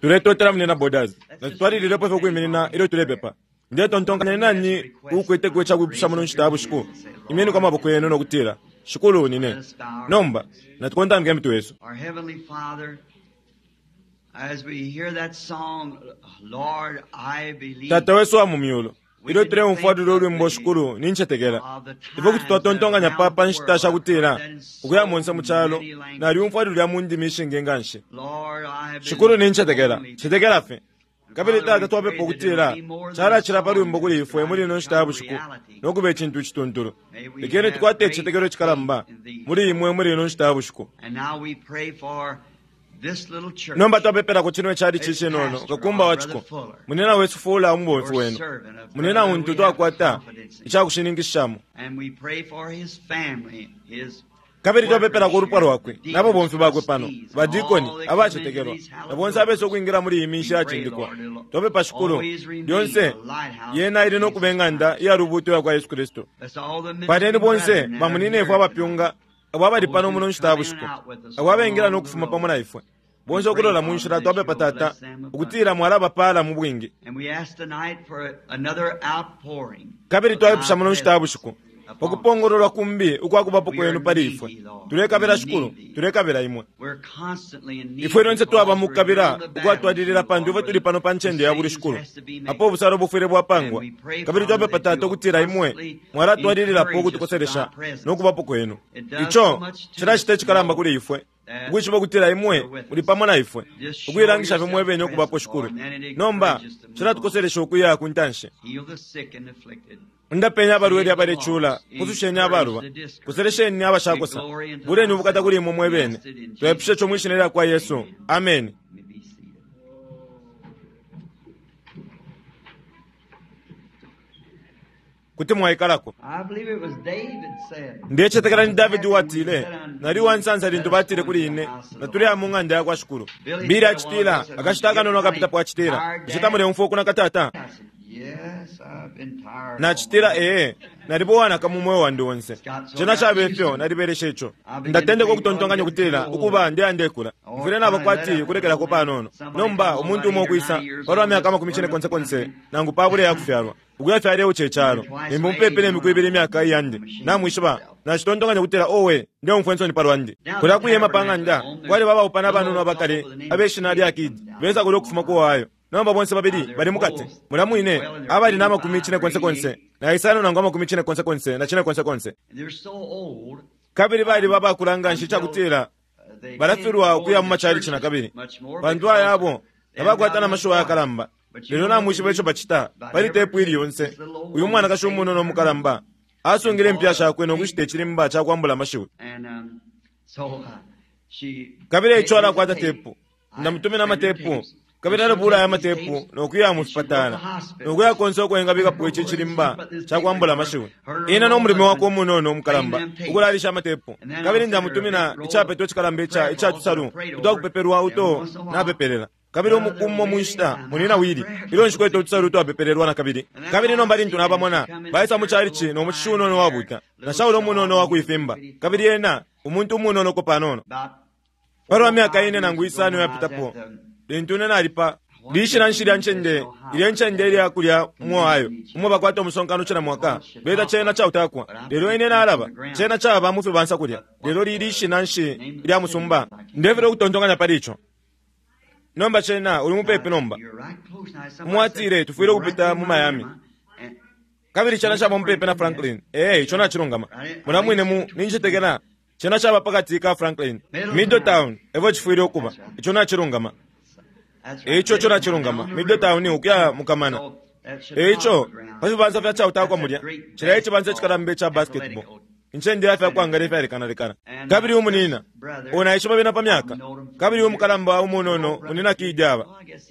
Tuletotela Munyina Borders. Natutwalililepo fye ukwiminina ilyo tulepepa. Ndetontonkanya ni nani uukweteko icakwipusha muno nshita ya bushiku? Imyeniko amaboko yenu no kutila, Shikulu, nine. Nomba, natukontamike imitwe yesu. Our Heavenly Father, as we hear that song, Lord, I believe. Tata wesu wa mu myulu, ilyo tuleumfwa lulyo ulwimbo Shikulu, nincetekela. Ifwe kuti twatontonkanya pa, pa nshita sha kutila, ukuya monse mu calo, nalyumfwa lulya mu ndimi ishingi nganshi. Lord, I believe. Shikulu, nincetekela. Cetekela fye. Kabili Tata twapepa ukutila calacila pa lwimbo kuli ifwe muli ino nshita ya bushiku no kuba icintu icituntulu. Lekeni tukwate icitetekelo icikalamba muli imwe muli ino nshita ya bushiku. And now we pray for this little church. Nomba twapepelako cino icalici icinono, kakumba wa ciko, munena wesu Fuller umubomfi wenu, munena untu twakwata icakushininkishishamo. And we pray for his family, his Kabili twapepelako ulupwa lwakwe n'ababomfi bakwe pano, badikoni, abacetekelwa, na bonse abesa ukwingila muli iyi minshi yacindikwa. Twapepa Shikulu, lyonse yena ili no kuba ing'anda iya lubuuto iya kwa Yesu Kristu. That's all the Paleni ministering bonse brethren that are bamuninefwe here abapyunga abo abali pano muno nshita ya bushiku, abo abengila no kufuma pamo na ifwe. Bonse ukulola mu nshila twapepa Tata ukutila mwalabapaala mu bwingi. And we ask tonight for another outpouring. Kabili twaipusha muno nshita ya bushiku pa kupongololwa kumbi ukwakubapo kwenu pali ifwe. Tulekabila Shikulu, tulekabila imwe. We're constantly in need. Ifwe lyonse twaba mu because kukabila we're in the ukwatwalilila pantu ifwe tuli pano pa ncende ya buli Shikulu, apo ubusalo bufwile bwapangwa. Kabili twapepa Tata ukutila imwe mwalatwalililapo ukutukoselesha no kubapo kwenu. Ico cilacita icikalamba kuli ifwe ukwishiba ukutila imwe muli pamo na ifwe, ukuilangisha fye mwebene ukubapo Shikulu. Nomba cilatukoselesha ukuya ku ntanshi. Heal the sick and afflicted. Undapeni abalwele abalecula, pususheni abaluba, koselesheni abashakosa, buleni ubukata kuli imwe mwebene. Twepushe co mwi shina lya kwa Yesu. Ameni. You may be seated. Kuti mwaikalako. I believe it was David said. Ndecetekela ni Davidi uwatile, nali uwansansa lintu batile kuli ine, natuleya mu ng'anda ya kwa Shikulu. Bili acitila, akashita akanono akapitapo acitila, bushe tamuleumfwa ukunaka tata? I said, Yes, I've been tired. Nacitila ee, naliba uwanaka mu mweo wandi onse. Cena cabe ifyo nalibelesha ico. Ndatendeka ukutontonkanya ukutila ukuba ndeya ndekula. Mfwile naba kwati kulekelako panono. Nomba umuntu umo ukwisa palwa myaka 40 nangu pabula ya kufyalwa. Ukuya fye aleuca icalo. Limbi mupepi ne miku ibili imyaka iyandi. Namwishiba, nacitontonkanya ukutila owe, ndeumfwa insoni palwandi. Kulya kuyema pa ng'anda, kwaliba abaupana abanono abakale, abeshina lya Kidi, besa kulya ukufuma ku Ohio. Nomba bonse babili bali mukati. Mulya mwine, abali na 48 na isano nangu 48 na 4. And they're so old. Kabili baliba abakula nganshi icakutila They balafilwa can't go ukuya mu in the macalici na churches kabili. much more Pantu because ayabo they tabakwata haven't na got mashuwa enough yakalamba. But you Lelo know what namwishiba they ico do? bacita By pali every tepu ili yonse. this little old Uyu woman mwanakashi saved umunono her umukalamba asungile impya shakwe no kushita icilimba ca kwambula amashiwi. And so she Kabili take ico his alakwata tape. tepu. I Ndamutumina send her amatepu. tapes. Kabili And she'll alabula aya take these matepu tapes no kuya mu and she'll go to fipatala. the hospital. No kuya konse uko engabikapo ici cilimba ca kwambula amashiwi. Ine no mulimo wakwe umunono umukalamba ukulalisha amatepu. Kabili ndamutumina icapetwa icikalamba ica ica tusalu utwakupepelwa uto napepelela. Kabili umukumo mu nshita munina wili ilyo nshikwete utusalu utwapepelelwa na kabili. Kabili nomba lintu nabamona baisa mu calici no mushishi unono wabuta na Shaulo umunono wakuifimba. Kabili ena umuntu umunono ko panono. About Palwa myaka ine nangu isano yapitapo, lintu ine nalipa lishina nshi lya ncende ilya ncende ilya kulya mu Ohio umo bakwata umusonkano cila mwaka beta cena cautakwa lelo ine nalaba cena caba mu fibansa kulya lelo lili ishina nshi ilya musumba ndefele ukutontonkanya pali ico. Nomba cena uli mupepi nomba. You're right close now. Somebody Mwatile said, tufwile "You're right ukupita through mu Miami. Miami." And Kabili cena caba mupepi na Franklin. Ee, ico nacilungama. Muna mwine mu nincetekela cena caba pakati ka Franklin. Middletown evo cifwile ukuba. Ico nacilungama. that's right. Ico co nacilungama. Down the river. Middletown ukuya mukamana. So that Eico Chicago ground. pa fibansa fya cautakwa That's mulya that great cilya icibansa basketball icikalamba ica basketball athletical. incende ya fyakwangala ifyalekanalekana. Kabili umunina ona ishiba bena pa myaka. Kabili umukalamba umunono munina Kidi aba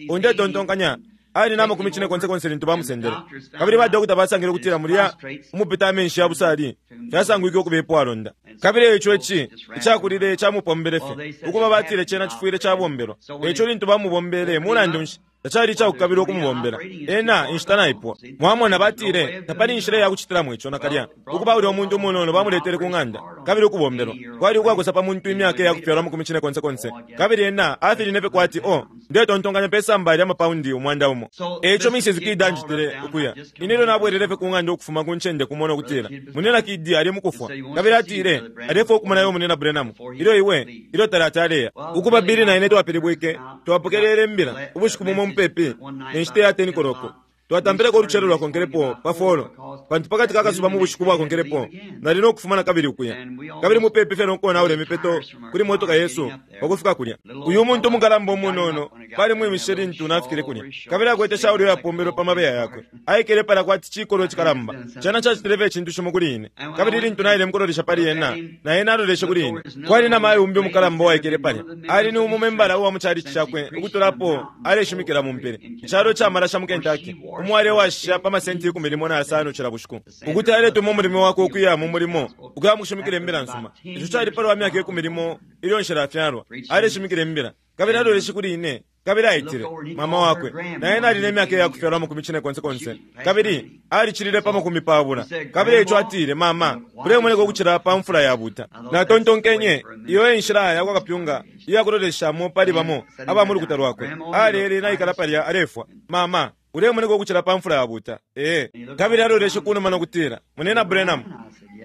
undetontonkanya ali na 40 lintu bamusendele. Kabili badokota basangile ukutila mulya umupita amenshi ya busali fyasangwike ukuba ipwalonda. Kabili ico ici icakulile camupombele fye ukuba batile cena cifwile cabombelwa. Eico lintu bamubombele mulandu nshi Tacali icakukabilwa ukumubombela ena, inshita naipwa. Mwamona, batile tapali inshila iya kucitilamo ico nakalya. Ukuba ulya umuntu umunono bamuletele ku ng'anda kabili ukubombelwa kwali ukwakosa pa muntu imyaka iya kufyalwa amakumi cine konse konse, kabili ena afiline fye kwati, oh, ndetontonkanya pe samba lya mapaundi 100. Eico Mrs. Kidd anjitile ukuya. Ine ilyo nabwelele fye ku ng'anda ukufuma ku ncende kumo no kutila, Munyina Kidd ali mukufwa, kabili atile alefwaya ukumona iwe, Munyina Branham, ilyo iwe, ilyo talati aleya. Ukuba Billy na ine twapilibwike, twapokelele imbila ubushiku bumo mupepi ne nshita ya 10 koloko. Twatampileko ulucelo lwakonkelepo pa folo, pantu pakati ka kasuba mu bushiku bwakonkelepo nali no kufuma na kabili ukuya. Kabili mupepi fye no konaula imipeto kuli motoka yesu pa kufika kulya. Uyu muntu umukalamba umunono balimwimishe lintu nafikile kulya, kabili akwete shauli iyapombelwe pa mabeya yakwe. Aikele palya kwati cikolwe cikalamba. Cena cacitile fye icintu cimo kuli ine. Kabili lintu naile mukulolesha pali ena, na ena aloleshe kuli ine. Kwali na mayo umbi umukalamba uwaikele palya. Ali ni umu membala uwa mu chalichi cakwe ukutula apo aleshimikila mu mpili, icalo ca malasha mu Kentucky, umo alewasha pa masenti 15 cila bushiku, ukuti aletuma umulimo wakwe ukuya mu mulimo ukuya mu kushimikila imbila nsuma. Ico cali palwa myaka 10 ilyo nshilafyalwa. Aleshimikila imbila, kabili aloleshe kuli ine, kabili aitile mama wakwe. Na ena ali ne myaka iya kufyalwa amakumi cine konse konse, kabili alicilile pa 20. Kabili eico atile, Mama, ulemoneka ukucila pa mfula yabuta. Natontonkenye, iyo e nshila ya kwa kapyunga iya kuloleshamo pali bamo aba mu lukuta lwakwe. Alele naikala palya alefwa. Mama, ulemoneka ukucila pa mfula yabuta. Ee. Kabili aloleshe kunuma no kutila, Munyina Branham.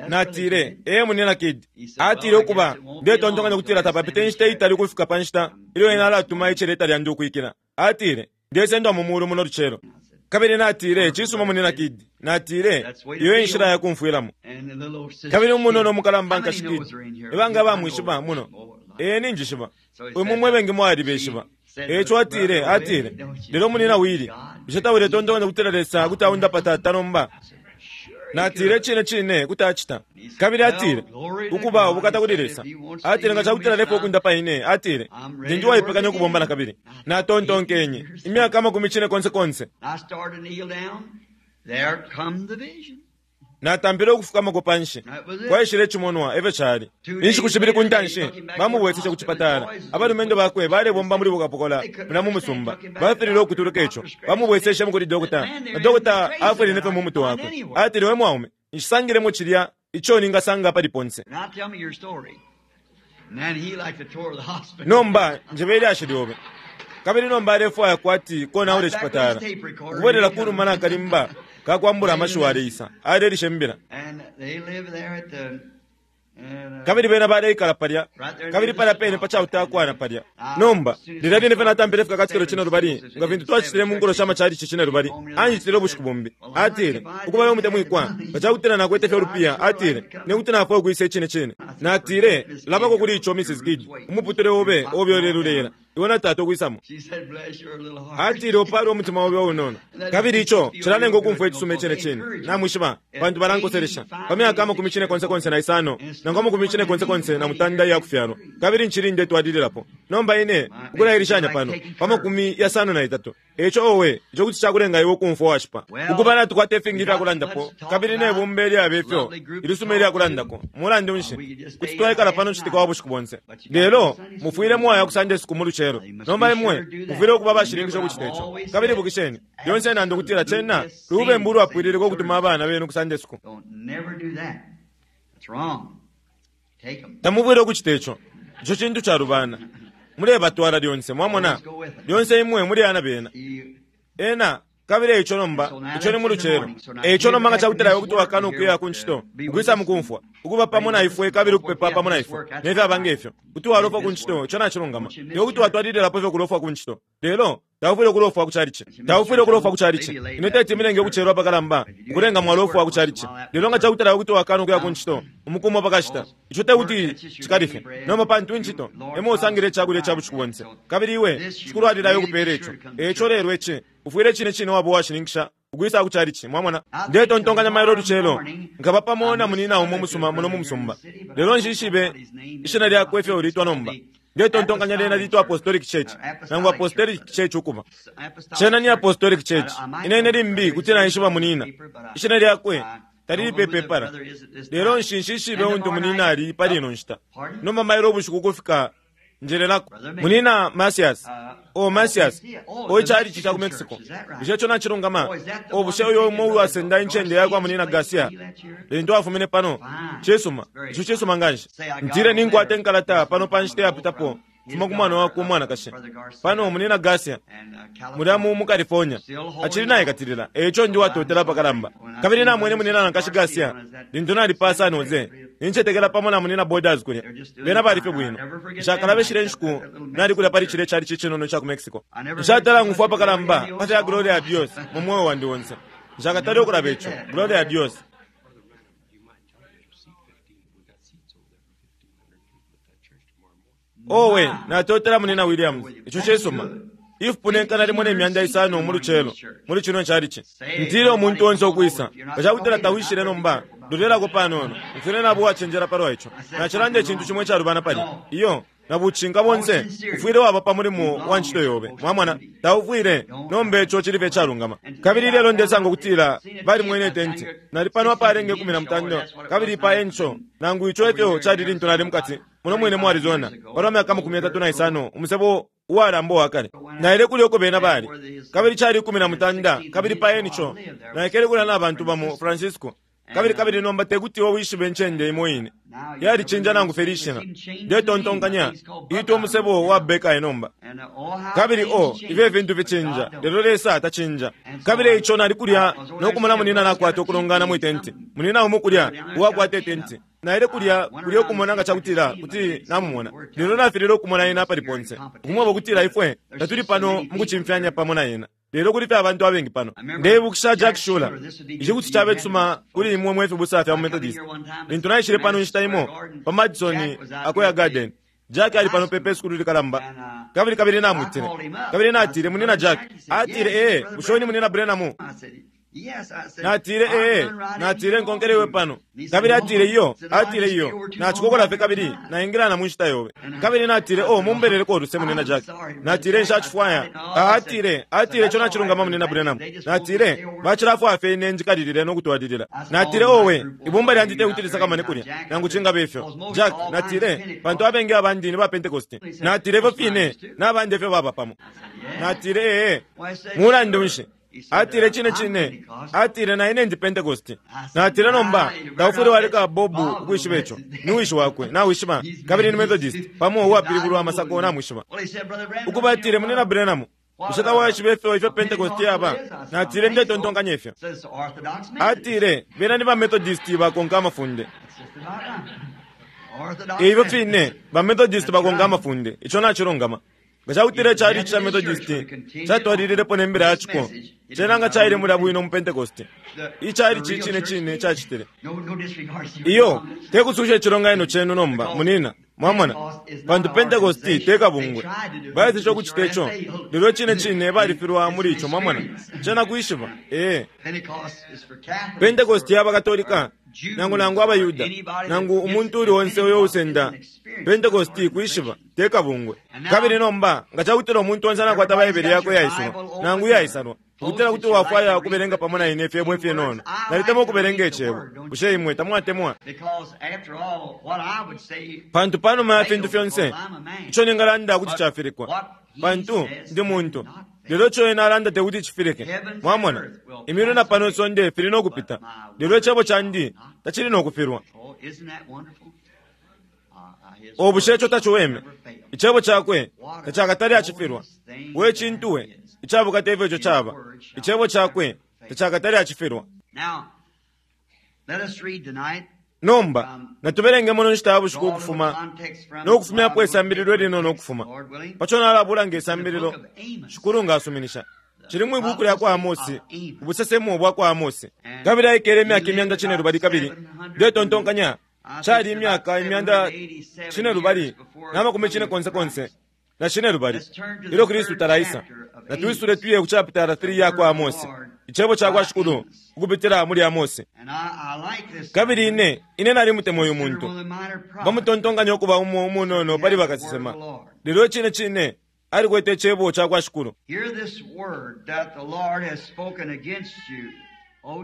Natile, Ee, Munyina Kidd. Atile, Ukuba, ndetontonkanya ukutila tapapite inshita itali ukufika pa nshita ilyo ena alatuma iceleta lyandi ukwikila. Atile, Ndesendwa mu mulu muno lucelo. Kabili natile, Cisuma, Munyina Kidd. Natile, Iyo e nshila ya kumfwilamo. Kabili umunono umukalamba nkashi Kidd, nibanga abamwishiba muno? Ee, ninjishiba. Imwe mwe bengi mwalibeshiba. Eico atile, atile, Lelo, Munyina Willie, bushe tauletontonkanya ukutila Lesa kuti aundapa tata nomba? Natile, Cine cine kuti acita. Kabili atile, Ukuba, ubukata kuli Lesa. Atile, Nga cakutila alefwaya ukundapa ine, atile, Ndi, ndi uwaipekanya ukubomba nakabili. Natontonkenye, Imyaka amakumi cine konse konse. Natampile ukufukamako panshi. Kwaishile icimonwa, efyo cali. Inshiku shibili ku ntanshi, bamubweseshe ku cipatala. Abalumendo bakwe balebomba muli bukapokola mulya mu musumba. Bafililwe ukutuluka ico. Bamubweseshemo kuli dokota, na dokota afwiline fye mu mutwe wakwe. Atile, We mwaume, nshisangilemo cilya ico ningasanga apali ponse. Nomba njebe ilyashi lyobe. Kabili nomba alefwaya kwati konaula icipatala. Ukubwelela ku numa na kalimba ka kwambula amashiwi aleisa, alelisha imbila. Kabili bena baleikala palya, kabili palya pene pa cautakwana palya. Nomba, lilya line fye natampile Ifikakatikilo Cinelubali, nga fintu twacitile mu nkulo sha machalichi cinelubali, anjitile ubushiku bumbi. Atile, Ukuba we mutemwikwa, nga cakutila nakwete fye ulupiya, atile, Ine kuti nafwaya ukwisa icine cine. Natile, Labako kuli ico, Mrs. Kidd. Umuputule obe, obe ulelulela. Iwe na tata ukwisamo. Atile, Upalwe umutima obe unono. Kabili ico cilanenga ukumfwa icisuma icine cine, namwishiba, pantu balankoselesha. Pa myaka amakumi cine konse konse na isano, nangu amakumi cine konse konse na mutanda iya kufyalwa, kabili ncili ndetwalililapo. Nomba ine, ukulailishanya pano, pa 53. Eico, owe, ico kuti cakulenga iwe ukumfwa uwashipa. Ukuba natukwata ifingi ifya kulandapo, kabili ne bumba ilyaba ifyo, ilisuma ilya kulandako. Mulandu nshi, kuti twaikala pano citika wa bushiku bonse. Lelo, mufwile mwaya ku Sunday school mu lucelo. Nomba imwe mufwile ukuba abashininkisha ukucita ico. Kabili ibukisheni, lyonse nanda ukutila cena lubembu ulwapwililika ukutuma abana benu ku Sunday school. Tamufwile ukucita ico. Ico cintu calubana. Mulebatwala lyonse, mwamona. Lyonse imwe muli ana bena. Ena, kabili eico nomba, ico ni mu lucelo. Eico nomba nga cakutila iwe kuti wakana ukuya ku ncito, ukwisa mukumfwa, ukuba pamo na ifwe kabili ukupepa pamo na ifwe, ne fyaba nge fyo, kuti walofwa ku ncito, ico nacilungama. Iwe kuti watwalililapo fye ukulofwa ku ncito. Lelo, taufwile ukulofwa ku chalichi. Taufwile ukulofwa ku chalichi. Ine teti milenge ukucelwa apakalamba, ukulenga mwalofwa ku chalichi. Lelo nga cakutila iwe kuti wakana ukuya ku ncito, umuku umo pakashita, ico tekuti cikalifye. Nomba pantu incito, emo usangile icakulya ica bushiku bonse. Kabili iwe, Shikulu alilaya ukupeela ico. Eico lelo ici, ufwile icine cine waba uwashininkisha ukwisa ku chalichi. Mwamona? Ndetontonkanya mailo ulucelo, nkaba pamo na munina umo umusuma muno mu musumba. Lelo nshishibe ishina lyakwe ifyo litwa nomba. Ndetontonkanya lyena litwa Apostolic Church, nangu Apostolic Church ukuba. Cena ni Apostolic Church. Ine, ine limbi kuti naishiba munina. Ishina lyakwe talili pe pepala. Lelo nshi, nshishibe untu munina ali pali ino nshita. Nomba mailo ubushiku ukufika Njelelako. Munina Masias. O Masias. O icalici ca ku Mexico. Bushe ico nacilungama? O bushe uyo umo uwasenda incende yakwa Munina Garcia lintu afumine pano? Cisuma. Ico cisuma nganshi. Ntile ninkwata inkalata pano pa nshita yapitapo kufuma ku mwana wakwe umwanakashi. Pano Munina Garcia mulya mu California acili naikatilila, eico ndi uwatotela apakalamba. Kabili namwene Munina na Nkashi Garcia lintu nali pa San Jose, nincetekela pamo na Munina Borders kulya. Bena bali fye bwino. Nshakalabe shilya nshiku nali kulya pali cilya calici icinono ica ku Mexico. Nshatala ng'umfwa apakalamba pa fya Gloria a Dios mu mweo wandi onse. Nshakatale ukulaba ico. Gloria a Dios. Owe, natotela Munina Williams. Ico cisuma. Ifipunenkana limo ne myanda isano mu lucelo muli cino calici. Ntile umuntu onse ukwisa. Nga ca kutila tawishile nomba, lolelako panono. Mfwile naba uwacenjela palwa ico. Nacilanda icintu cimo icalubana palya. Iyo, na bucinka bonse ufwile waba pa mulimo wa ncito yobe. Mwamona? Taufwile. Nomba ico cili fye icalungama. Kabili ilelo ndesanga ukutila balimwene itenti. Nali pano apalenga 15 kabili pa enco, nangu ico efyo cali lintu nali mukati muno mwine mu Arizona palwa myaka 35, umusebo uwalamba uwa kale. Naile kulya uko bena bali, kabili cali 16 kabili pa enco naikele kulya na bantu bamo Francisco. Kabili kabili nomba tekuti iwe wishibe incende imo ine yalicinja nangu fye lishina. Ndetontonkanya itwa umusebo wa Buckeye nomba. Kabili o ifyo ifintu ficinja, lelo Lesa tacinja. Kabili eico nali kulya no kumona munina nakwata ukulongana mwi tenti, munina umo kulya uwakwata itenti. Naile kulya kulya ukumona nga cakutila kuti namumona, lelo nafilile ukumona ena apali ponse. Ukumweba ukutila ifwe tatuli pano mukucimfyanya pamo na ena, lelo kuli fye abantu abengi pano. Ndeibukisha Jack Shuler. Ici kuti cabe cisuma kuli imwe mwe fibusa fya mu Methodist. Lintu naishile pano inshita imo pa Madison Square Garden, Jack ali pano pepe sukulu likalamba. Kabili kabili namwitile. Kabili natile, Munina Jack. Atile, ee, bushe ni Munina Branham? Natile, ee, natile nkonkele iwe pano. Kabili atile, iyo, atile iyo, nacikokola fye kabili naingila na mu nshita yobe. Kabili natile, oh, mumbeleleko uluse Munina Jack. Natile, nshacifwaya. Atile, atile ico nacilungama Munina Branham. Natile, bacilafwaya fye ine njikalilile no kutwalilila. Natile, owe, ibumba lyandi te kuti lisakamane kulya, nangu cingaba ifyo. Jack, natile, pantu abengi abandi ni ba Pentecost. Natile, ifyo fine, nabandi efyo baba pamo. Natile, ee, mulandu nshi? Atile, cine cine. Atile, na ine ndi Pentecost. Natile, nomba taufwile waleka Bobu ukwishiba ico. Ni wishi wakwe, nawishiba, kabili ni Methodist pamo uwapilibulwa amasako, namwishiba. Ukuba atile, Munina Branham, bushe tawaishiba ifyo ifyo Pentecost yaba? Natile, ndetontonkanya ifyo. Atile, bena ni ba Methodist bakonka amafunde. Ifyo fine, ba Methodist bakonka amafunde. Ico nacilungama. Nga cakutila icalici ca Methodist catwalililepo ne mbila ya ciko, cena nga caile mulya bwino mu Pentecost. Icalici icine cine cacitile. Iyo, te kususha icilonganino cenu nomba, munina, mwamona, pantu Pentecost te kabungwe. Baeseshe ukucita ico, lelo icine cine balifilwa muli ico, mwamona. Cena kwishiba, ee. Pentecost yaba Katolika, nangu nangu abaYuda, nangu umuntu uli onse uyo usenda Pentecost kwishiba, te kabungwe. Kabili nomba, nga cakutila umuntu onse anakwata Baibele yakwe iyaisula, nangu iyaisalwa, ukutila kuti wafwaya ukubelenga pamo na ine ifyebo ifinono. Nalitemwa ukubelenga icebo. Bushe imwe tamwatemwa? Pantu panuma ya fintu fyonse, ico ningalanda kuti cafilikwa, pantu ndi muntu. Lelo ico ena alanda tekuti cifilike. Mwamona, imyulu na pano isonde fili no kupita, lelo icebo candi tacili no kufilwa. O bushe ico taciweme? Icebo cakwe tacakatale acifilwa. We cintu we, icabukata ifyo ico caba. Icebo cakwe tacakatale acifilwa. Nomba, natubelenge muno nshita ya bushiku ukufuma no kufumyapo isambililo ilinono ukufuma paco nalabula nge sambililo, Shikulu nga asuminisha. Cili mwi buku lya kwa Amosi, ubusesemo bwa kwa Amosi. Kabili aikele imyaka imyanda cine lubali kabili ndetontonkanya cali imyaka imyanda cine lubali na makumi cine konse konse na cine lubali ilyo Kristu talaisa. Natwisule tuye ku chapitala 3 ya kwa Amosi, icebo ca kwa Shikulu ukupitila muli Amosi. Kabili ine ine nalimutemwa uyu muntu, bamutontonkanya ukuba umo umunono pali bakasesema, lelo cine cine alikwete icebo ca kwa Shikulu.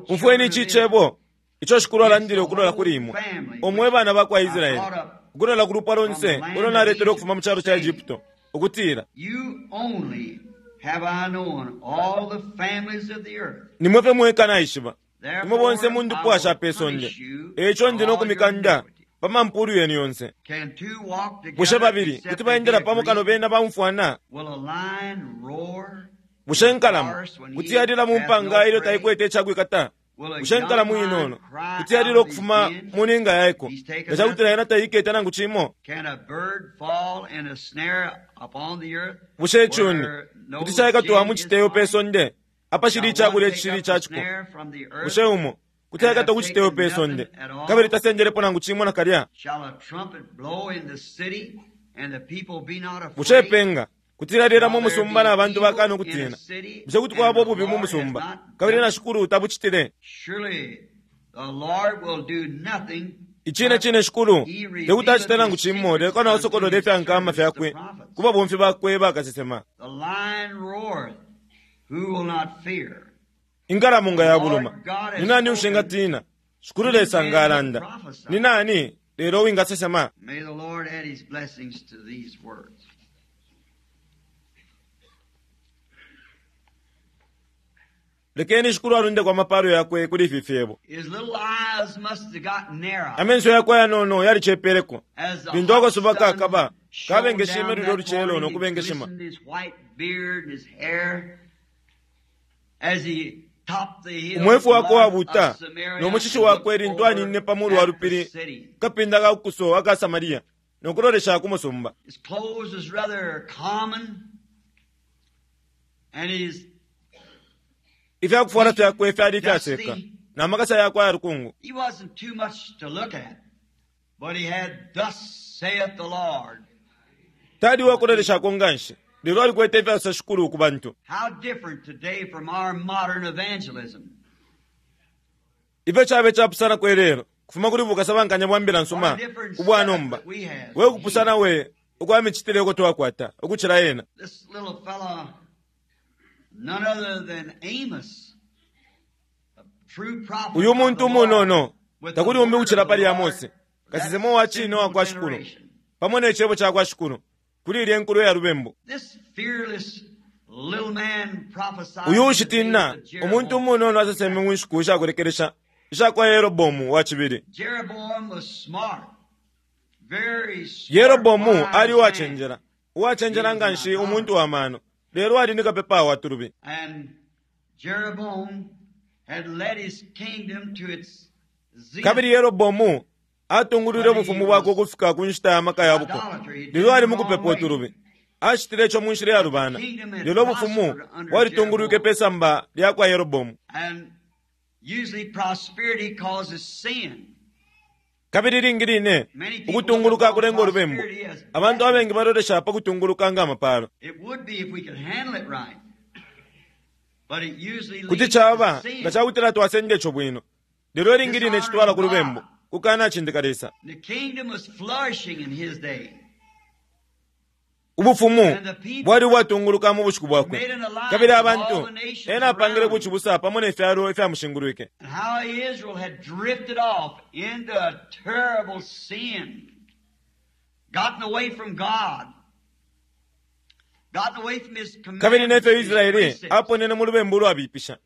Umfweni ici cebo ico Shikulu alandile ukulola kuli imwe, omwe bana ba kwa Israeli, Ukulola ku lupwa lonse ulo naletele ukufuma mu calo ca Egypto, ukutila, Nimwe fye mweka naishiba, imwe bonse mu ndupwa sha pe sonde, e ico ndi no kumikanda pa mampulu yenu yonse. Bushe babili kuti baendela pamo kano bena baumfwana? Bushe inkalamo kuti yalila mu mpanga ilyo taikwete icakwikata? Bushe inkalamo inono kuti yalila ukufuma mu ninga yaiko nga ca kutila yena taikete nangu cimo? Bushe icuni kuti caikatwa mu citeyo pe sonde apashili icakulya icishili ica ciko? Bushe umo kuti aikatwa ku citeyo pe sonde kabili tasendelepo nangu cimo nakalya? Bushe ipenga kuti lyalila mu musumba na bantu bakana ukutina? Bushe kuti kwaba ububi mu musumba kabili na Shikulu tabucitile? Icine cine Shikulu tekuti acite nangu cimo lelo kano asokolole ifya nkama fyakwe ku babomfi bakwe bakasesema. Inkalamo nga yabuluma, ni nani ushingatina? Shikulu Lesa nga alanda, ni nani lelo uwingasesema? Lekeni Shikulu alundeko amapalo yakwe kuli ifi fyebo. Amenso yakwe ayanono yalicepeleko lintu akasuba kakaba kabengeshime lulyo lucelo no kubengeshima. Umwefu wakwe uwabuuta no mushishi wakwe lintu aninine pa mulu wa lupili ku kapinda ka kuso aka Samaria no kulolesha ku musumba. Ifya kufwala fyakwe fyali ifyaseka, na makasa yakwe aya lukungu. Tali uwa kuloleshako nga nshi, lelo alikwete ifyasosa Shikulu ku bantu. Ifyo cabe capusanako ilelo kufuma kuli bukasabankanya bwa mbila nsuma ubwa nomba! We kupusana we ukwa micitile uko twakwata ukucila yena! Uyu muntu umunono takuli umbi ukucila pali Amose, kasesema uwa cine uwa kwa Shikulu, pamo ne Cebo ca kwa Shikulu, kuli ilye nkulo ya lubembu. Uyu uushitina, umuntu umunono aseseme mu nshiku isha kulekelesha isha kwa Yeroboamu wa cibili. Yeroboamu ali uwacenjela, uwacenjela nga nshi, umuntu wa mano, lelo ali ni kapepa wa tulubi. Kabili Yeroboamu atungulwile ubufumu bwakwe ukufika ku nshita ya maka ya buko, lelo ali mu kupepa utulubi. Acitile ico mu nshila iyalubana, lelo ubufumu bwalitungulwike pe samba lya kwa Yeroboamu. Kabili ilingi line ukutunguluka kulenga ulubembu. Abantu abengi balolesha pa kutunguluka nga amapaalo. Kuti caba nga ca kutila twasenda ico bwino, lelo ilingi line citwala ku lubembu, kukanacindika Lesa. Ubufumu bwali ubwatunguluka mu bushiku bwakwe, kabili abantu ena apangile bucibusa pamo ne fyalo ifyamushingulwike. Kabili ne fyo Israele aponene mu lubembu ulwabipisha,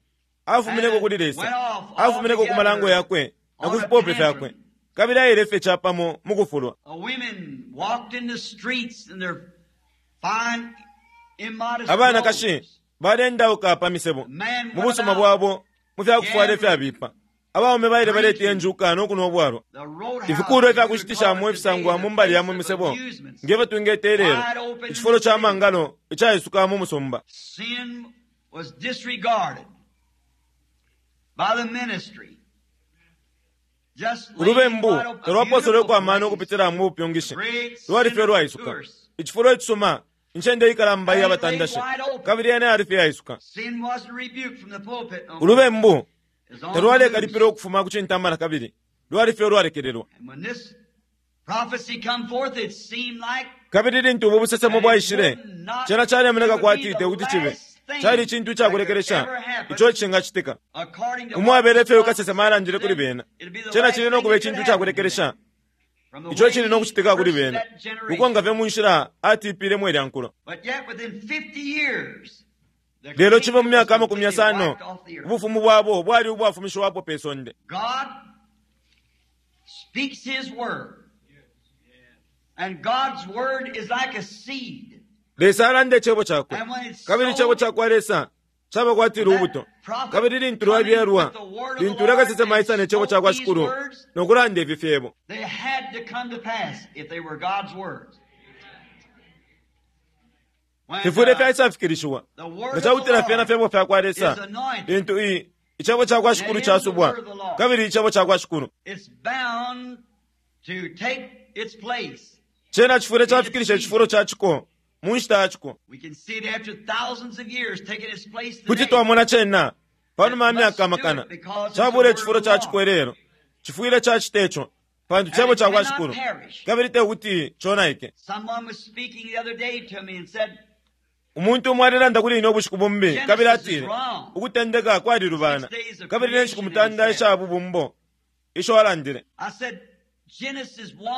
afumineko kuli Lesa, afumineko ku malango yakwe na ku fipope fyakwe, kabili aile fye capamo mu kufulwa. Abanakashi baleendauka pa misebo mu busuma bwabo mu fya kufwala ifyabipa. Abaume baile baletiya injuka no kunwa ubwalwa. Ifikuulwa ifya kushitishamo ifisangwa mu mbali ya mu misebo nge fyo twingeta ilelo, icifulo ca mangalo icaisuka mu musumba. Ulubembu talwapooselweko amano ukupitila mu bupyungishi, lwali fye ulwaisuka. Icifulo icisuma, incende ikalamba iya batandashi, kabili yena yali fye iyaisuka. Ulubembu talwalekalipila ukufuma ku cintamba na kabili, lwali fye ulwalekelelwa. Kabili lintu ubu busesemo bwaishile, cena calemoneka kwati te kuti cibe cali icintu icakulekelesha ico icingacitika. Umwabele ifyo kasesema alandile kuli bena, cena cili no kuba icintu icakulekelesha. Ico cili no kucitika kuli bena, kukonka fye mu nshila atipilemo ilya nkulo. Lelo cibe mu myaka 50, ubufumu bwabo bwali ubwafumishiwapo pe sonde. Lesa alanda icebo cakwe, kabili icebo cakwa Lesa caba kwati lubuto. Kabili lintu lwabyalwa, lintu ulya kasesema aisa ne cebo cakwa Shikulu no kulanda ifi fyebo, fifwile fyaisafikilishiwa nga cakutila fyena fyebo fyakwa Lesa, lintu icebo cakwa Shikulu casubwa, kabili icebo cakwa Shikulu cena cifwile cafikilisha icifulo ca ciko mu nshita ya ciko. Kuti twamona cena panuma ya myaka amakana cabula icifulo ca ciko ilelo. Cifwile cacita ico pantu cebo cakwa Shikulu, kabili te kuti conaike. Umuntu umo alelanda kuli ine ubushiku bumbi, kabili atile ukutendeka kwalilubana, kabili ne nshiku 9 isha bubumbo isho alandile.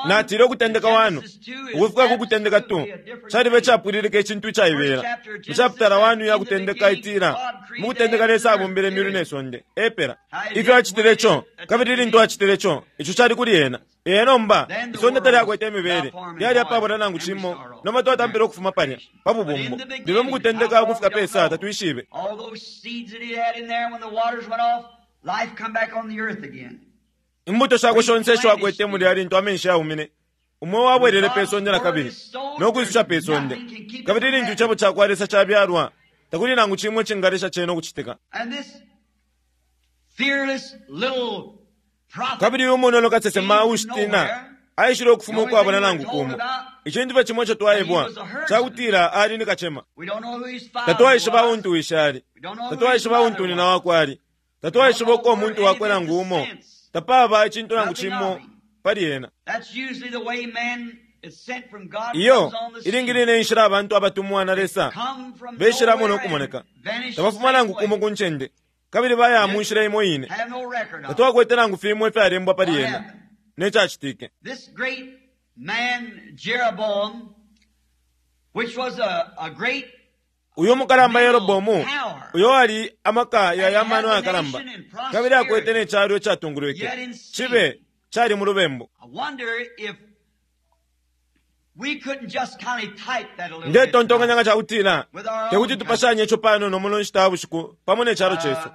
Natile ukutendeka 1 ukufika ku kutendeka 2 caliba icapwililika icintu icaibela. Mu chapitala 1 ya kutendeka itila, mu kutendeka Lesa abumbile imyulu ne sonde. Epela ifyo acitile ico, kabili lintu acitile ico, ico cali kuli ena. Ee, nomba isonde talyakwete imibele, lyali apabula nangu cimo. Nomba twatampile ukufuma palya pa bubumbo, lelo mu kutendeka ukufika pe sa tatwishibe. Imbuto shakwe shonse isho akwete mulya lintu amenshi yaumine, umweo wabwelele pe sonde na kabili no kwisusha pe sonde. Kabili lintu icebo cakwa Lesa cabyalwa, takuli nangu cimo icingalesha cena ukucitika. Kabili uyu munono kasesema uushitina aishile ukufuma ukwabula nangu kumo. Icintu fye cimo ico twaebwa cakutila ali ni kacema. Tatwaishiba untu wishi ali, tatwaishiba untu nyina wakwe ali, tatwaishiba uko umuntu wakwe nangu umo. Tapaba icintu nangu cimo pali ena. Iyo ilingi line inshila abantu abatumwa na Lesa beshilamo no kumoneka, tabafuma nangu kumo ku ncende, kabili baya mu nshila imo ine. Tatwakwete nangu fimo ifyalembwa pali ena ne cacitike. Uyu mukalamba Yerobomu, uyo ali amaka ya mano ayakalamba, kabili akwete ne calo icatungulwike, cibe cali mu lubembu. Ndetontonkanya nga cakutila tekuti tupashanye ico panono muno nshita ya bushiku pamo ne calo cesu.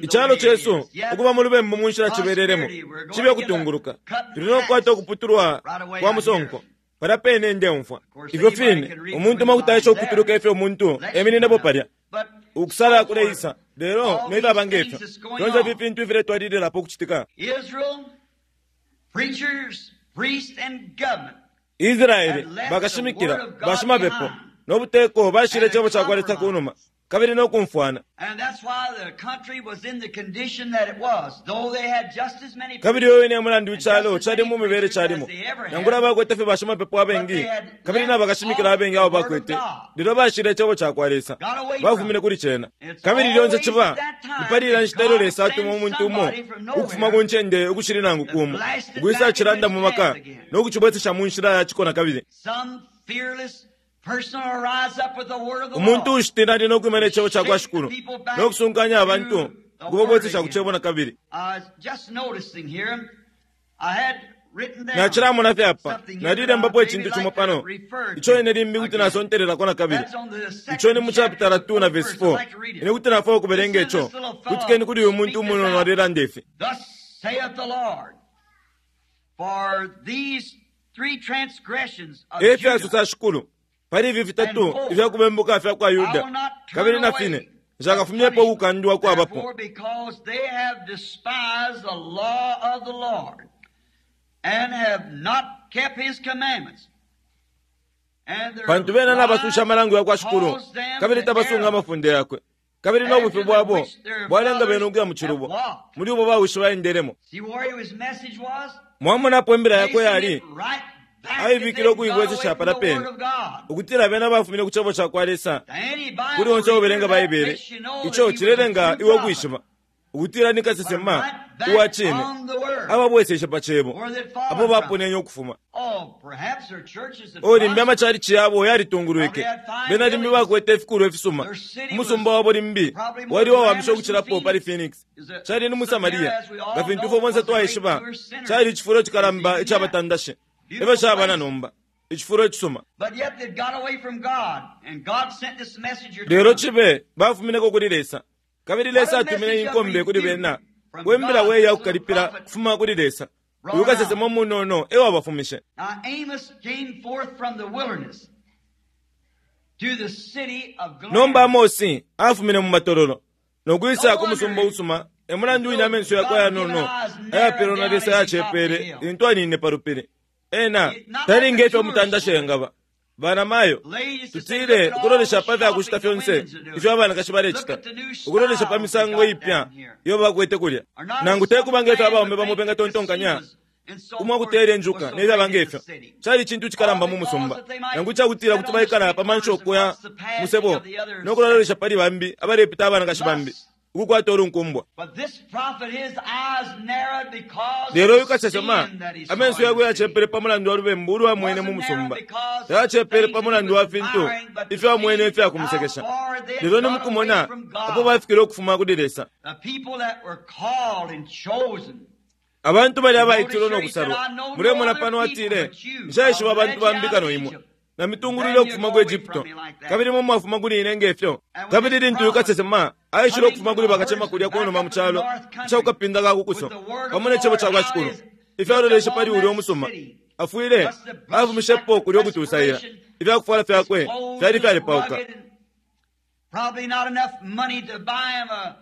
Icalo cesu ukuba mu lubembu mu nshila cibelelemo, cibe kutunguluka. Tuli no kukwata ukuputulwa kwa musonko palya pene ndeumfwa. Ifyo fine umuntu umo kuti aesha ukutuluka ifyo umuntu emininepo palya, ukusala kuleisa, lelo nefyaba ngefyo fyonse ifi fintu ifiletwalililapo ukucitika. Israele bakashimikila, bashimapepo no buteko bashile icebo cakwa Lesa kunuma, kabili no kumfwana. Kabili uyo wine mulandu icalo cali mu mibele calimo, nangula bakwete fye bashimapepo abengi kabili na bakashimikila abengi abo bakwete, lelo bashile icebo cakwa Lesa, bafumine kuli cena. Kabili lyonse ciba ni pali ilya nshita ilyo Lesa atuma umuntu umo ukufuma ku ncende ukushili nangu kumo, ukwisa cilanda mu maka no kucibwesesha mu nshila ya ciko na kabili. Umuntu uushitina ali no kwima ne cebo cakwa Shikulu no kusunkanya abantu ukubabwesesha ku cebo na kabili. Nacilamona fye apa, nalilembapo icintu cimo pano ico ine limbi kuti nasontelelako na kabili. Ico ni mu chapitala 2 na verse 4. Ine kuti nafwaya ukubelenga ico. Kutikeni kuli uyu muntu umunono alelanda ifi. Efyasosa Shikulu, pali ifi fitatu ifya kubembuka fya kwa Yuda, kabili na fine nshakafumyepo ukukandwa kwabapo. Pantu bena nabasusha amalango ya kwa Shikulu, kabili tabasunga amafunde yakwe, kabili no bufi bwabo bwalenga bena ukuya mu cilubo, muli ubo bawishi baendelemo. Mwamonapo imbila yakwe yali aibikile ukuibwesesha palya pene, ukutila bena bafumine ku cebo cakwa Lesa. Kuli onse ubelenga Baibele, ico cilelenga iwe ukwishiba. Ukutila ni kasesema uwa cine, ababweseshe pa Cebo apo baponenye ukufuma. O, limbi amachalichi yabo yalitungulwike, bena limbi bakwete ifikulwa ifisuma. Umusumba wabo limbi wali wawamisha ukucilapo pali Phoenix. Cali ni mu Samaria, nga fintu ifwe bonse twaishiba, cali icifulo cikalamba ica batandashi. Efyo caba na nomba, icifulo icisuma. Lelo cibe bafumineko kuli Lesa, kabili Lesa atumine inkombe kuli bena, wembila weya kukalipila kufuma kuli Lesa. Uyu kasesema umunono e wabafumishe. Nomba Amosi afumine mu matololo no kwisa ku musumba usuma. E mulandu wine amenso yakwe ayanono ayapelwa na Lesa yacepele lintu anine pa lupili. Ena tali ngefyo umutandashi engaba. Banamayo, tutile ukulolesha pa fya kushita fyonse ifyo abanakashi balecita, ukulolesha pa misango ipya iyo bakwete kulya, nangu te kuba ngefyo abaume bamo bengatontonkanya, umwa kutela injuka ne fyaba ngefyo cali icintu cikalamba mu musumba, nangu icakutila kuti baikala pa manshoko ya musebo no kulalolesha pali bambi abalepita abanakashi bambi ukukwata ulunkumbwa. Lelo uyu kasesema amenso yakwe yacepele pa mulandu wa lubembu ulwamwene mu musumba, tayacepele pa mulandu wa fintu ifyo amwene ifya kumusekesha. Lelo ni mukumona apo bafikile ukufuma kuli Lesa. Abantu bali abaitilwe no kusalwa. Mulemona pano atile, nshaishiba abantu bambi kano imwe. Na mitungulwile ukufuma ku Egypto, kabili mwe mwafuma kuli ine ngefyo. Kabili lintu uyu kasesema aishile ukufuma kuli bakacema kulya kunuma mu calo ica kukapinda ka kukuso, pamo ne cebo ca kwa Shikulu, ifyo aloleshe pali ulya umusuma, afwile afumishepo kulya ukutusaila. Ifya kufwala fyakwe fyali fyalepauka,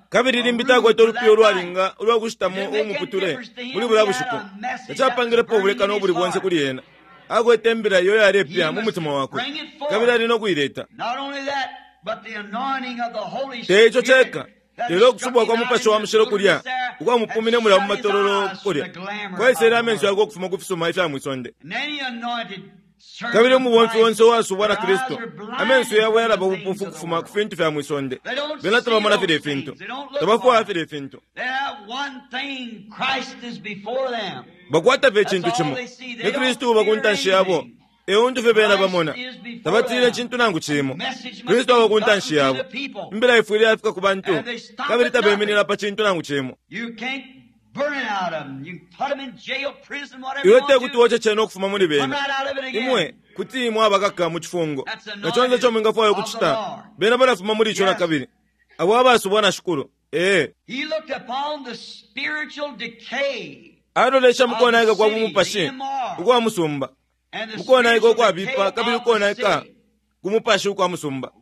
kabili limbi takwete ulupiya ulwalinga ulwa kushitamo umuputule muli bulya bushiku. Tacapangilepo ubulekano ubuli bonse kuli ena. Akwete imbila iyo yalepya mu mutima wakwe, kabili ali no kuileta. Te ico ceka, lelo ukusubwa kwa Mupashi wa Mushilo kulya ukwamupumine mulya mu matololo kulya kwaisele amenso yakwe ukufuma ku fisuma ifya mwisonde. Kabili umubomfi onse uwasubwa na Kristu, amenso yabo yalaba ubupofu kufuma ku fintu fya mwisonde. Bena tabamona filya ifintu, tabafwaya filya ifintu. Bakwata fye icintu cimo, ni Kristu uba ku ntanshi yabo. E untu fye bena bamona, tabatile icintu nangu cimo. Kristu aba ku ntanshi yabo. Imbila ifwile yafika ku bantu, kabili tabeminina pa cintu nangu cimo. Iwe te kuti woce cena ukufuma muli bena. Imwe kuti mwabakaka mu cifungo na conse ico mwingafwaya ukucita, bena balafuma muli ico na kabili. Abo abasubwa na Shikulu. Ee. Alolesha mukonaika kwa bumupashi ukwa musumba, mukonaika ukwabipa kabili ukonaika ku mupashi ukwa musumba.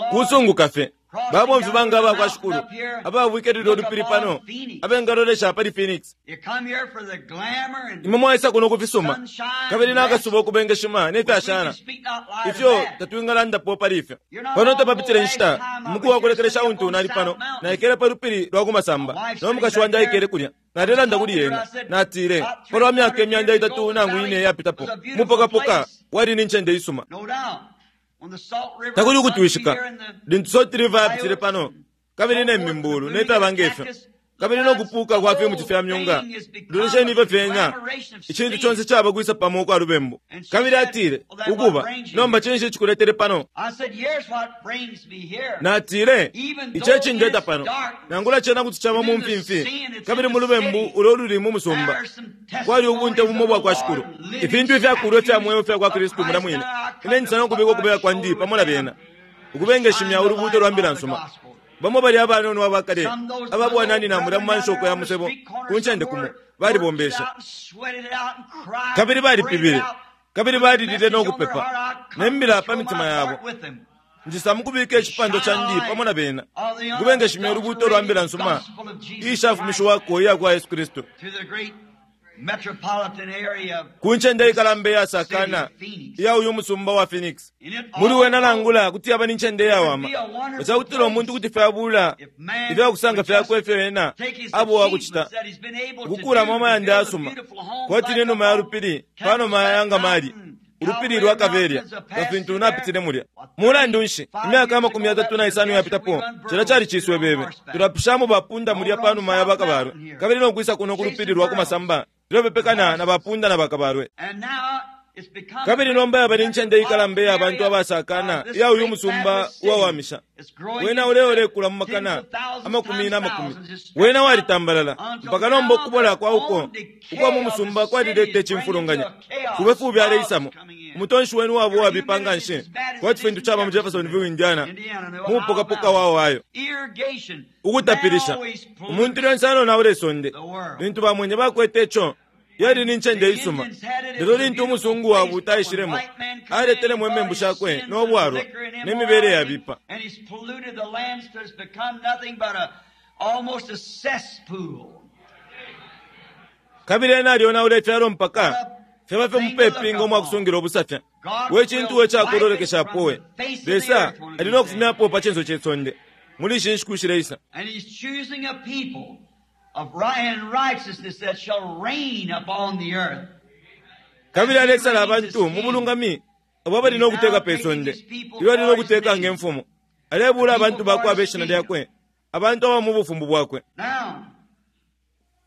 Kusunguka fye babomfi banga aba kwa Shikulu ababwikelile ulupili pano abengalolesha pali Phoenix. Imwe mwaisa kuno kufisuma kabili nakasuba ukubengeshima ne fyashana ifyo tatwingalandapo pali ifyo. Pano tapapitile nshita, umuku wa kulekelesha untu nali pano, naikele pa lupili lwa kumasamba no mukashi wandi aikele kulya. Nalelanda kuli ena, natile, palwa myaka 300 nangu 4 yapitapo, umupokapoka wali ni ncende isuma. Takuli ukutwishika lintu Salt River yapitile pano, kabili ne mimbulu ne fyaba ngefyo, kabili no kupuka kwa fimuti fya myunga, lolesheni ifyo fyena, icintu conse caba kwisa pamo ukwa lubembu. Kabili atile, ukuba, nomba cinshi cikuletele pano? Natile, ico ecindeta pano, nangula cena kuti caba mu mfimfi, kabili mu lubembu ulo luli mu musumba, kwali ubunte bumo bwa kwa Shikulu, ifintu ifyakulwa ifya mweo fya kwa Kristu mula mwine. Ine nsana ukubika ukubeka kwandi pamo na bena, ukubengeshimya ulubuuto lwa mbila nsuma. Bamo bali abanono abakale ababwananina mulya mu manshoko ya musebo ku ncende kumo, balibombesha kabili balipibile kabili balilile no kupepa ne mbila pa mitima yabo. Njisa mukubika icipando candi pamo na bena, ukubengeshimya ulubuuto lwa mbila nsuma iishafumishiwako iya kwa Yesu Kristu ku ncende ikalamba iyasakana iya uyu musumba wa Phoenix. Muli wena nangula kuti yaba ni ncende iyawama, ecakutila umuntu kuti fyabula ifyakusanga fyakwe ifyo ena abowa kucita, ukukulamo amayanda yasuma kwati ni numa ya lupili panuma ya ngamali. Ulupili lwa Kaveria, nga fintu napitile mulya. Mulandu nshi, imyaka 35 yapitapo, cilya cali ciswebebe. Tulapishamo bapunda mulya pa numa ya bakabalwe, kabili no kwisa kuno ku lupili lwa ku masamba, tulepepekana na bapunda na bakabalwe. Kabili nomba yaba ni ncende ikalamba iya bantu abasakana iya uyu musumba uwawamisha. Wena uleolekula mu makana amakumi na makumi. Wena walitambalala mpaka nomba ukubola kwa uko ukwa mu musumba kwalileta icimfulunganya. Fube fubi aleisamo. Umutonshi wenu wabo wabipa nga nshi, kwati fintu caba mu Jeffersonville, Indiana, mu mupokapoka wa Ohio. Ukutapilisha umuntu lyonse anonaula isonde. Lintu bamwenye bakwete ico, yali ni ncende isuma. Lelo lintu umusungu wabuuta aishilemo, aletelemo imembu shakwe no bwalwa ne mibele yabipa. Kabili ena alyonaula ifyalo mpaka fyaba fye mupepi ngo mwakusungila ubusafya. We cintu we cakulolekeshapo we! Lesa ali no kufumyapo pa cinso ce sonde muli ishi nshiku shileisa. Of shall reign upon the earth. Kabili alesala abantu mu bulungami abo abali no kuteka pe sonde, ilyo ali no kuteka nge mfumu. Alebuula abantu bakwe abe shina lyakwe, abantu aba mu bufumu bwakwe. Now,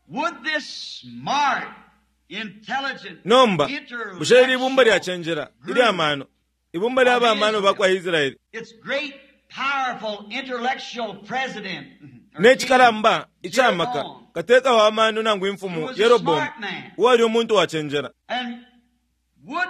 would this smart, intelligent, Nomba, bushe ili ibumba lyacenjela, ilya mano, ibumba lya bamano ba kwa Israeli, its great powerful intellectual president ne cikalamba icamaka kateka wa mano nangu imfumu Yeroboamu, uwali umuntu wacenjela. And would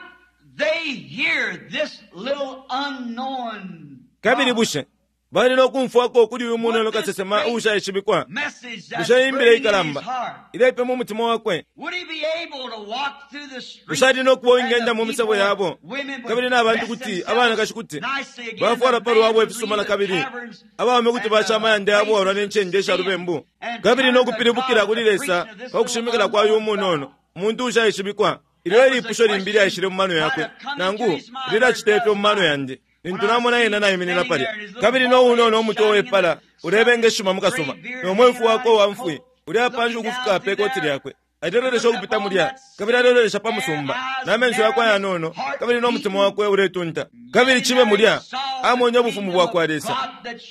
they hear this little unknown Kabili bushe bali no kumfwako kuli uyu munono kasesema uushaishibikwa? message that's Bushe imbila burning in his ikalamba heart? ilepe mu mutima wakwe? Would he be able to walk through the streets Bushe ali no kuba and uwingenda the mu misebo people, yabo, women would kabili n'abantu dress kuti themselves abanakashi kuti nicely again, bafwala the pa lwabo men would ifisuma leave na the kabili, taverns abaume kuti and basha the amayanda yabo places walwa ne ncende of sha sin lubembu, and kabili turn no to kupilibukila God kuli the Lesa preaching of this pa kushimikila little kwa uyu unknown munono, fellow. umuntu ushaishibikwa. Ilyo ilipusho limbi lyaishile mu mano yakwe, nangu lilacita ifyo mu mano yandi, lintu namona ena naiminina palya, kabili no unono umutwe wepala ulebengeshima mu kasuba, no mwefu wakwe uwa mfwi uleapanshi ukufika pe koti lyakwe. Alelolesha ukupita mulya, kabili alelolesha pa musumba, na menso yakwe ayanono, kabili no mutima wakwe uletunta. Kabili cibe mulya, amwenye ubufumu bwa kwa Lesa,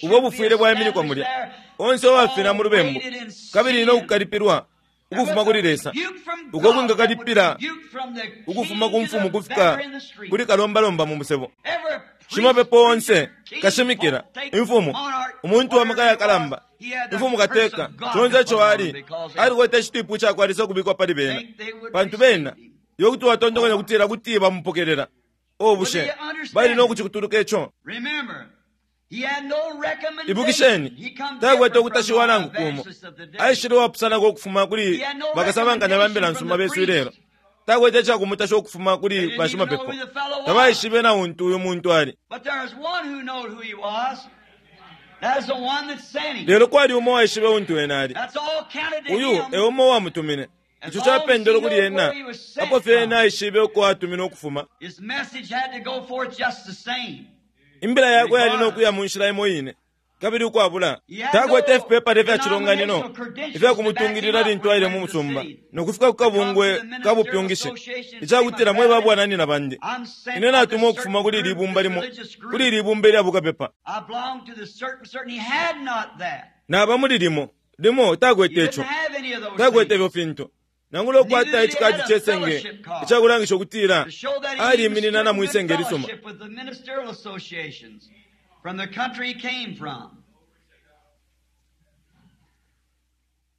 ubo bufwile bwaiminikwa mulya. Onse uwafina mu lubembu, kabili no kukalipilwa ukufuma kuli Lesa, uko kwingakalipila ukufuma ku mfumu kufika kuli kalombalomba mu musebo. Shimapepo onse, kashimikila, imfumu, umuntu wa maka yakalamba, imfumu kateka, conse ico ali, alikwete icitipu cakwa Lesa ukubikwa pali bena, pantu bena iyo kuti watontonkanya kutila kuti bamupokelela. O bushe bali no kucikutuluka ico? Remember, he had no recommendation. Ibukisheni, He come takwete different from ukutashiwa the nangu kumo. evangelists of the day. Aishile uwapusanako ukufuma kuli bakasabankanya ba mbila nsuma besu ilelo. Takwete icakumutasha ukufuma kuli bashimapepo. Tabaishibe na untu uyu muntu ali. But there is one who knowed who he was. That is the one that sent him. Lelo kwali umo uwaishibe untu ena ali. That's all counted to Uyu him. e umo uwamutumine. Ico capendele kuli ena, apo fye ena aishibe uko atumine ukufuma. His message had to go forth just the same. Imbila yakwe yali no kuya mu nshila imo ine, kabili ukwabula takwete ifipepala ifya cilonganino ifya kumutungilila lintu aile mu musumba no kufika ku kabungwe ka bupyungishi, icakutila mwe babwananina bandi, I'm sent ine of natumwa this ukufuma kuli certain ili group, ibumba this limo, religious group. kuli ili ibumba ilya bukapepa. I belong to this certain, certain. He had not that. Naba muli limo limo He takwete didn't ico, have any of those takwete things. ifyo fintu, nangula ukwata icikadi cesenge icakulangisha ukutila To show that he aliiminina na even mwi stood in senge good lisuma. fellowship with the ministerial associations from the country he came from.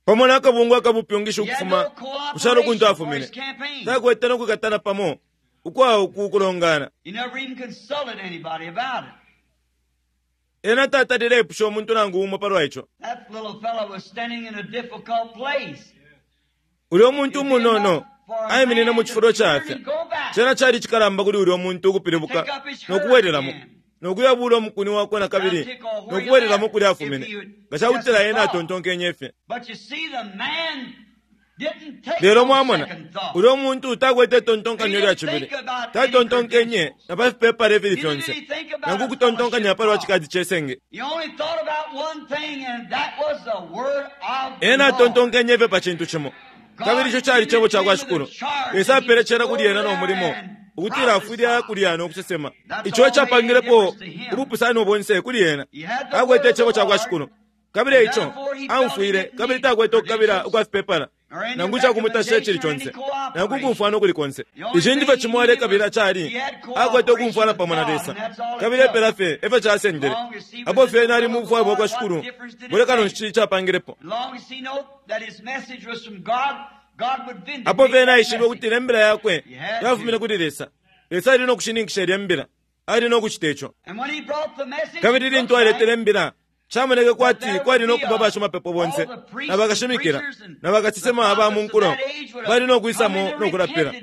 Pamo n'akabungwe akabupyungishi He had ukufuma no kushalo kuntu cooperation for afumine, his campaign. takwete no kwikatana pamo ukwawo ku kulongana. He never even consulted anybody about it. Ena tatalile epusha umuntu nangu umo palwa ico. That little fellow was standing in a difficult place. Ulya umuntu umunono aiminine mu cifulo cafya. Cena cali cikalamba kuli ulya muntu ukupilibuka no kubwelelamo, no kuyabuula umukuni wakwe na kabili no kubwelelamo kulya afumine, nga cakutila ena atontonkenye fye. But you see, the man didn't take Lelo no mwamona, second thought. ulya umuntu takwete itontonkanyo lya cibili, tatontonkenye na pa fipepala ifili fyonse, nangu kutontonkanya palwa cikadi cesenge. He only thought about one thing, and that was the word of the Ena Lord. atontonkenye fye pa cintu cimo, kabili ico cali cebo ca kwa Shikulu. Lesa apele cena kuli ena no mulimo Ukutila afwile aya kulya no kusesema. Ico ecapangilepo ubupusano bonse kuli ena. Akwete Icebo cakwa Shikulu. Kabili eico, aumfwile, kabili takwete ukukabila ukwa fipepala, nangu icakumutasha icili conse, nangu ukumfwana ukuli konse. Icintu fye cimo alekabila cali, akwete ukumfwana pamo na Lesa. Kabili epela fye efyo casendele. Apo fye ena ali mu bufwayo bwakwa Shikulu, bulekano nshi capangilepo. Apo fye ena aishibe ukutila imbila yakwe yafumine kuli Lesa, Lesa ali no kushininkisha ilya mbila. Ali no kucita ico. Kabili lintu aletele imbila, camoneke kwati kwali no kuba bashimapepo bonse na bakashimikila na bakasesema aba mu nkulo bali no kwisamo no kulapila.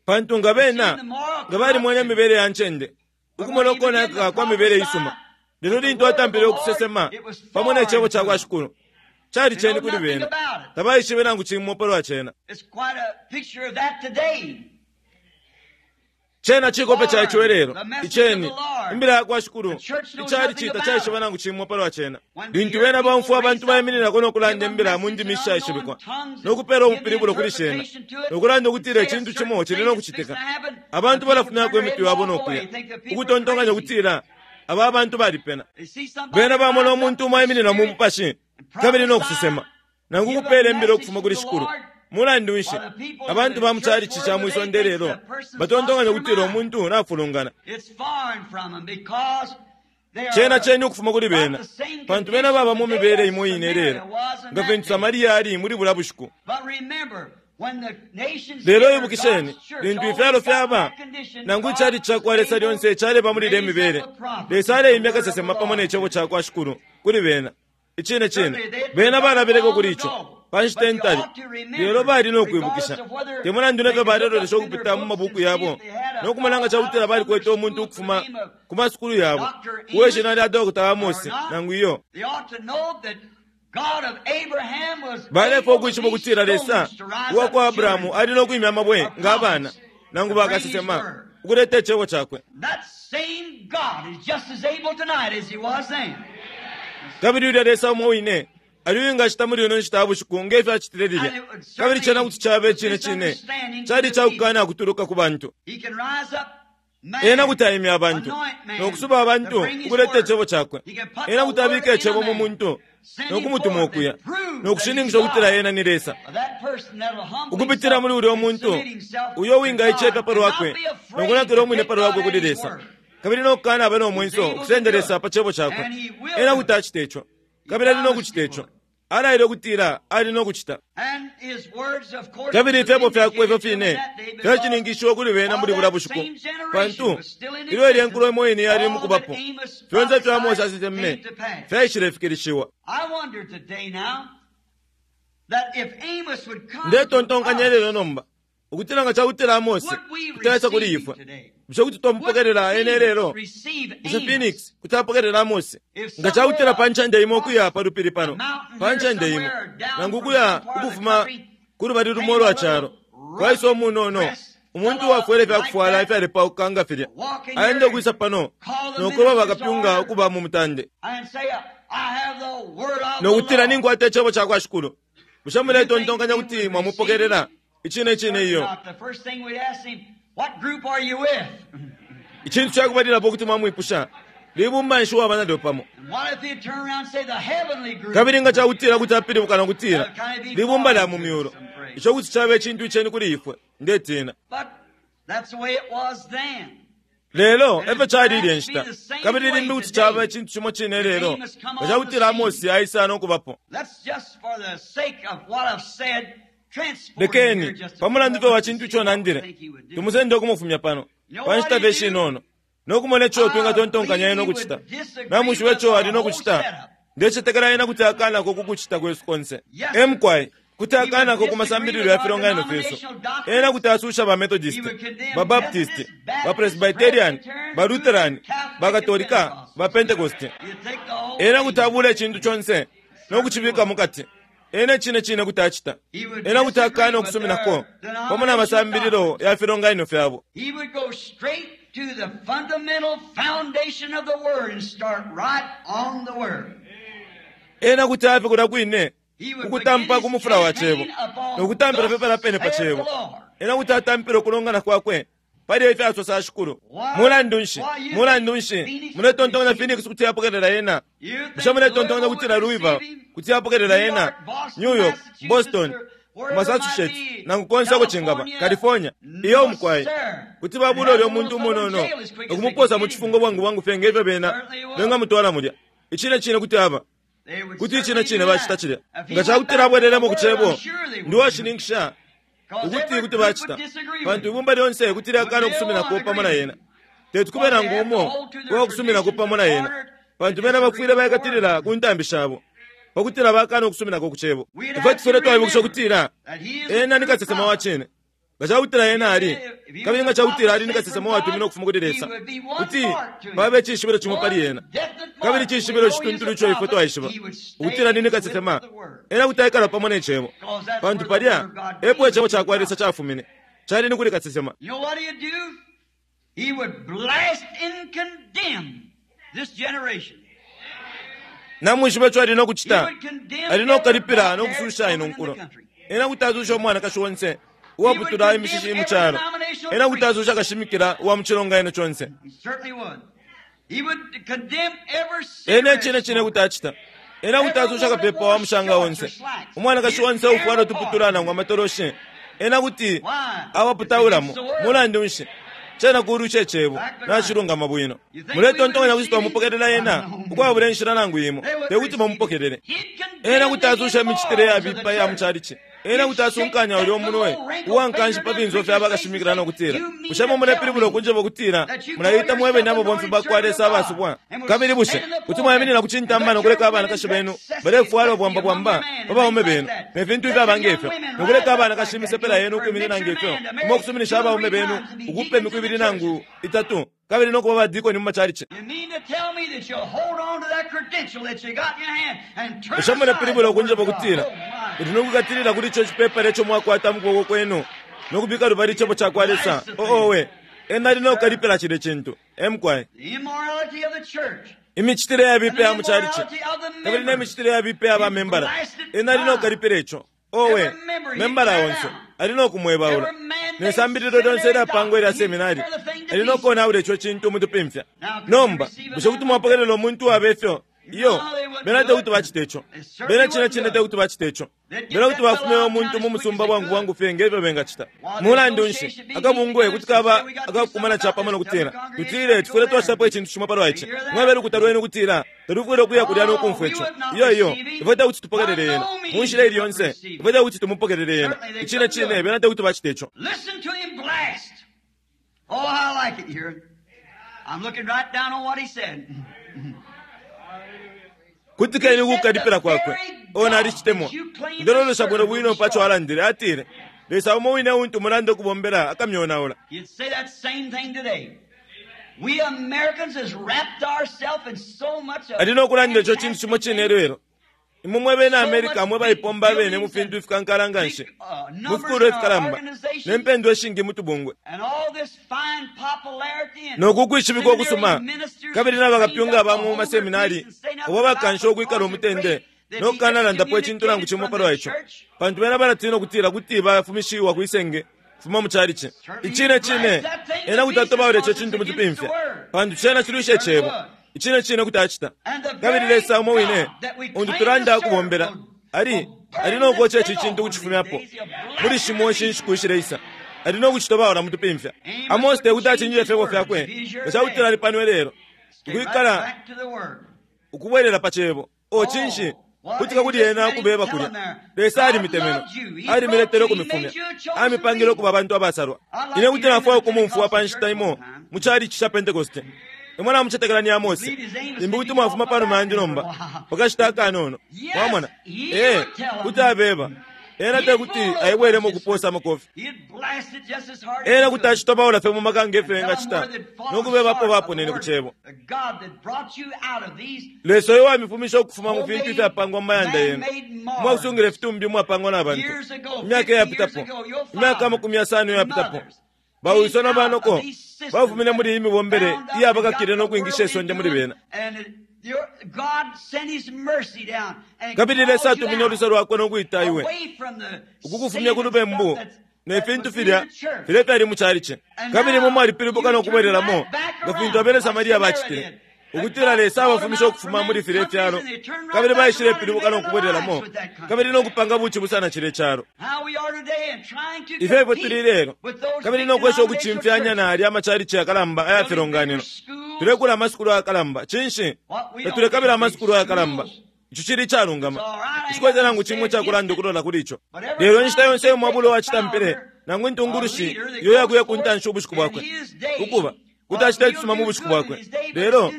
Pantu nga bena nga balimwene imibele ya ncende, ukumona ukonaka kwa mibele isuma. Lelo lintu atampile ukusesema pamo ne cebo ca kwa Shikulu, cali ceni kuli bena. Tabaishibe nangu cimo palwa cena. Cena cikope ca ico ilelo, iceni, imbila ya kwa Shikulu, icali cita caishiba nangu cimo palwa cena. Lintu bena baumfwa abantu baimininako no kulanda imbila mu ndimi ishaishibikwa, no kupela ubupilibulo kuli shena, no kulanda ukutila icintu cimo cili no kucitika, abantu balafumyako imitwe yabo no kuya, ukutontonkanya ukutila aba abantu balipena. Bena bamona umuntu umo aiminina mu mupashi kabili no kusesema, nangu kupela imbila ukufuma kuli Shikulu. Mulandu nshi abantu ba mu calici ca mwi sonde lelo batontonkanya ukutila umuntu nafulungana? Cena ceni ukufuma kuli bena, pantu bena baba mu mibele imo ine lelo nga fintu Samaria ali muli bulya bushiku. Lelo ibukisheni, lintu ifyalo fyaba nangu icalici ca kwa Lesa lyonse caleba muli ilya mibele, Lesa aleimya kasesema pamo ne cebo ca kwa Shikulu kuli bena. Icine cine, bena balabeleko kuli ico pa nshita intali, lelo bali no kwibukisha. Te mulandu ne fyo balelolesha ukupita mu mabuku yabo no kumona nga ca kutila balikwete umuntu ukufuma ku masukulu yabo uwe shina lya Dr. Amos nangu iyo. Balefwaya ukwishiba ukutila Lesa uwa kwa Abrahamu ali no kwimya amabwe nga abana nangu bakasesema ukuleta icebo cakwe. Kabili ulya Lesa umo wine ali uwingacita muli ino nshita ya bushiku nge fyo acitile lilya. Kabili cena kuti caba icine cine cali ica kukana kutuluka ku bantu. Ena kuti aimya abantu no kusuba abantu ukuleta icebo cakwe. Ena kuti abika icebo mu muntu no kumutuma ukuya no kushininkisha ukutila ena ni Lesa. Ukupitila muli ulya muntu uyo uwingaicefya pa lwakwe no kunakila umwine pa lwakwe kuli Lesa, kabili no kukana aba no mwenso ukusenda Lesa pa cebo cakwe. Ena kuti acita ico, kabili ali no kucita ico. Alaile ukutila ali no kucita. Kabili ifyebo fyakwe ifyo fine fyacininkishiwe kuli bena muli bulya bushiku, pantu ilyo ilya nkulo imo ine yali mukubapo, fyonse ifyo Amose aseseme fyaishilefikilishiwa. Ndetontonkanya ilelo nomba ukutila nga cakutila Amose kuti aisa kuli ifwe, bushe kuti twamupokelela ena ilelo? Bushe Phoenix kuti apokelela Amose? Nga cakutila pa ncende imo ukuya pa lupili pano, pa ncende imo, nangu ukuya ukufuma ku lubali lumo ulwa calo, kwaisa umunono, umuntu uwafwele ifyakufwala ifyalepauka nga filya, aenda ukwisa pano no kweba bakapyunga ukuba mu mutande, no kutila ninkwata icebo ca kwa Shikulu. Bushe muletontonkanya kuti mwamupokelela? Icine cine iyo. Icintu cakubalilapo kuti mwamwipusha, libumba nshi waba nalyo pamo? Kabili nga cakutila kuti apilibuka no kutila, libumba lya mu myulu, ico kuti caba icintu iceni kuli ifwe, ndetina. Lelo efyo cali ilya nshita, kabili limbi kuti caba icintu cimo cine lelo nga cakutila Amosi aisa no kubapo. Lekeni, pa mulandu fye wa cintu ico nandile, tumusende ukumufumya pano pa nshita fye ishinono no kumona ico twingatontonkanya ena ukucita. Namwishiba ico ali no kucita? Ndecetekela ena kuti akanako ku kucita kwesu konse. E mukwai, kuti akanako ku masambililo ya filonganino fyesu. Ena kuti asusha ba Methodist, ba Baptist, ba Presbyterian, ba Lutheran, ba Katolika, ba Pentecost. Ena kuti abula icintu conse no kucibika mukati. Ena icine cine kuti acita. Ena kuti akana ukusuminako pamo na masambililo ya filonganino fyabo. He would go straight to the fundamental foundation of the Word and start right on the Word. Ena kuti afe kulya kwine He would ukutampa begin ku his mufula wa cebo campaign upon no kutampila thus fye pala pene pa saith the cebo Lord. Ena kuti atampila ukulongana kwakwe pali efya sosa shikulu. Mulandu nshi? Mulandu nshi? Muletontonkanya Phoenix kuti yapokelela yena? Bushe muletontonkanya kutila Louisville kuti yapokelela yena? New York, Boston, Massachusetts, nangu konse uko cingaba, California. Iyo mukwai. Kuti babula ulyo muntu umunono ukumuposa mu cifungo bwangu bwangu fye ngefyo bena bengamutwala mulya. Icine cine kuti aba. Kuti icine cine bacita cilya. Nga cakutila abwelelemo ku Cebo, ndi uwashininkisha ukuti kuti bacita, pantu ibumba lyonse kuti lyakana ukusuminako pamo na yena. Teti kube nangu umo uwakusuminako pamo na yena, pantu bena bafwile baikatilila ku ntambi shabo pakutila bakana ukusuminako ku Cebo. Ifwe tufwile twaibukisha ukutila ena ni kasesema wa cine. Nga cakutila ena ali, kabili nga cakutila ali ni kasesema uwatuminwe ukufuma kuli Lesa, kuti paba icishibilo cimo pali ena, kabili icishibilo icituntulu ico ifwe twaishiba ukutila ni ni kasesema, ena kuti aikala pamo ne Cebo, pantu palya epo Icebo cakwa Lesa cafumine, cali ni kuli kasesema. Namwishiba ico ali no kucita? Ali no kukalipila no kususha ino nkulo. Ena kuti asusha umwanakashi onse uwaputula imishishi mu calo. Ena kuti asusha kashimikila uwa mu cilonganino conse. Ena icine cine kuti acita. Ena kuti asusha kapepa wa mushanga onse, umwanakashi onse uufwala utuputula nangu amatoloshi. Ena kuti awaputaulamo. Mulandu nshi? Cena kulwisha Icebo. Nacilungama bwino. Muletontonkanya kuti twamupokelela Ena ukwabula inshila nangu imo? Tekuti mumupokelele. Ena kuti asusha imicitile yabipa iya mu chalichi. Ena kuti asunkanya ulyo munwe uwankanshi pa finso fya bakashimikila no kutila, Bushe imwe mulepilibula ukunjeba ukutila mulaita mwebene ababomfi bakwa Lesa abasubwa? Kabili bushe kuti mwaiminina ku cintamba no kuleka abanakashi benu balefwala ubwamba bwamba pa baume benu, ne fintu ifyaba nge fyo, no kuleka abanakashi imisepela yenu ukwiminina nge fyo, imwe ukusuminisha abaume benu ukupe imiku ibili nangu itatu, kabili no kuba badikoni mu macalici? Bushe mulepilibula ukunjeba ukutila muli no kwikatilila kuli ico cipepala ico mwakwata mu kuboko kwenu no kubika lubali Icebo cakwa Lesa? Oh, owe! Ena ali no kukalipila cilye cintu. E mukwai. Imicitile yabipa ya mu calici, kabili ne micitile yabipa ya ba membala, ena ali no kukalipila ico. Owe, membala onse ali no kumwebaula. Ne sambililo lyonse ilyapangwa ilya seminari, ali no konaula ico cintu mutupimfya. Nomba, bushe kuti mwapokelela umuntu uwabe fyo? Iyo, bena te kuti bacite ico. Bena cine cine te kuti bacite ico. Bena kuti bafumya umuntu mu musumba bwangu bwangu fye nge fyo bengacita. Mulandu nshi, akabungwe kuti kaba akakukumana capamo no kutila, Tutile, tufwile twacitapo icintu cimo palwa ici. Mwebe lukuta lwenu ukutila talufwile ukuya kulya no kumfwa ico. Iyo, iyo, ifwe te kuti tupokelele yena. Mu nshila ili yonse, ifwe te kuti tumupokelele yena. Icine cine, bena te kuti bacite ico. Listen to him blast. Oh, I like it here. I'm looking right down on what he said. Kutikeni kukukalipila kwakwe. Oh, nalicitemwa. Ndelolesha bwino bwino pa co alandile. Atile, Lesa umo wine untu mulanda ukubombela akamyonaula. You'd say that same thing today. We Americans has wrapped ourselves in so much of Ali no kulanda ico cintu cimo cine lelo. Imwe mwe bena America mwe baipomba abene mu fintu ifikankala nga nshi, mu fikulwa ifikalamba, ne mpendwa ishingi mu tubungwe, and all this fine popularity and no ku kwishibikwa ukusuma, seminary ministers kabili na bakapyunga ba mu trained up maseminari the whole abo bakansha ukwikala umutende no kukanalandapo icintu nangu cimo palwa ico, pantu bena balatina ukutila kuti bafumishiwa kwi senge kufuma mu calici. Icine cine, ena kuti atobaula ico cintu mu tupimfya, pantu cena cilwisha Icebo. Icine cine kuti acita. Kabili Lesa umo wine untu tulanda ukubombela, ali, ali no koca ici cintu ukucifumyapo muli shimo ishi nshiku ishileisa. Ali no kucitobaula mu tupimfya. Amose te kuti acinjile ifyebo fyakwe nga ca kutila ali pano ilelo, Stay right ukwikala back to the word. ukubwelela pa Cebo. Oh, cinshi? Kutika kuli ena ukubeba kulya. Lesa alimitemenwe. Alimiletele ukumifumya. Amipangile ukuba abantu abasalwa. Ine kuti nafwaya ukumumfwa pa nshita imo mu chalichi cha Pentekoste. Imwe namucetekela ni Amose. Limbi kuti mwafuma panuma yandi nomba, pa kashita akanono. Mwamona? Ee, kuti abeba. Ena te kuti aibwelemo ukuposa amakofi. He'd blast it just as hard as Ena he kuti could. acitobaula fye mu maka nge fyo Tell 'em engacita, where they'd fallen no kubeba apo short of baponene the ku word. Cebo. The God that brought you out of these Lesa uyo wamifumisha ukufuma mu fintu ifyapangwa mu mayanda yenu, mwakusungila ifitumbi umwapangwa na bantu. years ago, Imyaka 50 years iyapitapo, ago, your imyaka amakumi yasano fathers and iyapitapo, mothers bawiso came na out banoko of these systems bafumine muli iyi mibombele bound up and iyabakakile got no the kwingisha world isonde into muli them, bena. and God sent His mercy down and Kabili Lesa called you atumine out uluse lwakwe no kwita iwe away from the ukukufumya ku sin lubembu stuff that's Ne fintu filya, filya fyali mu chalichi. Kabili imwe mwalipilibuka no kubwelelamo, nga fintu abena Samaria bacitile. Ukutila Lesa abafumishe ukufuma muli filye fyalo, kabili baishilepilibuka no kubwelelamo, kabili no kupanga bucibusa na cilye calo. Ifyo ifwe tuli lelo, kabili no kwesha ukucimfyanya na alya amachalichi yakalamba aya filonganino. Tulekula amasukulu ayakalamba. Cinshi? Tatulekabila amasukulu ayakalamba. Ico cili icalungama. Nshikwete nangu cimo icakulanda ukulola kuli ico. Lelo inshita yonse iyo mwabula uwacitampile, nangu intungulushi iyo yakuya ku ntanshi ubushiku bwakwe, ukuba, kuti acita icisuma mu bushiku bwakwe. Lelo,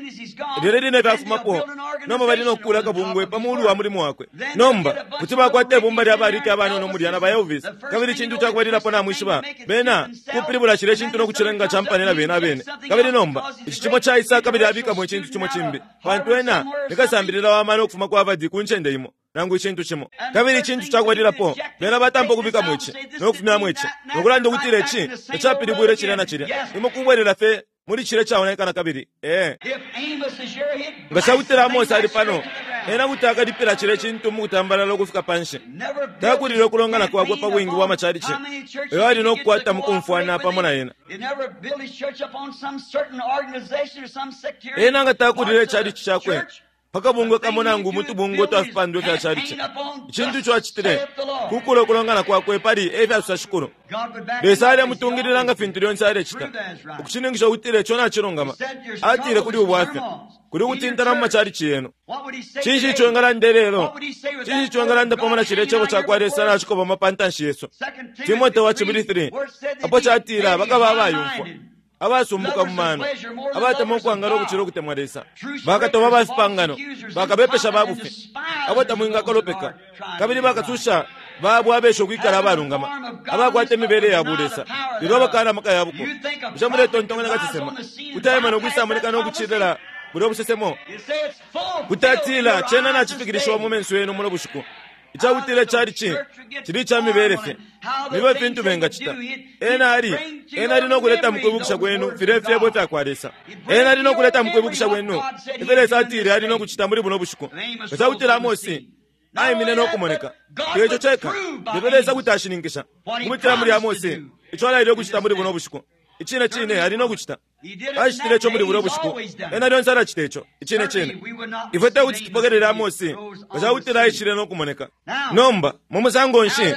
lilya line fye afumapo, nomba bali no kukuula akabungwe pa muulu wa mulimo wakwe. Nomba, kuti bakwata ibumba lya ba Ricky abanono mulya na ba Elvis, kabili icintu ca kubalilapo namwishiba, bena kupilibula cilya cintu no kucilenga campane na bena abene. Kabili nomba, ici cimo caisa kabili abikamo icintu cimo cimbi, pantu ena ni kasambilila wa mano ukufuma ku Harvard ku ncende imo, nangu icintu cimo. Kabili icintu ca kubalilapo, bena batampa ukubikamo ici, no kufumyamo ici, no kulanda ukutila ici tacapilibwile cilya na cilya. Imwe kubwelela fye muli cilya icaonaika nakabili. Ee. Nga cakutila Amose ali pano, ena kuti akalipila cilya cintu mukutambalala ukufika panshi. Takulile ukulongana kwakwe pa bwingi bwa machalichi eyo ali no kukwata mukumfwana pamo na ena. Ena nga takulile ichalichi cakwe pa kabungwe kamo nangu mu tubungwe twa fipandwa ifya chalichi. Icintu ico acitile, kukula ukulongana kwakwe pali e fyasosa shikulu. Lesa alemutungilila nga fintu lyonse alecita, ukushininkisha ukutila ico nacilungama. Atile kuli ubwafya, kuli ukutintana mu machalichi yenu. Cinshi ico engalanda ilelo? Cinshi ico engalanda pamo na cilya Cebo cakwa Lesa nacikobama pa ntanshi yesu? Timote wa Cibili 3, apo catila bakaba abayumfwa, abasumbuka mu mano, abatemwa ukwangala ukucila ukutemwa Lesa, bakatoba ba fipangano, bakabepesha ba bufi, abo tamwingakolopeka, kabili bakasusha babo abesha ukwikala abalungama, abakwata imibele ya bulesa, lelo abakaana amaka ya buko. Bushe muletontonkanya kasesema kuti aima no kwisamoneka no kucilela bulya busesemo? Kuti atila, Cena nacifikilishiwa mu menso yenu muno bushiku. Icakutila icalici cili ica mibele fye. Nibe fintu bengacita. Ena ali, Ena ali no kuleta mukwibukisha kwenu filya ifyebo ifya kwa Lesa. Ena ali no kuleta mukwibukisha kwenu ifyo Lesa atile ali no kucita muli buno bushiku. Nga cakutila Amosi aimine no kumoneka, te ico ceka, lelo Lesa kuti ashininkisha, ukupitila muli Amosi, ico alaile ukucita muli buno bushiku. Icine cine, ali no kucita. Acitile ico muli bulya bushiku. Ena lyonse alacita ico. Icine cine. Ifwe te kuti tupokelele Amosi nga ca kutila aishile no kumoneka. Nomba, mu musango nshi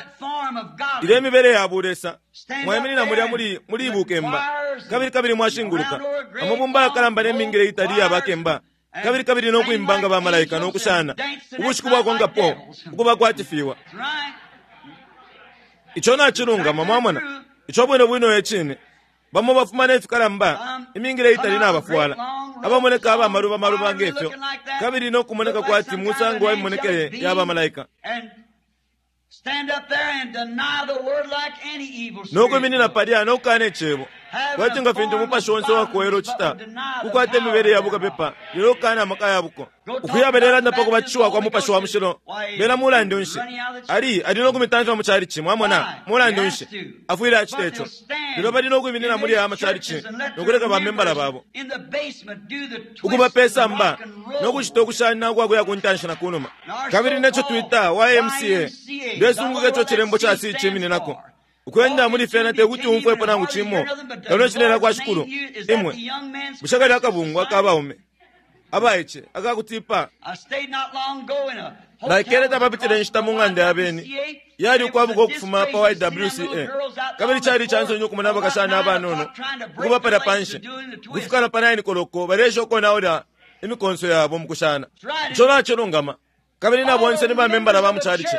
ilya imibele ya bulesa, mwaiminina mulya muli, muli bukemba, kabili, kabili mwashinguluka, amabumba yakalamba ne mingile itali iya bakemba, kabili, kabili no kwimba nga bamalaika no kushana, ubushiku bwakonkapo, ukuba kwati fiwa. Ico nacilungama, mwamona. Ico bwino bwino e cine. Bamo bafuma ne fikalamba, imingila itali nabafwala, abamoneka aba maluba maluba nge fyo, kabili no kumoneka kwati musango wa mimonekele ya bamalaika. No kwiminina palya no kukana Icebo, kwati nga fintu umupashi onse uwakowela ucita, kukwata imibele ya bukapepa, lelo ukukana amaka ya buko. Ukuya balelanda pa kubatishiwa kwa Mupashi wa Mushilo, bena mulandu nshi, ali, ali no kumitamfya mu chalichi, mwamona, mulandu nshi, afwile acita ico. Lelo bali no kwiminina muli aya machalichi no kuleka ba membala babo ukuba pe samba no kucita ukushana ukwa kuya ku ntanshi na kunuma. Kabili neco twita YMCA, ndesunguka ico cilembo ca C cimininako. Ukwenda muli fyena te kuti umfwepo nangu cimo kano icilela kwa Shikulu. Imwe, bushe kalya akabungwe aka baume abaice akakutipa? Naikele tapapitile inshita mu ng'anda ya beni yali ukwabuka ukufuma pa YWCA, kabili cali ica nsoni ukumona abakashana abanono ukuba palya panshi ukufika na pa 9 koloko baleesha ukonaula imikonso yabo mu kushana. Ico nacilungama. Kabili na bonse ni bamembala ba mu calici,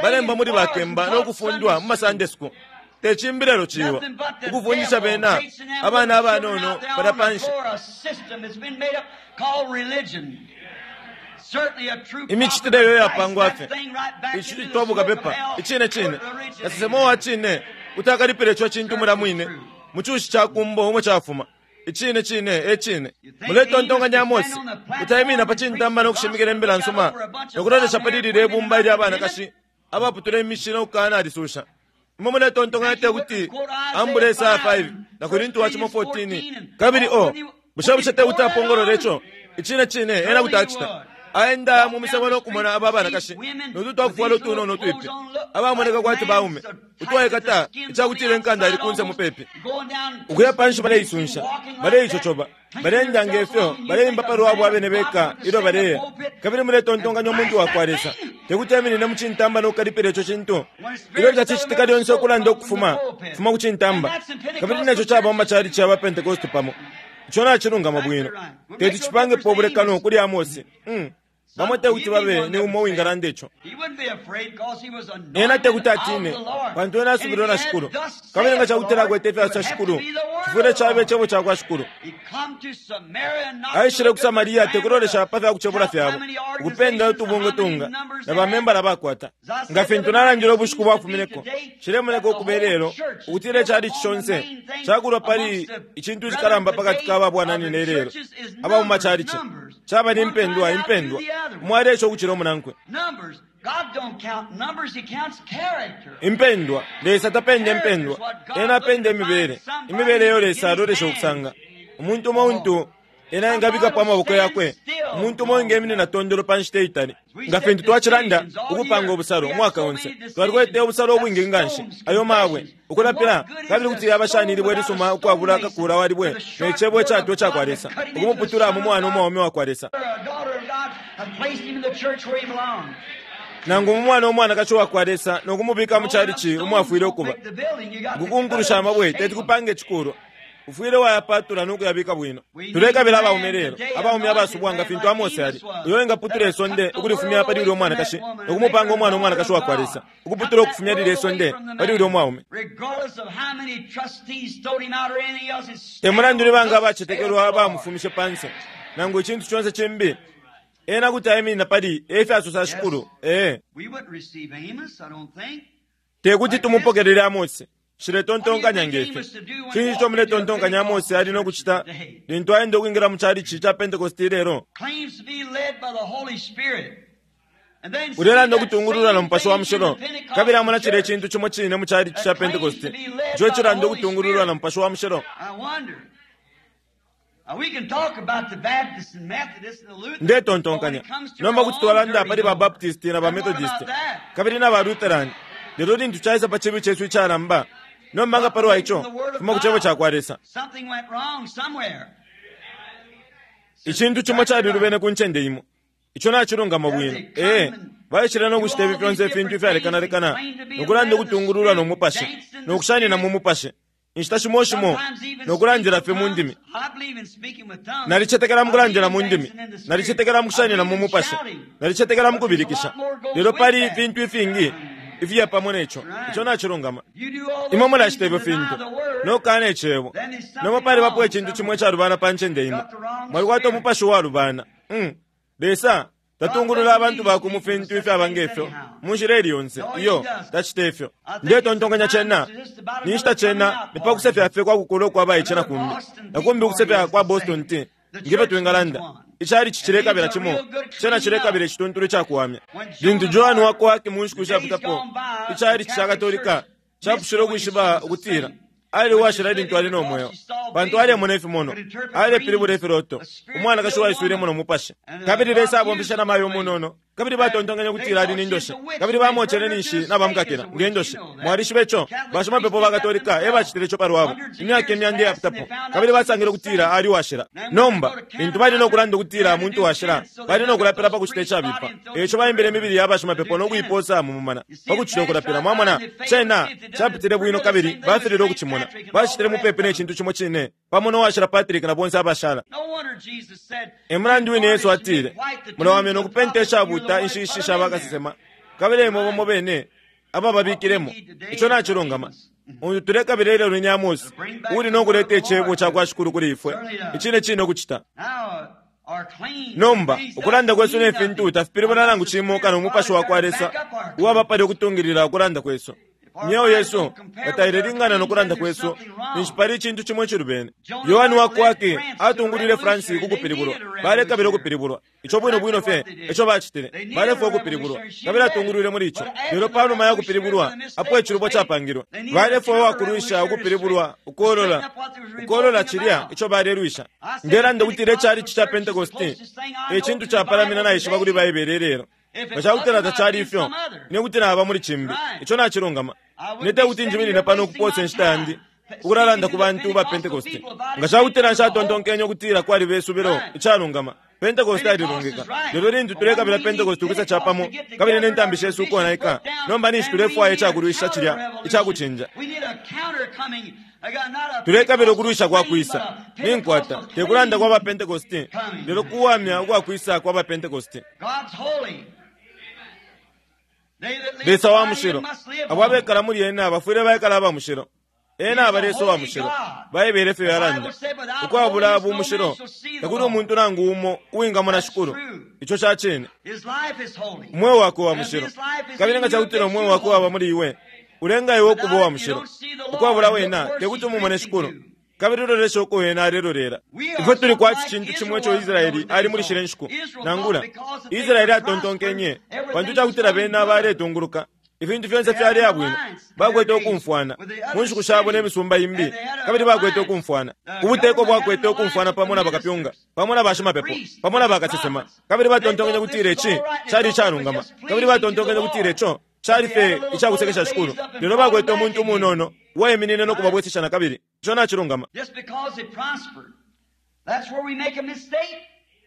balemba muli bakemba no kufundwa mu ma Sunday school. Te cimbi lelo ciwa, ukufundisha bena, abana abanono palya panshi. Imicitile iyo yapangwa fye, icitwa bukapepa. Icine cine, kasesema uwa cine kuti akalipila ico cintu mulya mwine mu cushi ca kumbo umo cafuma. Icine cine, e cine. Muletontonkanya Amose kuti aiminina pa cintamba no kushimikila imbila nsuma no kulolesha pali lilye ibumba ilya banakashi abaputula imishi no kukanalisuusha? Imwe muletontonkanya te kuti ambule Esaya 5 na Korinti wa cimo 14 kabili o, bushe bushe te kuti apongolole ico? Icine cine, ena kuti acita. Aenda mu misebo no kumona aba banakashi no tutwakufwala utunono utwipi abamoneka kwati baume utwaikata icakutila inkanda ili kunse mupepi ukuya panshi baleisunsha baleicocoba baleenda ngefyo baleimba palwabo abene beka ilyo baleya. Kabili muletontonkanya umuntu wakwa Lesa tekuti eminine mu cintamba no kukalipila ico cintu ilyo cacicitika lyonse ukulanda ukufuma fuma ku cintamba. Kabili neco caba mu macalici ya ba Pentecost pamo. Ico nacilungama bwino. Teti cipangepo ubulekano kuli Amosi. Mm. Bamo tekuti babe ni umo uwingalanda ico. Ena tekuti atine, pantu ena asubilwe na Shikulu. Kabili nga cakutila akwete ifyasosa Shikulu, cifwile caba Icebo cakwa Shikulu. Aishile ku Samaria tekulolesha pa fya kucebula fyabo, ukupenda utubungwe tunga, na bamembala bakwata. Nga fintu nalandile ubushiku bwafumineko, cilemoneka ukuba ilelo ukutila icalici conse cakulwa pali icintu icikalamba pakati ka ba bwananyina ilelo, aba mu macalici. Caba ni mpendwa, impendwa. Umo aleesha ukucila umunankwe. Impendwa. Lesa tapenda impendwa. Ena apenda imibele. Imibele eyo Lesa alolesha ukusanga. Umuntu umo untu Ena engabikapo amaboko yakwe, umuntu umo engeminina tondolo pa nshita itali. Nga fintu twacilanda, ukupanga ubusalo, umwaka onse. Twalikwete ubusalo ubwingi nganshi, ayo mabwe, ukulapila, kabili kuti yaba shani ilibwe ilisuma ukwabula kakula wa libwe ne Cebo icatwa icakwa Lesa, ukumuputula mu mwana umwaume wakwa Lesa, nangu mu mwana umwanakashi wakwa Lesa, no kumubika mu chalichi umo afwile ukuba. Ukukunkulusha amabwe teti kupange icikulwa. Ufwile wayapatula no kuyabika bwino. Tulekabila abaume lelo, abaume abasubwa nga fintu Amose ali, uyo engaputula isonde ukulifumya pali ulya umwanakashi no kumupanga umwana umwanakashi wakwa Lesa, ukuputula ukufumya lilya isonde pali ulya umwaume. Te mulandu ni banga abacetekelwa abamufumishe panse, nangu icintu conse cimbi, ena kuti aiminina pali e fyasosa Shikulu. Ee. Te kuti tumupokelele Amose. Nshiletontonkanya nge fyo. Cinshi ico muletontonkanya Amose ali no kucita lintu aenda ukwingila mu chalichi ca Pentecost ilelo? Ulelanda ukutungululwa na Mupashi wa Mushilo, kabili amona cilya icintu cimo cine mu chalichi ca Pentecost ico icilanda ukutungululwa na Mupashi wa Mushilo. Ndetontonkanya nomba kuti twalanda pali ba Baptist na ba Methodist kabili na ba Lutheran, lelo lintu caisa pa cibi cesu icalamba, nomba nga palwa ico, fuma ku Cebo cakwa Lesa. Icintu cimo calilubene ku ncende imo. Ico nacilungama bwino. Ee, baishile no kucita ifi fyonse ifintu ifyalekanalekana, no kulanda ukutungululwa no Mupashi, no kushanina mu Mupashi, inshita shimo shimo no kulandila fye mu ndimi. Nalicetekela mu kulandila mu ndimi, nalicetekela mu kushanina mu Mupashi, nalicetekela mu kubilikisha, lelo pali ifintu ifingi ifiya pamo ne co. Ico nacilungama. Imwe mulacita ifyo fintu no kukana Icebo. Nomba palibapo icintu cimo icalubana pa ncende imo. Mwalikwata umupashi uwalubana. Mm. Lesa tatungulula abantu bakwe mu fintu ifyaba nge fyo mu nshila ili yonse. Iyo, tacita ifyo. Ndetontonkanya cena ni nshita cena ni pa kusefya fye kwa kukula ukwa baice na kumbi, na kumbi ukusefya kwa Boston Tea, nge fyo twingalanda. Icalici cilekabila cimo, cena cilekabila icituntulu icakuwamya. Lintu Joan wa ku Arc mu nshiku ishapitapo, icalici ca Katolika capushile ukwishiba ukutila ali uwashila lintu ali no mweo, pantu alemona ifimonwa, alepilibula ifiloto, umwanakashi uwaiswilemo no Mupashi. Kabili Lesa abomfeshe na mayo umunono, kabili batontonkenye ukutila ali ni ndoshi, kabili bamocele ninshi nabamukakila nge ndoshi. Mwalishiba ico? Bashimapepo ba Katolika e bacitile ico pa lwabo, imyaka imyanda iyapitapo, kabili basangile ukutila ali uwashila. Nomba, lintu bali no kulanda ukutila muntu washila, bali no kulapila pa kucita icabipa. E ico baimbile imibili ya bashimapepo no kuipoosa mu mumana, pa kucita ukulapila. Mwamona, cena capitile bwino kabili bafililwe ukucimona. Bacitile mupepi ne cintu cimo cine, pamo no Washila Patrick na bonse abashala. E mulandu wine Yesu atile, Mulawamya no kupenta ishabuuta inshiishi sha bakasesema, kabili e imwe bamo bene abababikilemo. Ico nacilungama. Untu tulekabila ilelo ni Amosi, uuli no kuleta Icebo cakwa Shikulu kuli ifwe, icine cine ukucita. Nomba, ukulanda kwesu ne fintu tafipilibula nangu cimo kano Umupashi wakwa Lesa uwaba palya ukutungilila ukulanda kwesu. Imyeo yesu nga tailelingana no kulanda kwesu, ninshi pali icintu cimo icilubene. Yohane wa ku Arc atungulwile France ku kupilibulwa. Balekabila ukupilibulwa. Ico bwino bwino fye eco bacitile. Balefwaya ukupilibulwa, kabili atungulwile muli ico. Lelo pa numa ya kupilibulwa, apo icilubo capangilwe, balefwaya uwakulwisha ukupilibulwa, ukolola, ukolola cilya ico balelwisha. Ndelanda ukutila icalici ca Pentekoste e cintu capalamina naishiba kuli Baibele ilelo. Nga ca kutila tacali ifyo, ine kuti naba muli cimbi. Ico nacilungama. Ine te kuti njiminine pano ukupoosa inshita yandi ukulalanda ku bantu ba Pentekoste. Nga ca kutila nshatontonkenye ukutila kwaliba isubilo, icalungama, Pentekoste alilungika. Lelo lintu tulekabila Pentekoste ukwisa capamo kabili ne ntambi shesu ukonaika, nomba ninshi tulefwaya icakulwisha cilya icakucinja. Tulekabila ukulwisha kwa kwisa. Ninkwata, te kulanda kwa ba Pentekoste, lelo kuwamya ukwa kwisa kwa ba Pentekoste. Lesa wa mushilo. Abo abekala muli ena bafwile baikala aba mushilo. Ena aba Lesa uwa mushilo. Baibele efyo yalanda. Ukwabula bumushilo, takuli umuntu nangu umo uwingamona Shikulu. Ico ca cine. Umweo wakwe wa mushilo. Kabili nga cakutila umweo wakwe waba muli iwe, ulenga iwe ukuba uwa mushilo. Ukwabula wena, tekuti umumone Shikulu. Kabili ulolesha uko wena alelolela. Ifwe tuli kwati cintu cimo ico Israeli ali muli shile nshiku. Nangula, Israeli atontonkenye, pantu cakutila bena baletunguluka, ifintu fyonse fyali bwino. Bakwete ukumfwana mu nshiku shabo ne misumba imbi, kabili bakwete ukumfwana. Ubuteko bwakwete ukumfwana pamo na bakapyunga, pamo na bashimapepo, pamo na bakasesema, kabili batontonkenye kutila ici cali icalungama, kabili batontonkenye kutila ico cali fye icakusekesha Shikulu. Lelo bakwete umuntu umunono uwaiminine no kubabwesesha na kabili. Ico nacilungama.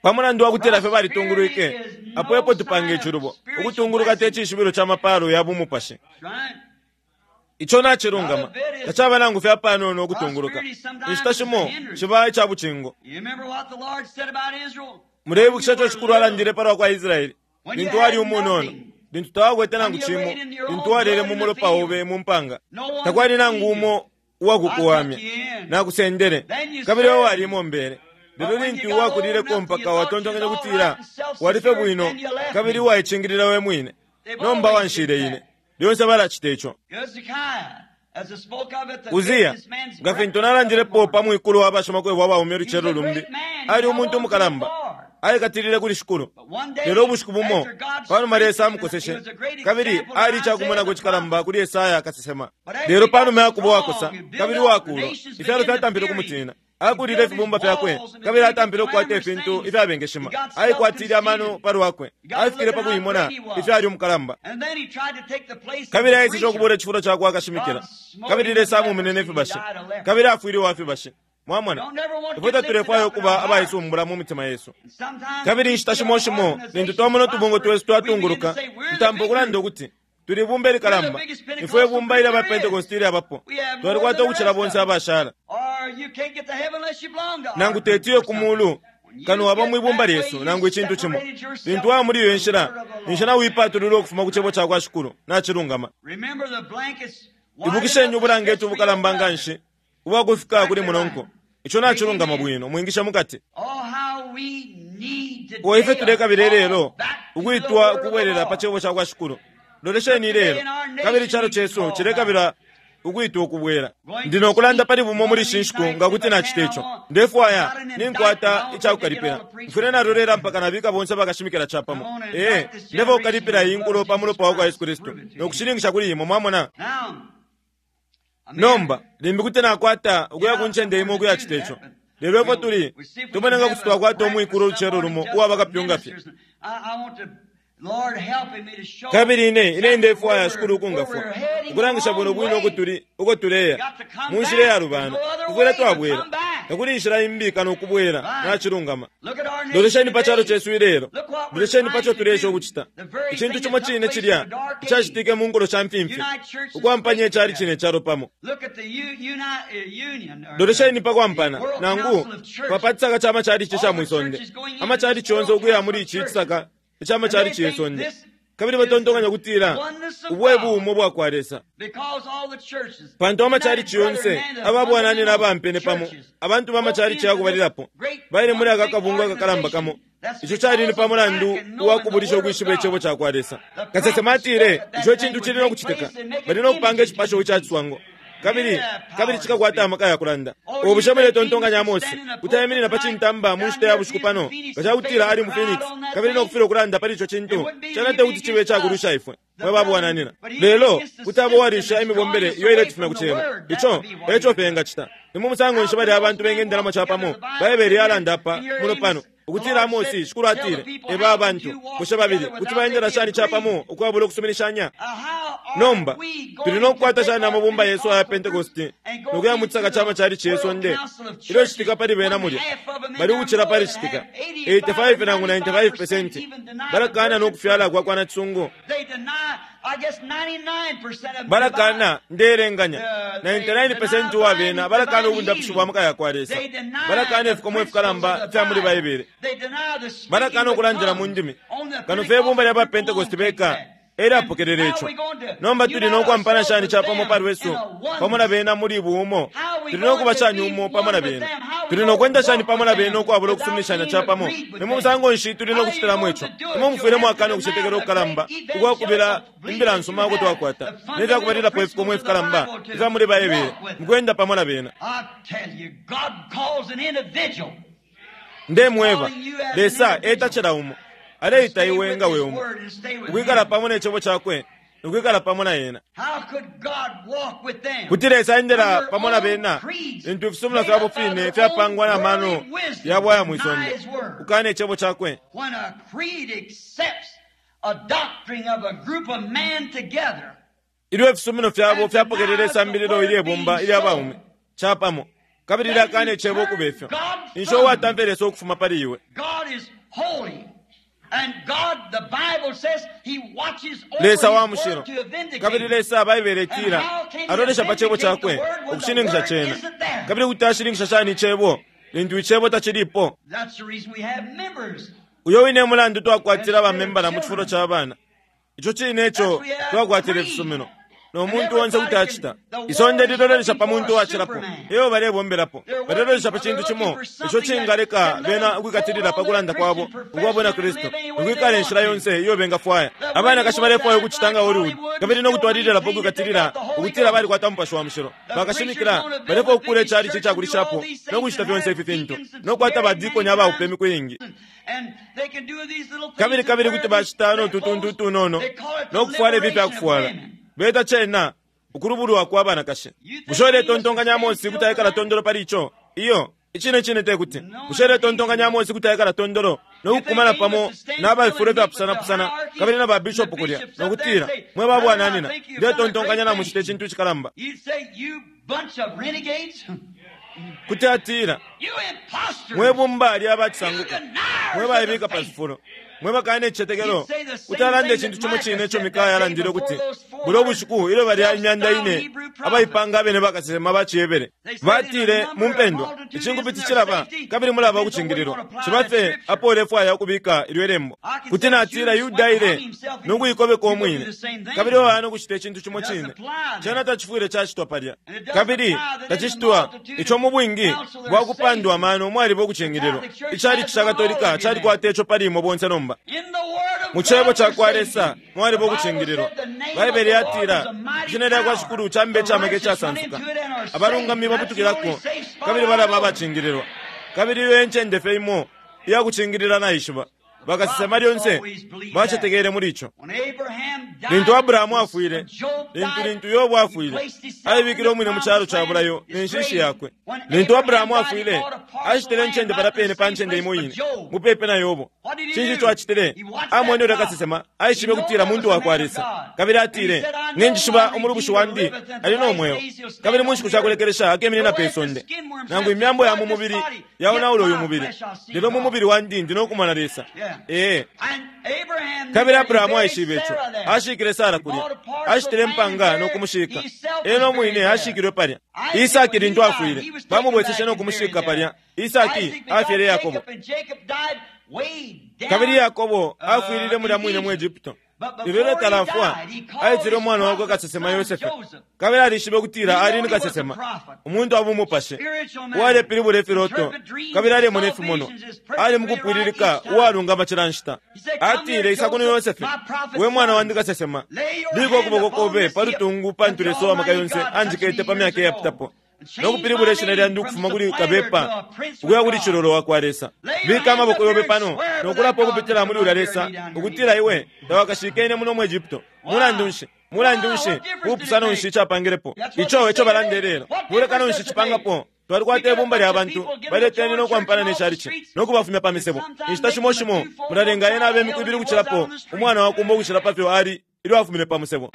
Pa mulandu wa kutila fye balitungulwike, apo epo tupanga icilubo. Ukutunguluka te cishibilo ca mapaalo ya bumupashi. Ico nacilungama. Tacaba nangu fye apanono ukutunguluka. Inshita shimo ciba ica bucingo. Muleibukisha ico Shikulu alandile pa lwa kwa Israele lintu wali umunono, lintu tawakwete nangu cimo, lintu walele mu mulopa obe mu mpanga. Takwali nangu umo uwakukuwamya. Nakusendele, kabili iwe wali imombele. Lelo lintu wakulileko mpaka watontonkanya ukutila wali fye bwino kabili uwaicingilila we mwine, nomba wanshile ine. Lyonse balacita ico. Uziya, nga fintu nalandilepo pa mwikulu wa bashimakwebo abaume ulucelo lumbi, ali umuntu umukalamba. Aikatilile kuli Shikulu. Lelo ubushiku bumo, pa numa Lesa amukoseshe, kabili ali icakumwenako cikalamba kuli Esaya kasesema. Lelo pa numa ya kuba uwakosa kabili uwakuulwa, ifyalo fyatampile ukumutina. Akulile ifibumba fyakwe, kabili atampile ukukwata ifintu ifyabengeshima. Aikwatile amano pa lwakwe. Afikile pa kuimona ifyo ali umukalamba. Kabili aiseshe ukubuula icifulo ca kwa kashimikila. Kabili Lesa amumine ne fibashi. Kabili afwile uwa fibashi. Mwamona, ifwe tatulefwaya ukuba abaisumbula mu mitima yesu. Kabili inshita shimo shimo lintu twamona utubungwe twesu twatunguluka, tutampa ukulanda ukuti tuli ibumba ilikalamba. Ifwe ibumba ilya ba Pentekoste ilyabapo, twalikwata ukucila bonse abashala. Nangu teti uye ku mulu kano waba mwi bumba lyesu nangu icintu cimo. Lintu waba muli iyo nshila, ninshi nauipatulula ukufuma ku cebo ca kwa Shikulu. Nacilungama. Ibukisheni ubulangeti ubukalamba nga nshi ubwa kufika kuli munonko. Ico nacilungama bwino, mwingisha mukati. O ifwe tulekabila ilelo ukwitwa ukubwelela pa cebo ca kwa Shikulu. Lolesheni ilelo, kabili icalo cesu cilekabila ukwitwa ukubwela. Ndi no kulanda pali bumo muli ishi nshiku nga kuti nacita ico. Ndefwaya ninkwata ica kukalipila. Mfwile nalolela mpaka nabika bonse abakashimikila capamo. Ee, ndefwaya ukukalipila iyi nkulo pa mulopa wa kwa Yesu Kristu no kushininkisha kuli imwe, mwamona. Nomba, limbi kuti nakwata ukuya ku ncende imo ukuyacita ico. Lelo ifwe tuli, tumone nga kuti twakwata umwikulo ulucelo lumo uwa bakapyunga fye. Kabili ine, ine ndefwaya Shikulu ukungafwa, ukulangisha bwino bwino uko tuli, uko tuleya, mu nshila iyalubana. Tufwile twabwela. Takuli inshila imbi kano ukubwela. Nacilungama. Lolesheni pa calo cesu ilelo. Lolesheni pa co tuleesha ukucita. Icintu cimo cine cilya icacitike mu nkulo sha mfimfi, ukwampanya icali cine calo pamo. Lolesheni pa kwampana, nangu pa pa cisaka ca macalici ca mwi sonde. Amacalici yonse ukuya muli ici cisaka ica macalici ye sonde. Kabili batontonkanya ukutila ubu e buumo bwa kwa Lesa. Pantu amacalici yonse aba bwananyina abampene pamo, abantu ba macalici ya kubalilapo, baile muli aka kabungwe akakalamba kamo. Ico cali ni pa mulandu uwa kubulisha ukwishiba Icebo ca kwa Lesa. Kasesema atile ico cintu cili no kucitika. Bali no kupanga icipasho ica ciswango. Kabili, kabili cikakwata amaka ya kulanda. O bushe muletontonkanya Amose kuti aiminina pa cintamba mu nshita ya bushiku pano, nga ca kutila ali mu Phoenix, kabili no kufilwa ukulanda pali ico cintu? Cena te kuti cibe ica kulwisha ifwe, mwe ba bwananyina. Lelo, kuti aba uwalisha imibombele iyo iletufumya ku Cebo. Ico e co fye engacita. Ni mu musango nshi balya abantu bengendelamo capamo? Baibele yalanda apa, muno pano, ukutila Amose, Shikulu atile, Eba abantu, bushe babili kuti baendela shani capamo ukwabula ukusuminishanya? Nomba, tuli no kukwata shani amabumba yesu aya Pentekoste no kuya mu cisaka ca macalici ye sonde? Ilyo citika pali bena mulya, bali ukucila pali citika 85 nangu 95 pesenti balakaana no kufyala kwa kwa nacisungu. Balakaana, ndeelenganya, 99 pesenti uwa bena balakaana ubundapishi bwa maka ya kwa Lesa. Balakaana ifikomo ifikalamba ifya muli Baibele. Balakaana ukulandila mu ndimi. Kano fye ibumba lya ba Pentekoste beka e lyapokelele ico. Nomba tuli no kwampana shani capamo pa lwesu pamo na bena muli buumo? Tuli no kuba shani umo pamo na bena? Tuli no kwenda shani pamo na bena ukwabula ukusuminishanya capamo? Ni mu musango nshi tuli no kucitilamo ico? Imwe mufwile mwakana ukucetekela ukukalamba ukwa kubila imbila nsuma uko twakwata ne fya kubalilapo ifikomo ifikalamba ifya muli Baibele mu kwenda pamo na bena. Ndemweba, Lesa eta cila umo. Aleita iwe nga we umo, ukwikala pamo ne Cebo Cakwe no kwikala pamo na Ena. Kuti Lesa aendela pamo na bena lintu ifisumino fyabo fine fyapangwa na mano yabo aya mwi sonde, ukukana Icebo Cakwe? Ilyo ifisumino fyabo fyapokelele isambililo ilye bumba ilya baume capamo, kabili lyakana Icebo ukube fyo, ninshi uwatamfya Lesa ukufuma pali iwe. Lesa wa mushilo, kabili Lesa, Baibele itila, alolesha pa Cebo Cakwe ukushininkisha Cena. Kabili kuti ashininkisha shani Icebo lintu Icebo tacilipo? Uyo wine mulandu twakwatila bamembala mu cifulo ca bana. Ico cine eco twakwatila ifisumino. No muntu onse kuti acita. Isonde lilolesha pa muntu uwacilapo, eo balebombelapo. Balelolesha pa cintu cimo ico cingaleka bena ukwikatilila pa kulanda kwabo ukwa Bwina Kristu, ukwikala inshila yonse iyo bengafwaya. Abanakashi balefwaya ukucita nga Hollywood, kabili no kutwalililapo ukwikatilila ukutila balikwata Mupashi wa Mushilo. Bakashimikila balefwaya ukukuula icalici icakulishapo no kucita fyonse ifi fintu, no kukwata badikoni abaupe imiku iingi. Kabili kabili kuti bacita no tutuntu utunono no kufwala ifi fya kufwala. Beta cena ukulubulwa kwa banakashi. Bushe uletontonkanya Amosi kuti aikala tondolo pali ico? Iyo, icine cine te kuti. Bushe uletontonkanya Amosi kuti aikala tondolo no kukumana pamo na bafifulo ifyapusanapusana kabili na babishopu kulya no kutila, Mwe ba bwananyina, ndetontonkanya namucita icintu icikalamba? Kuti atila, Mwe bumba lya bacisanguka, mwe baibika pa fifulo, mwe bakana icicetekelo, kuti alanda icintu cimo cine ico Mikaya alandile ukuti, Bulya ubushiku ilyo balya imyanda ine abaipanga abene bakasesema ba ciHebere batile mu mpendwa, icinkupiti cilaba, kabili mulaba ukucingililwa. Ciba fye apo ulefwaya ukubika ilyo ilembo. Kuti natila Yuda aile no kuikobeka umwine, kabili waya no kucita icintu cimo cine. Cena tacifwile cacitwa palya. Kabili tacicitwa ico mu bwingi bwa kupandwa amano mwaliba ukucingililwa. Icalici ca Katolika calikwata ico pali imwe bonse nomba. Mu Cebo ca kwa Lesa mwaliba ukucingililwa. Baibele yatila, Ishina lya kwa Shikulu cambe ica maka icasansuka. Abalungami babutukilako kabili balaba abacingililwa. Kabili iyo e ncende fye imo iya kucingilila naishiba. Bakasesema lyonse bacetekele muli ico. Lintu Abrahamu afwile, lintu lintu Yobo afwile, aibikile umwine mu calo ca bulayo ne nshishi yakwe. Lintu Abrahamu afwile, ashitile incende palya pene pa ncende imo ine, mupepi na Yobo. Cinshi ico acitile? Amwene ulya kasesema, aishibe ukutila muntu wa kwa Lesa. Kabili atile, Ninjishiba umulubushi wandi ali no mweo, kabili mu nshiku sha kulekelesha akeminina pe sonde. Nangu imyambo ya mu mubili yaonaula uyu mubili, lelo mu mubili wandi ndi no kumona Lesa. Ee. Kabili Abrahamu aishibe ico. Ashikile Sara kulya. Ashitile impanga no kumushika. Ena umwine ashikilwe palya. Isaki lintu afwile, bamubweseshe no kumushika palya. Isaki afyele Yakobo. Kabili Yakobo afwilile mulya mwine mu Egypto. Lelo ilyo talafwa, aitile umwana wakwe kasesema Yosefe, kabili alishibe ukutila ali ni kasesema, umuntu wa bumupashi, uwalepilibula ifiloto, kabili alemona ifimonwa. Ali mukupwililika uwalungama cila nshita. Atile, Isa kuno Yosefe, we mwana wandi kasesema, bika ukuboko kobe pa lutungu pantu Lesa uwa maka yonse anjikete pa myaka iyapitapo no kupilibula ishina lyandi ukufuma kuli kabepa ukuya kuli cilolo wa kwa Lesa. Bika amaboko yobe pano no kulapa ukupitila muli ulya Lesa ukutila iwe tawakashike muno mu Egypto. Mulandu nshi? Mulandu nshi? Bupusano nshi icapangilepo? Ico eco balanda ilelo. Bulekano nshi cipangapo? Twalikwata ibumba lya bantu baleteni no kwampana ne chalichi no kubafumya pa misebo. Inshita shimo shimo mulalenga ena abe imiku ibili ukucilapo umwana wa kumbo ukucila pa fyo ali ilyo afumine pa musebo.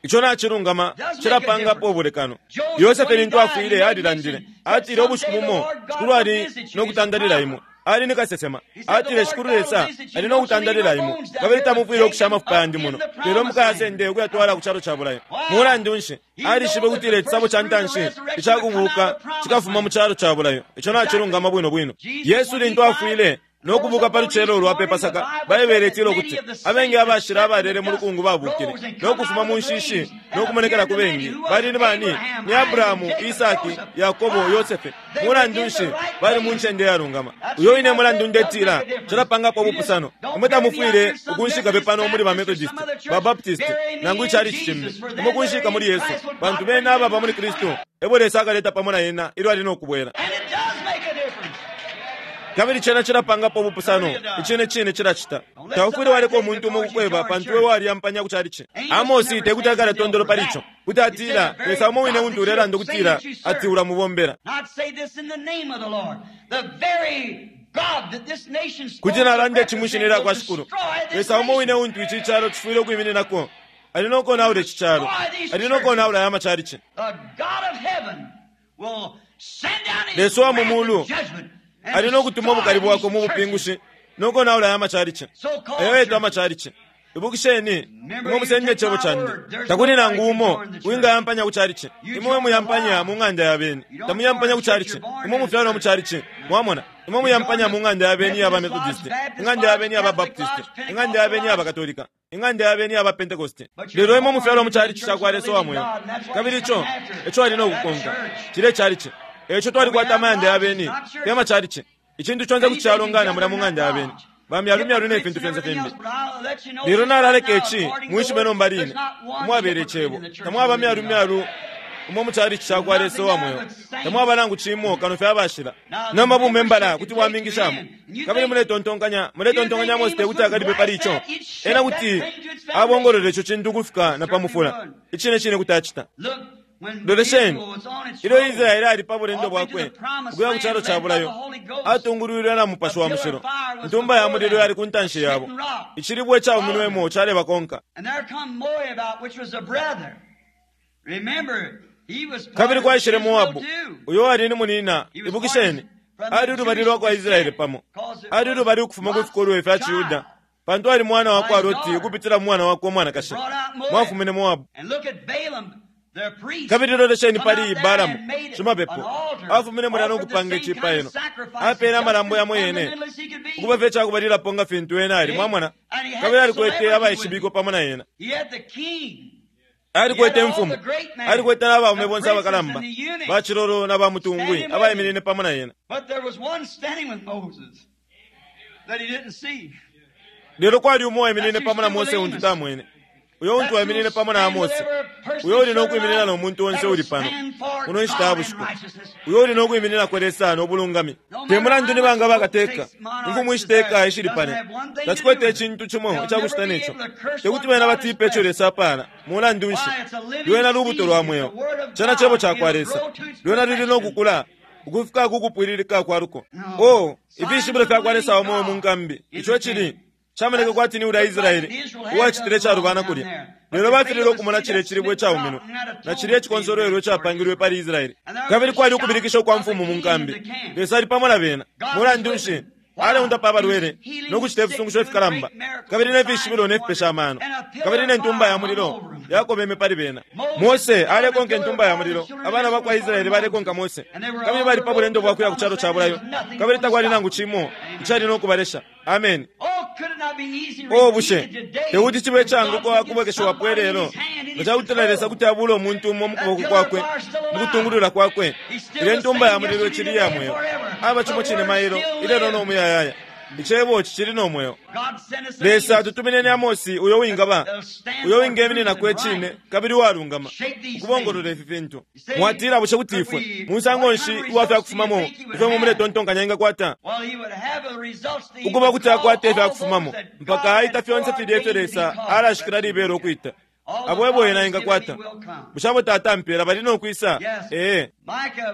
Ico nacilungama cilapangapo ubulekano. Yosefe lintu afwile alilandile, atile ubushiku bumo Shikulu ali no kutandalila imwe. Ali ni kasesema. Atile Shikulu Lesa ali no kutandalila imwe, kabili tamufwile ukusha amafupa yandi muno, lelo mukayasende ukuyatwala ku calo ca bulayo. Mulandu nshi? Alishibe ukutila icisabo ca ntanshi icakubuuka cikafuma mu calo ca bulayo. Ico nacilungama bwino bwino. Yesu lintu afwile no kubuka pa lucelo lwa pe Pasaka, Baibele itila ukuti abengi abashila abalele mu lukungu babukile no kufuma mu nshishi no kumonekela ku bengi. Bali ni bani? Ni Abrahamu, Isaki, Yakobo, Yosefe. Mulandu nshi bali mu ncende yalungama? Uyo wine mulandu ndetila calapangapo ubupusano. Imwe tamufwile ukunshika pe pano muli ba Methodist, ba Baptist, nangu icalici cimbi. Imwe kunshika muli Yesu, pantu bena ababa muli Kristu ebo Lesa akaleta pamo na ena ilyo ali no kubwela. And it does make a difference. Kabili cena cilapangapo ubupusano, icine cine cilacita. Taufwile waleka umuntu umo ukukweba pantu iwe waliyampanya ku chalichi. Amosi tekuti akale tondolo pali ico. Kuti atila, Lesa umo wine untu ulelanda ukutila ati ulamubombela. Not say this in the name of the Lord. The very God that this nation Kuti nalanda ici mwi shina lya kwa Shikulu. Lesa umo wine untu ici calo cifwile ukwimininako. Ali no konaula ici calo. Ali no konaula aya machalichi. The God of heaven will send down his Lesa wa mu wrath mulu and judgment and ali no kutuma ubukali destroy bwakwe mu these bupingushi no konaula aya machalichi. so-called Ayo etwa churches. amachalichi. Ibukisheni, imwe musende icebo candi. Takuli nangu umo uwingayampanya ku chalichi. Imwe muyampanya mu ng'anda ya beni. Tamuyampanya ku chalichi. Imwe mufyalwa mu chalichi. Mwamona? Imwe muyampanya mu ng'anda ya beni ya Methodist, ing'anda ya beni ya Baptist, ing'anda ya beni ya Katolika, ing'anda ya beni ya Pentecost. Lelo imwe mufyalwa mu chalichi ca kwa Lesa wa mweo. Kabili ico, ico ali no kukonka. Cile chalichi. Eco twalikwata amayanda ya beni, te machalichi. Icintu conse kuti calongana mulya mu ng'anda ya beni. Bamyalumyalu ne fintu fyonse fimbi. Lelo nalaleka ici mwishibe nomba line umwabela icebo tamwaba myalumyalu umo mu chalichi ca kwa Lesa wa mweo tamwaba nangu cimo kano fye abashila. Nomba bumembala kuti bwamingishamo kabili muletontonkanya muletontonkanya Amosi tekuti akalipe pali ico. Ena kuti abongolole ico cintu ukufika na pa mufula. Icine cine kuti acita. Look, when Lolesheni, Israel was on its ilyo road, Israeli ali pa bulendo bwakwe ukuya ku calo ca bulayo, atungulwilwe na Mupashi wa Mushilo. Intumba ya mulilo yali ku ntanshi yabo, icilibwe cauminwemo calebakonka. And there come Moab, which was a brother. Remember, he was part Kabili of kwaishile Israel Moabu, too. uyo ali ni munina. Ibukisheni, ali ulubali lwa kwa Israeli pamo, ali ulubali ukufuma ku fikolwe fya Ciyuda, pantu ali mwana wa kwa Loti ukupitila mu mwana wakwe umwanakashi. Mwafumine Moabu. And look at Balaam, their priest. Kabili lolesheni come pali out there Balamu and made shimapepo an altar, afumine mulya no offered the kupanga same kind of icipailo, sacrifice, apeele just amalambo as yamo yene fundamental as he could be. ukuba fye cakubalilapo nga fintu ena ali mwamona. Kabili alikwete abaishibikwa pamo na ena, He had the king. alikwete imfumu, alikwete n'abaume bonse abakalamba bacilolo na bamutungwi abaiminine pamo na ena. But there was one standing with Moses that he didn't see. Lelo kwali umo waiminine pamo na Mose untu tamwene. Uyo untu waiminine pamo na Amose. Uyo uli no kwiminina no muntu onse uli pano muno nshita ya bushiku. Uyo uli no kwiminina kwa Lesa no bulungami. Te mulandu ni banga bakateka, imfumu ishiteka ishili pane. Tacikwete icintu cimo icakucita neco. Tekuti bena batipe ico Lesa apala. Mulandu nshi? Lwena lubuto lwa mweo. Cena cebo ca kwa Lesa. Lwena luli no kukula ukufika kukupwililika kwa luko. Oh, ifishibilo fya kwa Lesa wa mweo mu nkambi. Ico cili camoneka kwati ni ulya Israeli uwacitile calubana kulya. Lelo bafilile ukumona cilya icilibwe icauminwe na cilya icikonsolwelo icapangilwe pali Israeli. Kabili kwali ukubilikisha kwa mfumu mu nkambi. Lesa ali pamo na bena. Mulandu nshi? Aleundapa abalwele no kucita ifisungusho ifikalamba, kabili ne fishibilo ne fipesha amano, kabili ne ntumba ya mulilo yakobeme pali bena. Mose alekonka intumba ya mulilo, abana ba kwa Israele balekonka Mose, kabili bali pa bulendo bwa kuya ku calo ca bulayo, kabili takwali nangu cimo icali no kubalesha. Ameni. Oh, bushe tekuti cibe icaanguka kubwekeshiwapo ilelo nga ca kutila Lesa kuti abuula umuntu umo mu kuboko kwakwe mu kutungulula kwakwe? Ilya intumba ya mulilo icili iya mweo. Aba cimo cine mailo, ilelo no muyayaya. Icebo cicili no mweo. Lesa atutumineni Amosi uyo wingaba, uyo wingemininako icine kabili uwalungama, ukubongolola ifi fintu. Mwatila, bushe kuti ifwe, musango nshi uwa fya kufumamo ifyo imwe muletontonkanya engakwata? Ukuba kuti akwata ifya kufumamo mpaka aita fyonse filya ifyo Lesa alashikila libela ukwita. Abo ebo ena engakwata. Bushe abo Tata ampela bali no kwisa? Ee.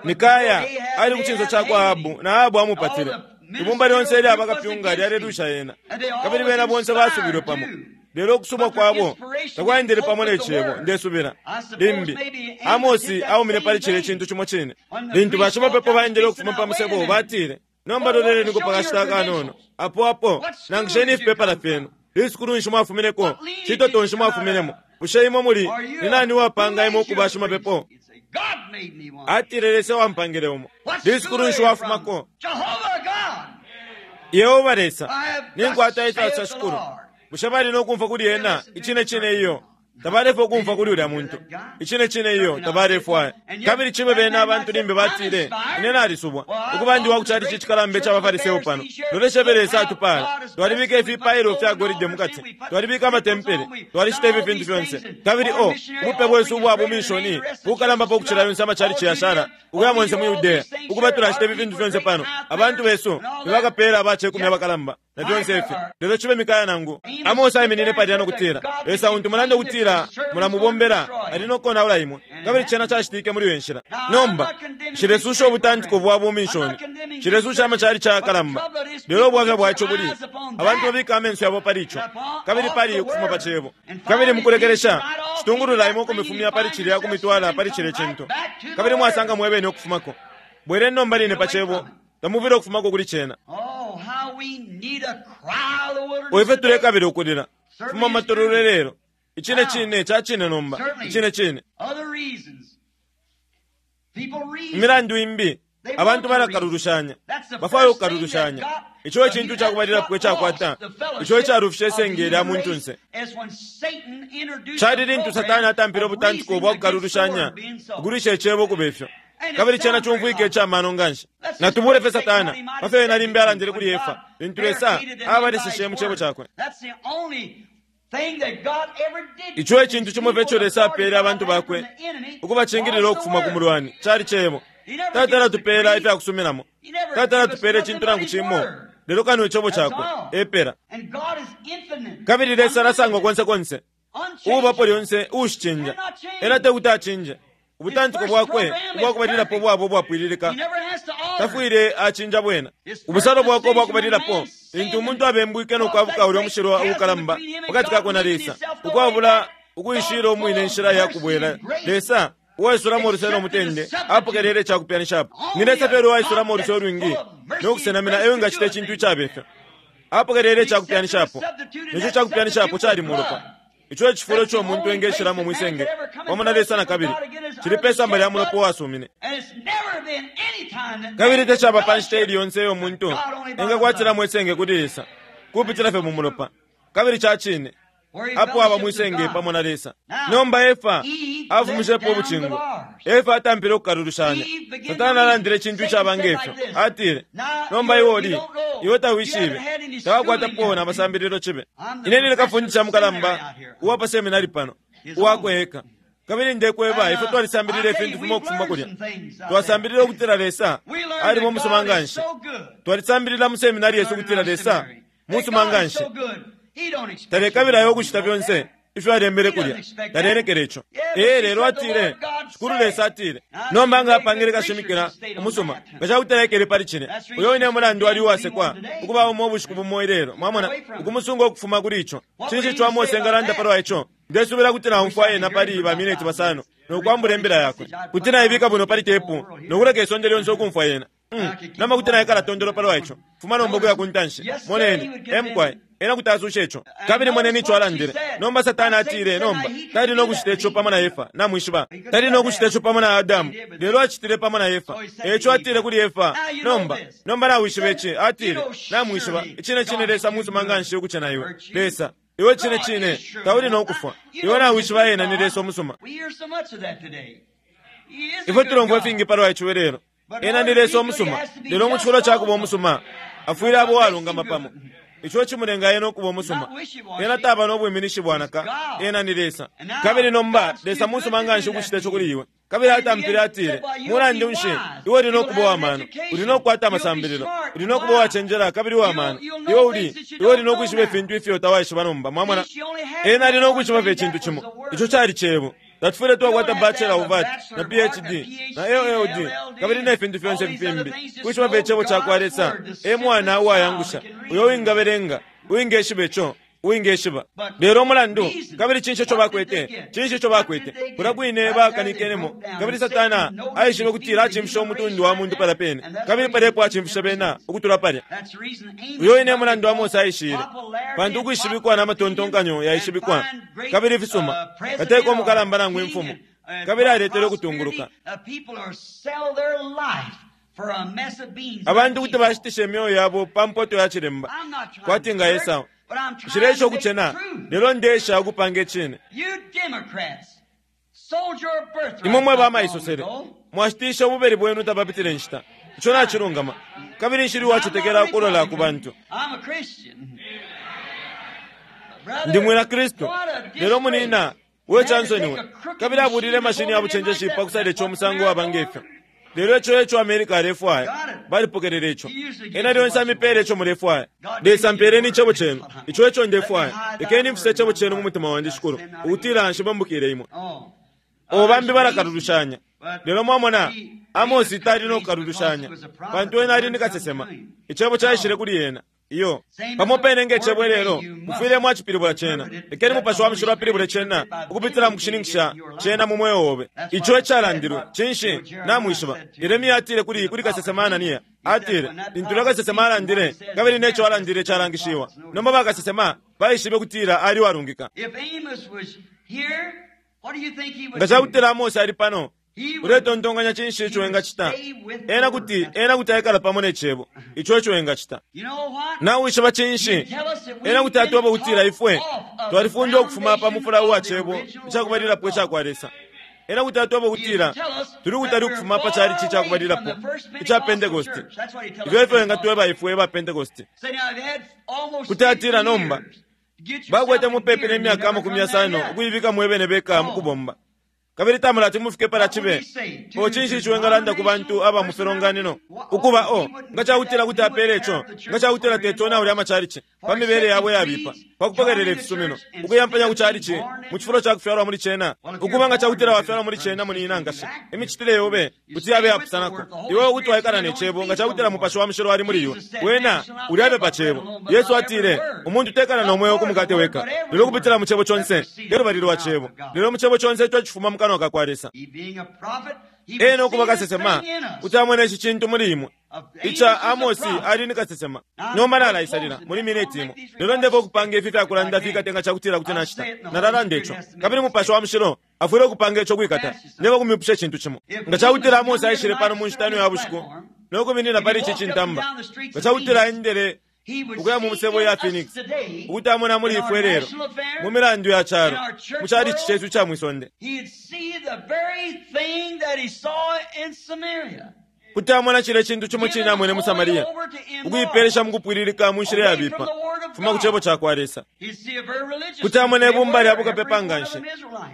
Mikaya ali ku cinso cakwa Ahabu, na Ahabu amupatile. Ibumba lyonse ilya bakapyunga lyalelwisha ena, kabili bena bonse basubilwe pamo. Lelo ukusubwa kwabo takwaendele pamo ne Cebo, ndesubila. Limbi, Amosi aumine pali cilya cintu cimo cine. Lintu bashimapepo baendele ukufuma pa musebo, batile, Nomba loleleniko pa kashita akanono. Apo, apo, nangisheni ifipepala fyenu. Lisukulu nshi mwafumineko? Citoto nshi mwafuminemo? Bushe imwe muli, ni nani uwapanga imwe ukuba shimapepo? Atile, Lesa ewampangile umo. Lisukulu nshi wafumako? Yehoba Lesa, ninkwata ica Shikulu. Bushe bali no kumfwa kuli ena? Icine cine iyo. Tabalefwaya ukumfwa kuli ulya muntu. Icine cine iyo, tabalefwaya. Kabili cibe bena abantu limbi batile, Ine nalisubwa, ukuba ndi wa ku chalichi icikalamba ica baFariseo pano. Lolesha ifyo Lesa atupaala. Twalibika ifipailo fya golide mukati. Twalibika amatempele. Twalishita ifi fintu fyonse. Kabili, oh, ubupe bwesu ubwa buminshoni bukalambapo ukucila yonse amachalichi yashala, ukuya monse mu Yudea. Ukuba tulashita ifi fintu fyonse pano, abantu besu ni bakapeela aba cekumi abakalamba. na fyonse ifi. Lelo cibe Mikaya nangu Amose aiminine palya no kutila, Lesa untu mulanda ukutila mulamubombela ali no konaula imwe. Kabili cena cacitike muli iyo nshila. Nomba, nshilesusha ubutantiko bwa buminshoni. Nshilesusha amachalichi ayakalamba. Lelo ubwafya bwa ico buli, abantu babika amenso yabo pali ico, kabili pali ukufuma pa Cebo. Kabili mukulekelesha, citungulula imwe ukumifumya pali cilya ukumitwala pali cilye cintu. Kabili mwasanga mwebene ukufumako. Bweleni nomba line pa Cebo. Tamufwile ukufumako kuli cena. O ifyo tulekabila ukulila fuma mu matololo ilelo! Icine cine, ca cine nomba, icine cine. Imilandu imbi, abantu balakalulushanya, bafwaya ukukalulushanya. Ico e cintu cakubalilapo icakwata, ico icalufishe isenge lya muntunse. Cali lintu Satana atampile ubutantiko bwa kukalulushanya, ukulwisha Icebo ukube fyo. Kabili cena cumfwika ica mano nganshi. Natubule fye Satana pa fyo ena limbi alandile kuli Efa lintu Lesa abaleseshe mu Cebo Cakwe. Ico e cintu cimo fye ico Lesa apeele abantu Bakwe ukubacingilila ukufuma ku mulwani, cali Cebo. Tatala atupeela ifya kusuminamo. Tatala atupeela icintu nangu cimo lelo kano Icebo Cakwe, epela. Kabili Lesa alasangwa konse konse, uubapo lyonse, uushicinja. Ena tekuti acinje. Ubutantiko bwakwe ubwa kubalilapo bwaba ubwapwililika, tafwile acinja bwena. Ubusalo bwakwe ubwa kubalilapo, lintu umuntu abembwike no kwabuka ulya mushilwa uukalamba pakati kakwe na Lesa, ukwabula ukuishila umwine inshila ya kubwela, Lesa, uwaisulamo uluse no mutende, apokelele ica kupyanishapo. Ni Lesa fye uwaisulamo uluse ulwingi no kusenamina e wingacita icintu icabe fyo. Apokelele ica kupyanishapo, ne co ca kupyanishapo cali mulopa. Ico e cifulo ico umuntu engeshilamo mwi senge pamo na Lesa na kabili, cili pe samba lya mulopa uwasumine. Kabili tacaba pa nshita iili yonse iyo umuntu engakwatilamo isenge kuli Lesa, kupitila fye mu mulopa. Kabili ca cine, apo aba mwi senge pamo na Lesa. Nomba Efa afumishepo ubucingo. Efa atampile ukukalulushanya. Satana alandile icintu icaba nge fyo. Atile, Nomba iwe uli, iwe tawishibe, tawakwatapo na masambililo cibe. Ine nine kafundisha mukalamba uwa pa seminari pano, uwakwe eka. Kabili ndekweba, ifwe twalisambilila ifintu fimo ukufuma kulya. Twasambilila ukutila Lesa aliba umusuma nganshi. Twalisambilila mu seminari yesu ukutila Lesa musuma nganshi. Talekabila ukucita fyonse ifyo alembele kulya. Taleenekela ico. Ee, lelo atile, Shikulu Lesa atile. Nomba nga apangile kashimikila umusuma, nga ca kuti taekele pali cine, uyo wine mulandu ali uwasekwa ukuba umo ubushiku bumo ilelo, mwamona, ukumusunga ukufuma kuli ico. Cinshi ico Amose engalanda palwa ico? Ndesubila kuti naumfwa ena pali ba mineti basano no kwambula imbila yakwe. Kuti naibika bwino pali tepu no kuleka isonde lyonse ukumfwa yena. Nomba kuti naikala tondolo palwa ico. Fuma nomba ukuya ku ntanshi. Moneni, emkwai. Ena kuti asusha ico. Kabili moneni ico alandile. Nomba Satana atile, nomba, tali no kucita ico pamo na Efa. Namwishiba. Tali no kucita ico pamo na Adamu. Lelo acitile pamo na Efa. Eco atile kuli Efa, nomba, nomba nawishiba ici. Atile, namwishiba. Icine cine Lesa musuma nganshi ukucena iwe. Lesa, iwe cine cine, tauli no kufwa. Iwe nawishiba ena ni Lesa umusuma. Ifwe tulomfwa ifingi palwa ico lelo. Ena ni Lesa umusuma. Lelo mu cifulo ca kuba umusuma, afwile abo uwalungama pamo. Ico cimulenga ena ukuba umusuma. Ena taba no bwiminishi bwanaka. Ena ni Lesa. Kabili nomba, Lesa musuma nganshi ukucita ico kuli iwe. Kabili atampile atile, mulandu nshi, iwe uli no kuba uwamano, uli no kukwata amasambililo, uli no kuba uwacenjela kabili uwamano. Iwe uli, iwe uli no kwishiba ifintu ifyo tawaishiba nomba. Mwamona? Ena ali no kwishiba fye icintu cimo. Ico cali cebo. Tatufwile twakwata Bachelor of Arts, na PhD, na LLD, kabili ne fintu fyonse fimbi. Kwishiba fye icebo ca kwa Lesa, e mwana uwayangusha, uyo uwingabelenga, uwingeshiba ico, uwingeshiba. Lelo umulandu, kabili cinshi ico bakwete? Cinshi ico bakwete? Kulya kwine bakanikenemo, kabili Satana aishibe ukutila acimfishe umutundu wa muntu palya pene, kabili palya epo acimfishe bena ukutula palya. Uyo wine mulandu Amose aishile, pantu ukwishibikwa na matontonkanyo yaishibikwa, kabili ifisuma, kateka umukalamba nangu imfumu, kabili aletele ukutunguluka. Abantu kuti bashitisha imyeo yabo pa mpoto ya cilemba, kwati nga Esau. Nshileesha ukucena, lelo ndeesha ukupanga icine. Imwe mwe bamaisosele, mwashitisha ububeli bwenu tapapitile nshita. Ico nacilungama. Kabili nshili uwacetekela ukulola ku bantu. Ndi mwina Kristu. Lelo munina, we cansoniwe. Kabili abulile mashini ya bucenjeshi pa kusala ico umusango waba ngefyo. Lelo ico eco America alefwaya. Balipokelele ico. Ena lyonse amipeele ico mulefwaya. Lesa mpeeleni icebo cenu. Ico eco ndefwaya. Lekeni mfise icebo cenu mu mutima wandi, Shikulu, ukutila nshibambukile imwe. O bambi balakalulushanya. Lelo mwamona, Amosi tali no kukalulushanya, pantu ena ali ni kasesema. Icebo caishile kuli ena. Iyo. Pamo pene nge cebo lelo, mufwile mwacipilibula cena. Lekeni Mupashi wa Mushilo apilibule cena, ukupitila mu kushininkisha cena mu mweo obe. Ico ecalandilwe. Cinshi? Namwishiba. Yeremia atile kuli kuli kasesema Anania, atile, lintu ulya kasesema alandile, kabili neco alandile calangishiwa. Nomba bakasesema baishibe kutila ali uwalungika. Nga cakutila Amose ali pano, uletontonkanya cinshi ico engacita? Ena kuti, ena kuti aikala pamo ne Cebo. Ico eco engacita. Nawishiba cinshi? Ena kuti atweba ukutila ifwe twalifundwa ukufuma pa mufula uwa Cebo icakubalilapo ica kwa Lesa. Ena kuti atweba ukutila tuli kutali ukufuma pa chalichi icakubalilapo ica Pentecost. Ifyo efyo engatweba ifwe ba Pentecost. Kuti atila nomba, bakwete mupepi ne myaka 50 ukuibika mwebene beka mukubomba. Kabili tamulati mufike palya cibe. O cinshi ico engalanda ku bantu aba mu filonganino? Ukuba o, nga cakutila kuti apele ico, nga cakutila teti onaule amacalici, pa mibele yabo iyabipa, pa kupokelela ifisumino, ukuyampanya ku calici, mu cifulo ca kufyalwa muli cena. Ukuba nga cakutila wafyalwa muli cena munina nkashi, imicitile yobe kuti yabe yapusanako. Iwe kuti waikala ne Cebo nga cakutila Mupashi wa Mushilo ali muli iwe. Wena ulyabe pa Cebo. Yesu atile, Umuntu tekala no mweo ku mukate weka, lelo ukupitila mu Cebo conse, te lubali lwa Cebo, lelo mu Cebo conse ico cifuma mu kanwa ka kwa Lesa. Ena ukuba kasesema, kuti amona ici cintu muli imwe. Ica Amosi ali ni kasesema. Nomba nalaisalila muli mineti imo. Lelo ndefwa ukupanga ifi fyakulanda fikate nga cakutila kuti nacita. Nalalanda ico. Kabili Mupashi wa Mushilo afwile ukupanga ico kwikata. Ndefwa ukumipusha icintu cimo. Nga cakutila Amosi aishile pano mu nshita ino ya bushiku no kuminina pali ici cintamba, nga cakutila aendele ukuya mu musebo ya Phoenix, ukuti amona muli ifwe lelo, mu milandu ya calo, mu chalichi cesu ica mwi sonde, kuti amona cilya cintu cimo cine amwene mu Samaria, ukuipelesha mu kupwililika mu nshila yabipa, fuma ku Cebo ca kwa Lesa. Kuti amona ibumba lya bukapepa nganshi,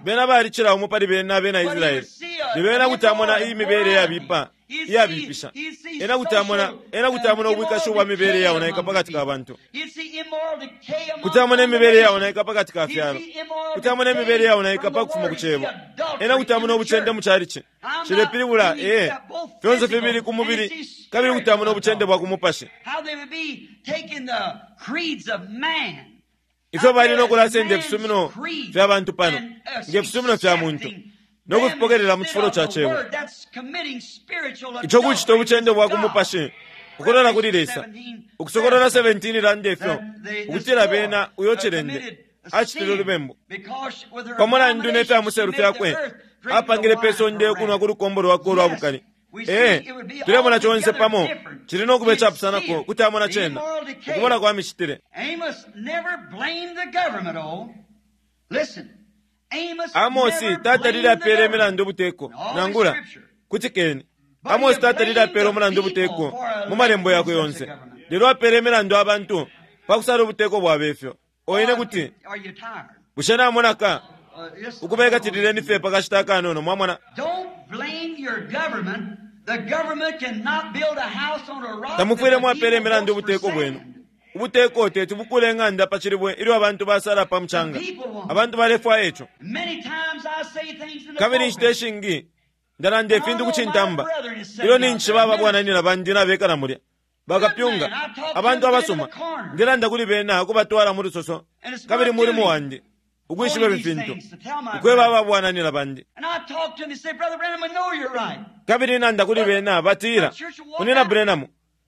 bena balicila umo pali bena abena Israele, lelo ena kuti amona iyi mibele yabipa iyabipisha. Ena kuti amona, ena kuti amona ubwikashi ubwa mibele iyaonaika pakati ka bantu. Kuti amona imibele iyaonaika pakati ka fyalo. Kuti amona imibele iyaonaika pa kufuma ku Cebo. Ena kuti amona ubucende mu chalichi. Cilepilibula, ee, fyonse fibili ku mubili, kabili kuti amona ubucende bwa ku mupashi. Ifyo bali no kulasenda ifisumino fya bantu pano, nge fisumino fya muntu. no kufipokelela mu cifulo ca Cebo. Ico kucita ubucende bwa ku mupashi ukulola kuli Lesa. Ukusokolola 17 ilanda ifyo ukutila bena uyo cilende acitile ulubembu pa mulandu ne fya muselu fyakwe apangile pe sonde ukunwa ku lukombo lwakwe ulwa bukali. Ee, tulemona conse pamo cili no kuba icapusanako kuti amona cena ukubola kwa micitile. Amosi tatalile apeela imilandu ubuteko nangula kutikeni. Amosi tatalile apeela umulandu ubuteko mu malembo yakwe yonse, lelo apeela imilandu abantu pa kusala ubuteko bwabe fyo. Oine kuti bushe namonaka ukubekatilileni fye pa kashita akanono, mwamona. Tamufwile mwapeela imilandu ubuteko bwenu. Ubuteko teti bukule ing'anda pa cilibwe ilyo abantu basala pa mucanga. Abantu balefwaya ico. Kabili inshita ishingi ndalanda ifintu ku cintamba ilyo ninshi baba bwananyina bandi nabekala mulya bakapyunga abantu abasuma. Ndelanda kuli bena ukubatwala mu lusoso, kabili mulimo wandi ukwishiba ifi fintu ukweba aba bwananyina bandi. Kabili nanda kuli bena batila, Munyina Branham,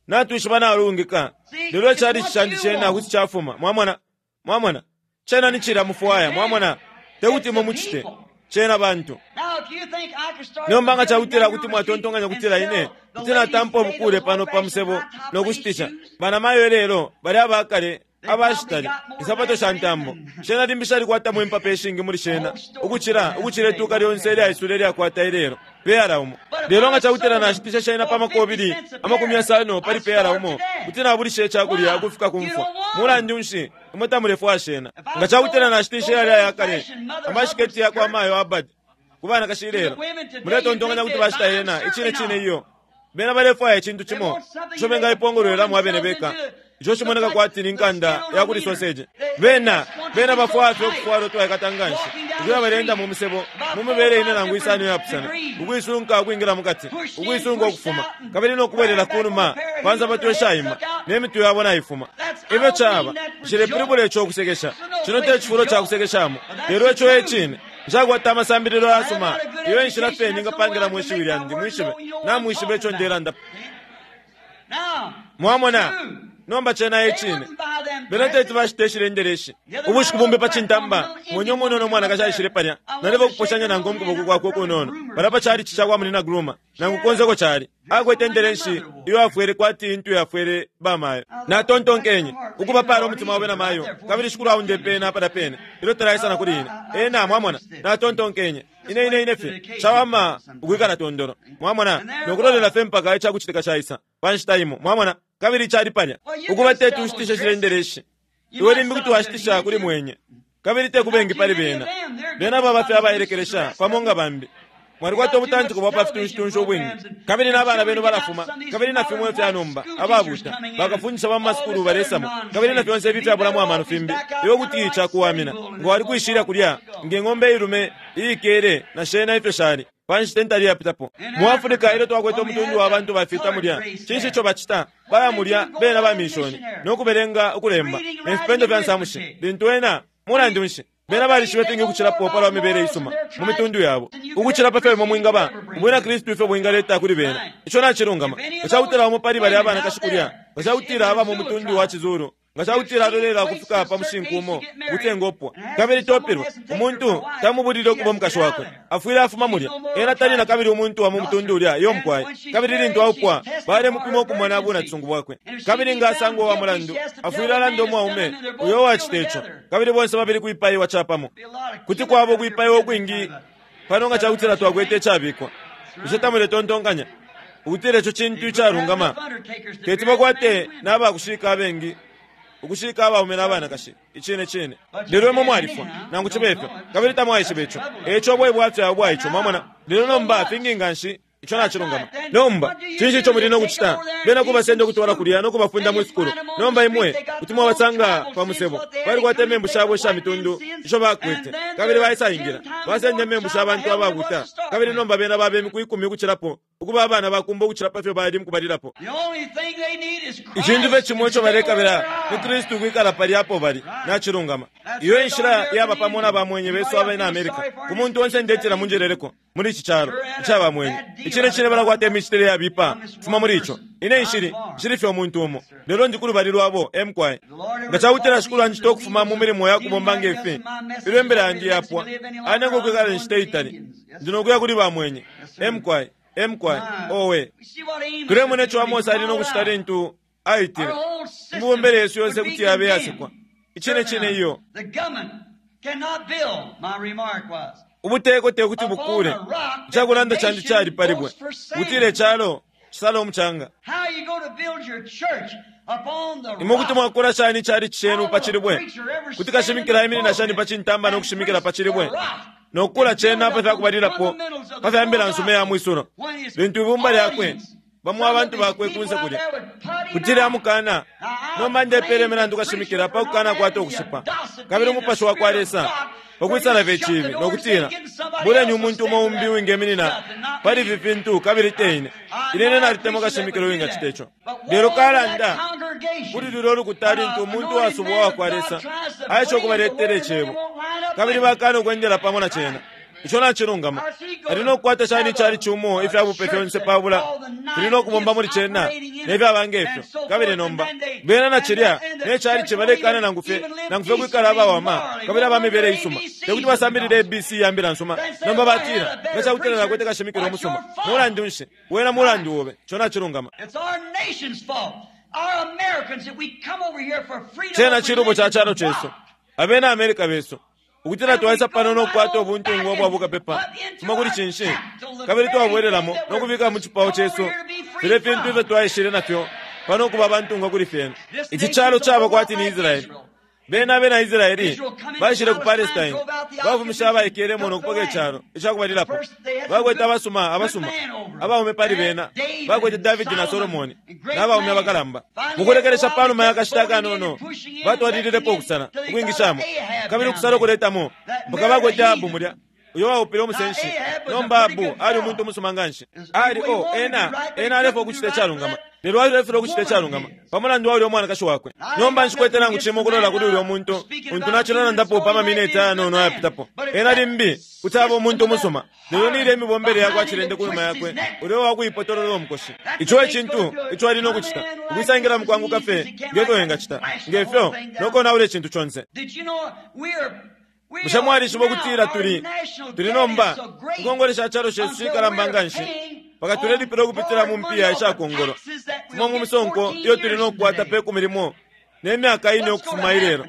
natwishiba nalungika, lelo icalici candi cena kuti cafuma. Mwamona? Mwamona? Cena ni cilya mufwaya, mwamona, te kuti imwe mucite. Cena bantu. Nomba nga cakutila kuti mwatontonkanya ukutila ine kuti natampa ubukule pano pa musebo no kushitisha banamayo ilelo bali abakale abashitali insapato sha ntambo, shena limbi shalikwatamo impapa ishingi muli shena ukucila ukucila ituka lyonse ilyaisula ilyakwata ilelo peyala umo. Lelo nga cakutila nashitisha shena pa makobili 50 pali peyala umo, kuti nabulisha icakulya ukufika ku mfwa. Mulandu nshi imwe tamulefwaya shena? Nga cakutila nashitisha yalya ayakale amashiketi yakwa mayo Abad ku banakashi ilelo, muletontonkanya kuti bashita yena? Icine cine iyo. Bena balefwaya icintu cimo ico bengaipongolwelamo abene beka, ico cimoneka kwati ni nkanda ya kuli soseji. Bena, bena bafwaya fye ukufwala utwaikata nganshi, ukuya baleenda mu musebo mu mibele ine nangu isano iyapusana, ukuisunka ukwingila mukati, ukuisunka ukufuma, kabili no kubwelela kunuma pa nsapato ishaima, ne mitwe yabo naifuma. Ifyo caba, nshilepilibula ico ukusekesha. Cino te cifulo ca kusekeshamo, lelo ico e cine. Nshakwata amasambililo ayasuma, iyo e nshila fye ningapangilamo ishiwi lyandi, mwishibe. Namwishiba ico ndelandapo. Mwamona? Nomba cena e cine. Bena teti bashite ishilendeleshi. Ubushiku bumbi pa cintamba, mwenye umunono umwanakashi aishile palya. Naleba ukuposhanya nankwe mukuboko kwakwe ukunono, palya pa chalichi cakwa Munyina Groomer, nangu konse uko cali. Akwete indelenshi iyo afwele kwati intu yafwele bamayo. Natontonkenye, Ukuba pala umutima obe namayo, kabili Shikulu aundepe ena palya pene ilyo talaisa na kuli ine. Ena, mwamona. Natontonkenye, Ine, ine, ine fye cawama ukwikala tondolo, mwamona, no kulolela fye mpaka icakucitika caisa pa nshita imo, mwamona. Kabili cali palya. Ukuba teti ushitishe shilendeleshi. Iwe limbi kuti washitisha kuli mwenye, kabili te ku bengi pali bena. Bena baba fye abailekelesha pamo nga bambi. Mwalikwata ubutantiko bwa pa fitunshitunshi ubwingi, kabili na bana benu balafuma, kabili na fimo ifya nomba, ababuta, bakafundisha ba mu masukulu balesamo, kabili na fyonse ifi ifyabulamo amano fimbi. Iwe kuti cakuwamina nga wali kwishilya kulya nge ng'ombe iilume iikele na shena ifyo shali pa nshita intali iyapitapo. Mu Africa ilyo twakwete umutundu wa bantu bafita mulya, cinshi ico bacita? Baya mulya bena ba minshoni, no kubelenga ukulemba, ne fipendo fya nsamushi, lintu ena, mulandu nshi, Bena balishiba ifingi ukucilapo pa lwa mibele isuma mu mitundu yabo ukucila pa fyo imwe mwingaba Ubwina Kristu ifyo bwingaleta kuli bena. Ico nacilungama. Nga ca kutila umo pali balya abanakashi kulya, nga ca kutila aba mu mutundu wa ciZulu, nga ca kutila alolela ukufika pa mushinku umo ukuti engopwa, kabili topilwe, umuntu tamubulile ukuba umukashi wakwe, afwile afuma mulya. Ena tali na kabili umuntu wa mu mutundu ulya. Iyo, mukwai. Kabili lintu aupwa, balemupima ukumona bunacisungu bwakwe. Kabili nga asangwa uwa mulandu, afwile alanda umwaume uyo uwacita ico, kabili bonse babili kwipaiwa capamo. Kuti kwaba ukwipaiwa ukwingi pano nga ca kutila twakwete icabikwa. Bushe tamuletontonkanya ukutila ico cintu icalungama? Teti bakwate na bakushika abengi ukushika abaume na banakashi. Icine cine. Lelo imwe mwalifwa, nangu cibe fyo, kabili tamwaishiba ico. E ico ubo e bwafya ubwa ico, mwamona. Lelo nomba fingi nganshi. Ico nacilungama. Nomba, cinshi ico muli no kucita? Bena kubasenda ukutwala kulya no kubafunda mwi sukulu. Nomba imwe kuti mwabasanga pa musebo. Balikwata imembu shabo isha mitundu isho bakwete, kabili baisaingila. Basenda imembu sha bantu ababuta, kabili nomba bena baba imiku ikumi ukucilapo. ukuba abana bakumba ukucila pa fyo bali mukubalilapo. Icintu fye cimo ico balekabila ni Kristu ukwikala palya apo bali. Nacilungama. Iyo e nshila yaba pamo na bamwenye besu abena America. Ku muntu onse ndetila munjeleleko, muli ici calo ica bamwenye. Icine cine balakwata imicitile yabipa fuma muli ico. Ine nshili, nshili fye umuntu umo, lelo ndi kulubali lwabo. E mukwai. Nga cakutila Shikulu anjita ukufuma mu milimo ya kubomba nge fi, ilyo imbila yandi yapwa, anenga ukwikala inshita itali, ndi no kuya kuli bamwenye. E mukwai. E mukwai. Owe. Tulemona ico Amose ali no kucita lintu aitile. Imibombele yesu yonse kuti yabe iyasekwa. Icine cine iyo. Ubuteko te kuti bukule. Icakulanda candi cali pa libwe. Ukutila icalo cisala umucanga. Imwe kuti mwakula shani icalici cenu pa cilibwe? Kuti kashimikila aiminina shani pa cintamba no kushimikila pa cilibwe? No kukula cena pa fya kubalilapo pa fya mbila nsuma iya mwisulo, lintu ibumba lyakwe, bamo abantu bakwe kunse kulya, kuti lyamukana. Nomba ndepeela imilandu kashimikila pa kukanakwata ukushipa, kabili umupashi wa kwa Lesa ukwisala fye iciibi no kutila, Buleni umuntu umo umbi uwingeminina pali ifi fintu kabili te ine. Ine, ine nalitemwa kashimikila uwingacita ico. Lelo kalanda kuli lulyo lukuta lintu umuntu uwasubwa uwa kwa Lesa aesha ukubaletela Icebo, kabili bakana ukwendela pamo na Cena. Ico nacilungama. Ali no kukwata shani icalici umo ifya bupe fyonse pabula fili no kubomba muli cena, ne fyaba nge fyo? Kabili nomba, bena na cilya ne calici balekana nangu fye, nangu fye kwikala abawama kabili aba mibele isuma. Te kuti basambilile ABC ya Mbila nsuma. Nomba batila, Nga cakutila nakwete kashimikila umusuma, mulandu nshi, wena mulandu obe. Ico nacilungama. Cena cilubo ca calo cesu, abena America besu, ukutila twaisa pano no kukwata ubuntungwa ubwa bukapepa fuma kuli cinshi, kabili twabwelelamo no kubika mu cipao cesu filya fintu ifyo twaishile na fyo pano ukuba abantungwa kuli fyena. Ici calo caba kwati ni Israele. Bena abena Israele baishile ku Palestine, bafumishe abaikelemo no kupoka icalo icakubalilapo. Bakwete abasuma, abasuma, abaume pali bena. Bakwete Davidi na Solomone, na baume abakalamba. Mukulekelesha panuma ya kashita akanono, batwalililepo ukusala, ukwingishamo, kabili ukusala ukuletamo, mpaka bakwete Ahabu mulya, uyo waupile umusenshi. Nomba Ahabu ali umuntu umusuma nganshi. Ali, oh, ena, ena alefwaya ukucita icalungama. Lelo alefilwa ukucita icalungama pa mulandu wa ulya umwanakashi wakwe. Nomba nshikwete nangu cimo ukulola kuli ulya umuntu untu nacilalandapo pa mamineti ayanono ayapitapo. Ena limbi kuti aba umuntu umusuma, lelo ni ilya imibombele yakwa cilende kunuma yakwe, ulya uwakuipotolola umukoshi. Ico e cintu ico ali no kucita, ukwisangila mukwanguka fye nge fyo engacita, nge fyo, no konaula icintu conse. Bushe mwalishiba ukutila tuli, tuli nomba, inkongole sha calo shesu shikalamba nganshi, mpaka tulelipila ukupitila mu mpiya isha kongolo, fuma mu misonko iyo tuli no kukwata pe kumi limo ne myaka ine ukufuma ilelo?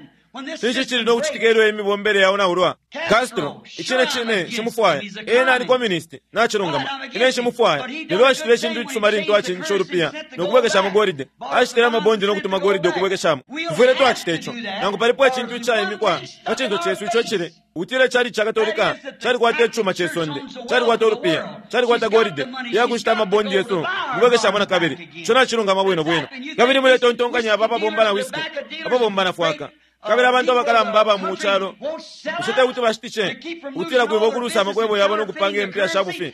Cinshi cili no kucitika ilyo imibombele yaonaulwa? Castro, icine cine nshimufwaya. Ena ali communist. Nacilungama. Ine nshimufwaya. Lelo acitile icintu icisuma lintu acinjishe ulupiya no kubwekeshamo golide. Ashitile amabondi no kutuma golide ukubwekeshamo. Tufwile twacita ico. Nangu palipo icintu icaimikwa pa cinso cesu ico icili ukutila icalici ca Katolika calikwata icuma ce sonde, calikwata ulupiya, calikwata golide iya kushita amabondi yesu ukubwekeshamo na kabili. Ico nacilungama bwino bwino. Kabili muletontonkanya aba ababomba na whisky, ababomba na fwaka, kabili abantu abakalamba aba mu calo, bushe te kuti bashitishe ukutila kwiba ukulusa amakwebo yabo no kupanga impiya sha bufi?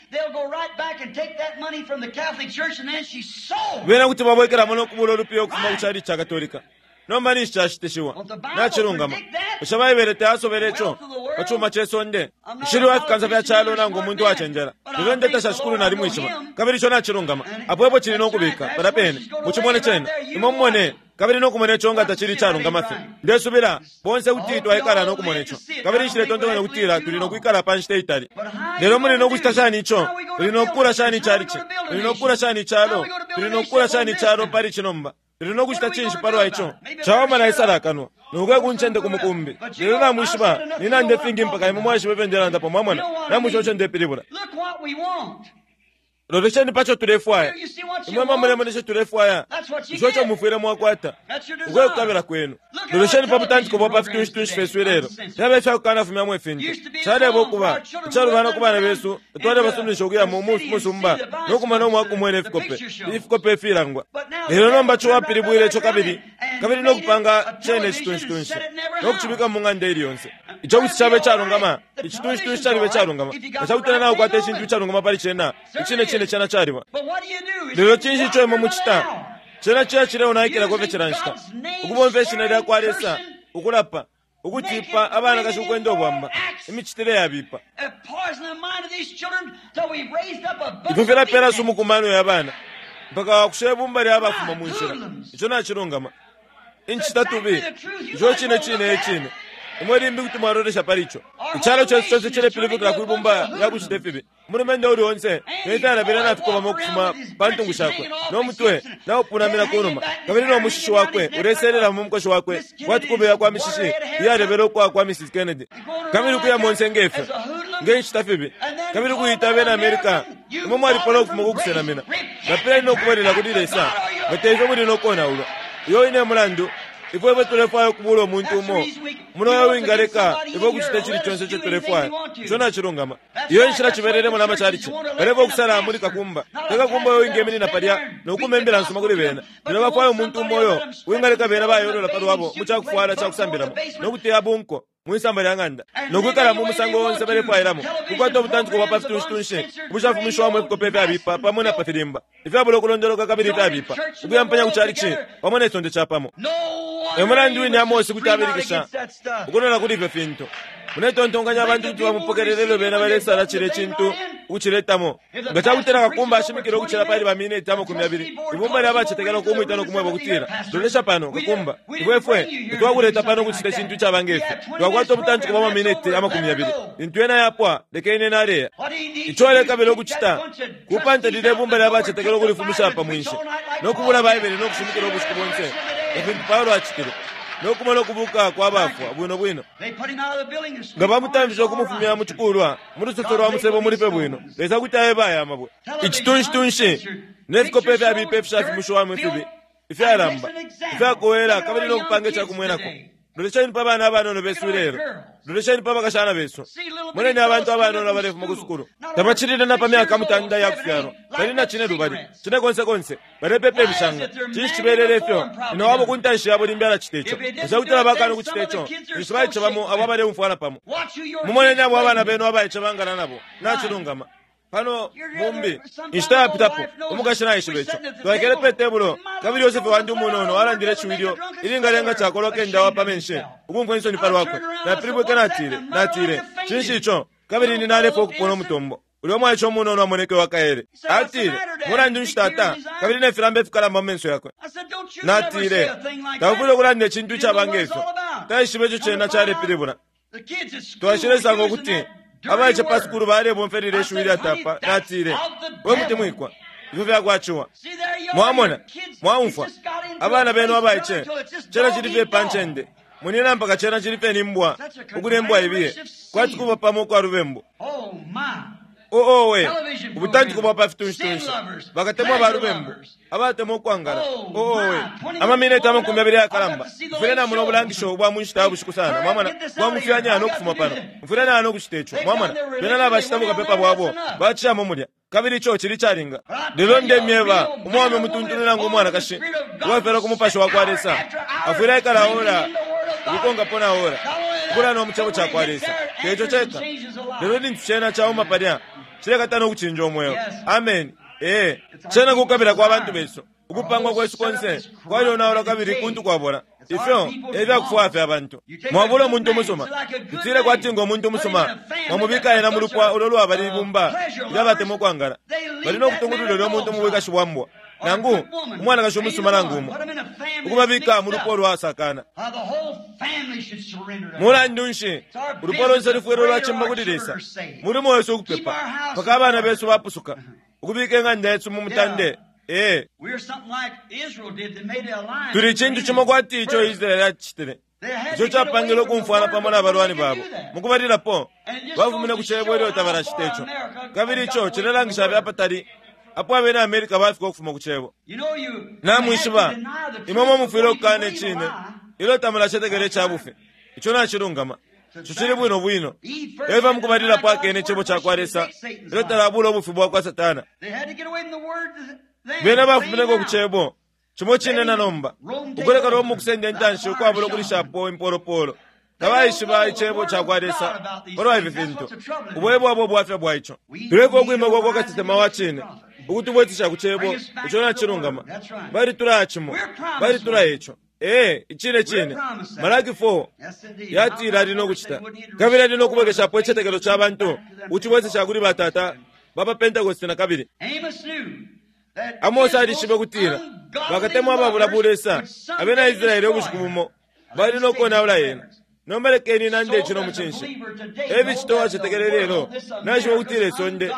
Bena kuti babwekelamo no kubula ulupiya ukufuma ku calici ca Katolika. Nomba ninshi cashitishiwa? Nacilungama. Bushe Baibele tayasobele ico pa cuma ce sonde? Nshili wa fikansa fya calo nangu umuntu uwacenjela, lelo ndetasha Shikulu nalimwishiba, kabili ico nacilungama. Apo epo cili no kubika, palya pene. Mucimone cena. Imwe mumone, kabili no kumona ico nga tacili icalungama fye. Ndesubila bonse kuti twaikala no kumona ico. Kabili nshiletontonkanya ukutila tuli no kwikala pa nshita itali. Lelo muli no kucita shani ico? Tuli no kukuula shani icalici? Tuli no kukuula shani icalo? Tuli no kukuula shani icalo pali ici nomba? Tuli no kucita cinshi palwa ico? Cawama naisala akanwa, no kuya ku ncende ku mukumbi. Lelo namwishiba, ninanda ifingi mpaka imwe mwaishiba ifyo ndelandapo, mwamona. Namwishiba ico ndepilibula. Lolesheni pa co tulefwaya. Imwe mulemona ico tulefwaya? Ico eco mufwile mwakwata. Uko e kukabila kwenu. Lolesheni pa butantiko bwa pa fitunshi-tunshi fyesu ilelo. Fyaba ifya kukanafumyamo ifintu. Caleba ukuba icalubana ku bana besu nga twalebasuminisha ukuya mu musumba no kumona umwa kumwena ifikope, ifikope ifilangwa. Lelo nomba Ciwa apilibwile ico kabili, kabili no kupanga cena icitunshi-tunshi, no kucibika mu ng'anda ili yonse. Ico kuti caba icalungama, icitunshi caliba icalungama. Nga cakutila naukwata icintu icalungama pali cena, icine cine cena caliba. Lelo cinshi ico imwe mucita? Cena ciya cileonaikilako fye cila nshita. Ukubomfya ishina lya kwa Lesa, ukulapa, ukutipa abanakashi ukwenda ubwamba, imicitile yabipa. Ifyo filapeela sumu ku mano ya bana, mpaka wakusha ibumba lya bafuma mu nshila. Ico nacilungama. Incitatubi, ico cine cine e cine. Imwe limbi kuti mwalolesha pali ico. Icalo cesu conse cilepilibukila kwi bumba lya kucite fibi. Umulumendo uuli onse ne fyalabila nafikobama ukufuma pa ntungu shakwe, no mutwe naupunamina ku numa, kabili no mushishi wakwe uleselela mu mukoshi wakwe kwati kubeya kwa mishishi iyalebela ukwa kwa Mrs. Kennedy, kabili ukuya monse nge fyo, nge ncita fibi, kabili ukuita abena America. Imwe mwalipola ukufuma ku kusenamina. Lapileni no kubwelela kuli Lesa, nga te ifyo muli no konaulwa. Uyo wine e mulandu ifwe ifwe tulefwaya ukubuula umuntu umo muno uyo wingaleka ifwe ukucita icili conse ico tulefwaya. Ico nacilungama. Iyo e nshila cibelelemo na macalici. Balefwaya ukusala muli kakumba, te kakumba uyo wingeminina palya no kuma imbila nsuma kuli bena, lelo bafwaya umuntu umo uyo wingaleka bena bayolola pa lwabo mu ca kufwala ca kusambilamo no kuteya bunko mwi samba lya ng'anda no kwikala mu musango onse balefwailamo, kukwata ubutantiko bwa pa fitunshi-tunshi ubushafumishiwamo ifikope ifyabipa pamo na pa filimba ifyabula ukulondoloka kabili ifyabipa, ukuyampanya ku calici pamo ne sonde capamo. E mulandu wine Amose kuti abilikisha ukulola kuli ifyo fintu. Muletontonkanya abantu kuti bamupokelela ilyo bena balesala cilya cintu ukuciletamo? Nga ca kutila kakumba ashimikila ukucila pali baminiti 20, ibumba lya bacetekela ukumwita no kumweba ukutila, Lolesha pano, kakumba, ifwe, ifwe tatwakuleta pano ukucita icintu icaba nge fi. Twakwata ubutantiko bwa maminiti 20. Lintu yena yapwa, lekeni ena aleya. Ico alekabila ukucita kupanta lilye bumba lya bacetekela ukulifumisha pa mwinshi, no kubula Baibele no kushimikila ubushiku bonse, nga fintu Paulo acitile, no kumona ukubuuka kwa bafwa bwino bwino. Nga bamutamfishe ukumufumya mu cikulwa, mu lusoso lwa musebo muli fye bwino, Lesa kuti aeba aya mabwe. Icitunshi-tunshi ne fikope ifyabipa ifishafumishiwamo ifibi, ifyalamba, ifyakowela kabili no kupanga ica kumwenako. Lolesheni pa bana abanono besu ilelo. Lolesheni pa bakashana besu. Moneni abantu abanono abalefuma ku sukulu. Tabacilile na pa myaka mutanda iya kufyalwa. Bali na cinelubali, cinekonsekonse, balepepa imishanga. Cinshi cibelele ifyo? Nyina wabo ku ntanshi yabo limbi alacita ico. Nga ca kutila bakaana ukucita ico, ninshi baice bamo abo abaleumfwana pamo. Mumoneni abo abana benu abaice bangala nabo. Nacilungama. Pano, mumbi, inshita yapitapo, umukashi naishiba ico. Twaikele pe tebulo, kabili Yosefe wandi umunono alandile ishiwi ilyo ilingalenga cakolwa kenda wa pa menshi ukumfwa insoni pa lwakwe. Napilibwike natile, natile, Cinshi ico? Kabili ine nalefwa ukupona umutombo. Ulya umwaice umunono amoneke uwa kaele. Atile, Mulandu nshi, tata? Kabili ne filamba ifikalamba mu menso yakwe. Natile, Taufwile ukulanda icintu icaba nge fyo. Taishibe ico cena calepilibula. Twaishilesanga ukuti abaice pa sukulu balebomfya lilya ishiwi ilyatapa. Natile, We mutemwikwa, ifyo fyakwa ciwa. Mwamona, mwaumfwa, abana benu abaice, cena cili fye pa ncende, munyina, mpaka cena cili fye ni mbwa ukulya imbwa ibiye, kwati kuba pamo ukwa lubembu. Oh, owe, ubutantiko bwa pa fitunshi-tunshi, bakatemwa ba lubembu, abatemwa ukwangala. Oh, owe, amamineti 20 ayakalamba. Mfwile namona ubulangisho ubwa mu nshita ya bushiku sana, mwamona, bwangufyanya no kufuma pano. Mfwile naya no kucita ico, mwamona. Bena nabashita bukapepa bwabo, bacishamo mulya, kabili ico cili icalinga. Lelo ndemyeba, umwaume umutuntulu nangu umwanakashi, uwafyalwa ku Mupashi wa kwa Lesa, afwile aikala ora ukukonkapo na ora, ukulanda mu Cebo cakwa Lesa. Te ico ceka, lelo lintu cena cauma palya, cilekata no kucinja umweo. Ameni. Ee, cena kukabila kwa bantu besu. Ukupangwa kwesu konse kwalyonaulwa kabili kuntu kwabola. Ifyo e fya kufwaya fya bantu. Mwabula umuntu umusuma, tutile kwati ngo muntu umusuma, mwamubika ena mu lupwa ulo lwaba libumba ilya batemwa ukwangala. Bali no kutungulula ulyo muntu mu bwikashi bwa mbwa, nangu umwanakashi umusuma nangu umo, ukubabika mu lupwa ulwasakana. Mulandu nshi, ulupwa lonse lufwile lwacimba kuli Lesa. Mulimo wesu ukupepa mpaka abana besu bapusuka, ukubika ing'anda yesu mu mutande. Ee, tuli icintu cimo kwati ico Israele acitile, ico capangile ukumfwana pamo na balwani babo. Mukubalilapo, bafumine ku cebo ilyo tabalacita ico, kabili ico cilelangisha fye apatali apo abena America bafika ukufuma ku cebo. Namwishiba, imwe mwe mufwile ukukana icine ilyo tamulacetekela ica bufi. Ico nacilungama. Ico cili bwino bwino. Eva mukubalilapo akene icebo ca kwa Lesa ilyo talabula ubufi bwa kwa Satana. Bena bafumineko ku Cebo cimo cine na nomba, ukuleka Roma ukusenda intanshi ukwabula ukulishapo impolopolo. Tabaishiba Icebo cakwa Lesa palwa ifi fintu. Ubo e bwaba ubwafya bwa ico. Tulefwaya ukwima kwa kwa kasesema wa cine, ukutubwesesha ku Cebo ico nacilungama. Balitulaya cimo. Balitulaya ico. Ee, icine cine. Malaki 4 yatila ali no kucita. Kabili ali no kubwekeshapo icitetekelo ca bantu, ukucibwesesha kuli batata ba pa Pentekoste na kabili. Amose alishibe kutila bakatemwa ababula bulesa abena Israele ubushiku bumo bali no konaula yena. Nomba lekeni nande ici no mucinshi. E ficita uwacetekela ilelo, naishiba ukutila isonde,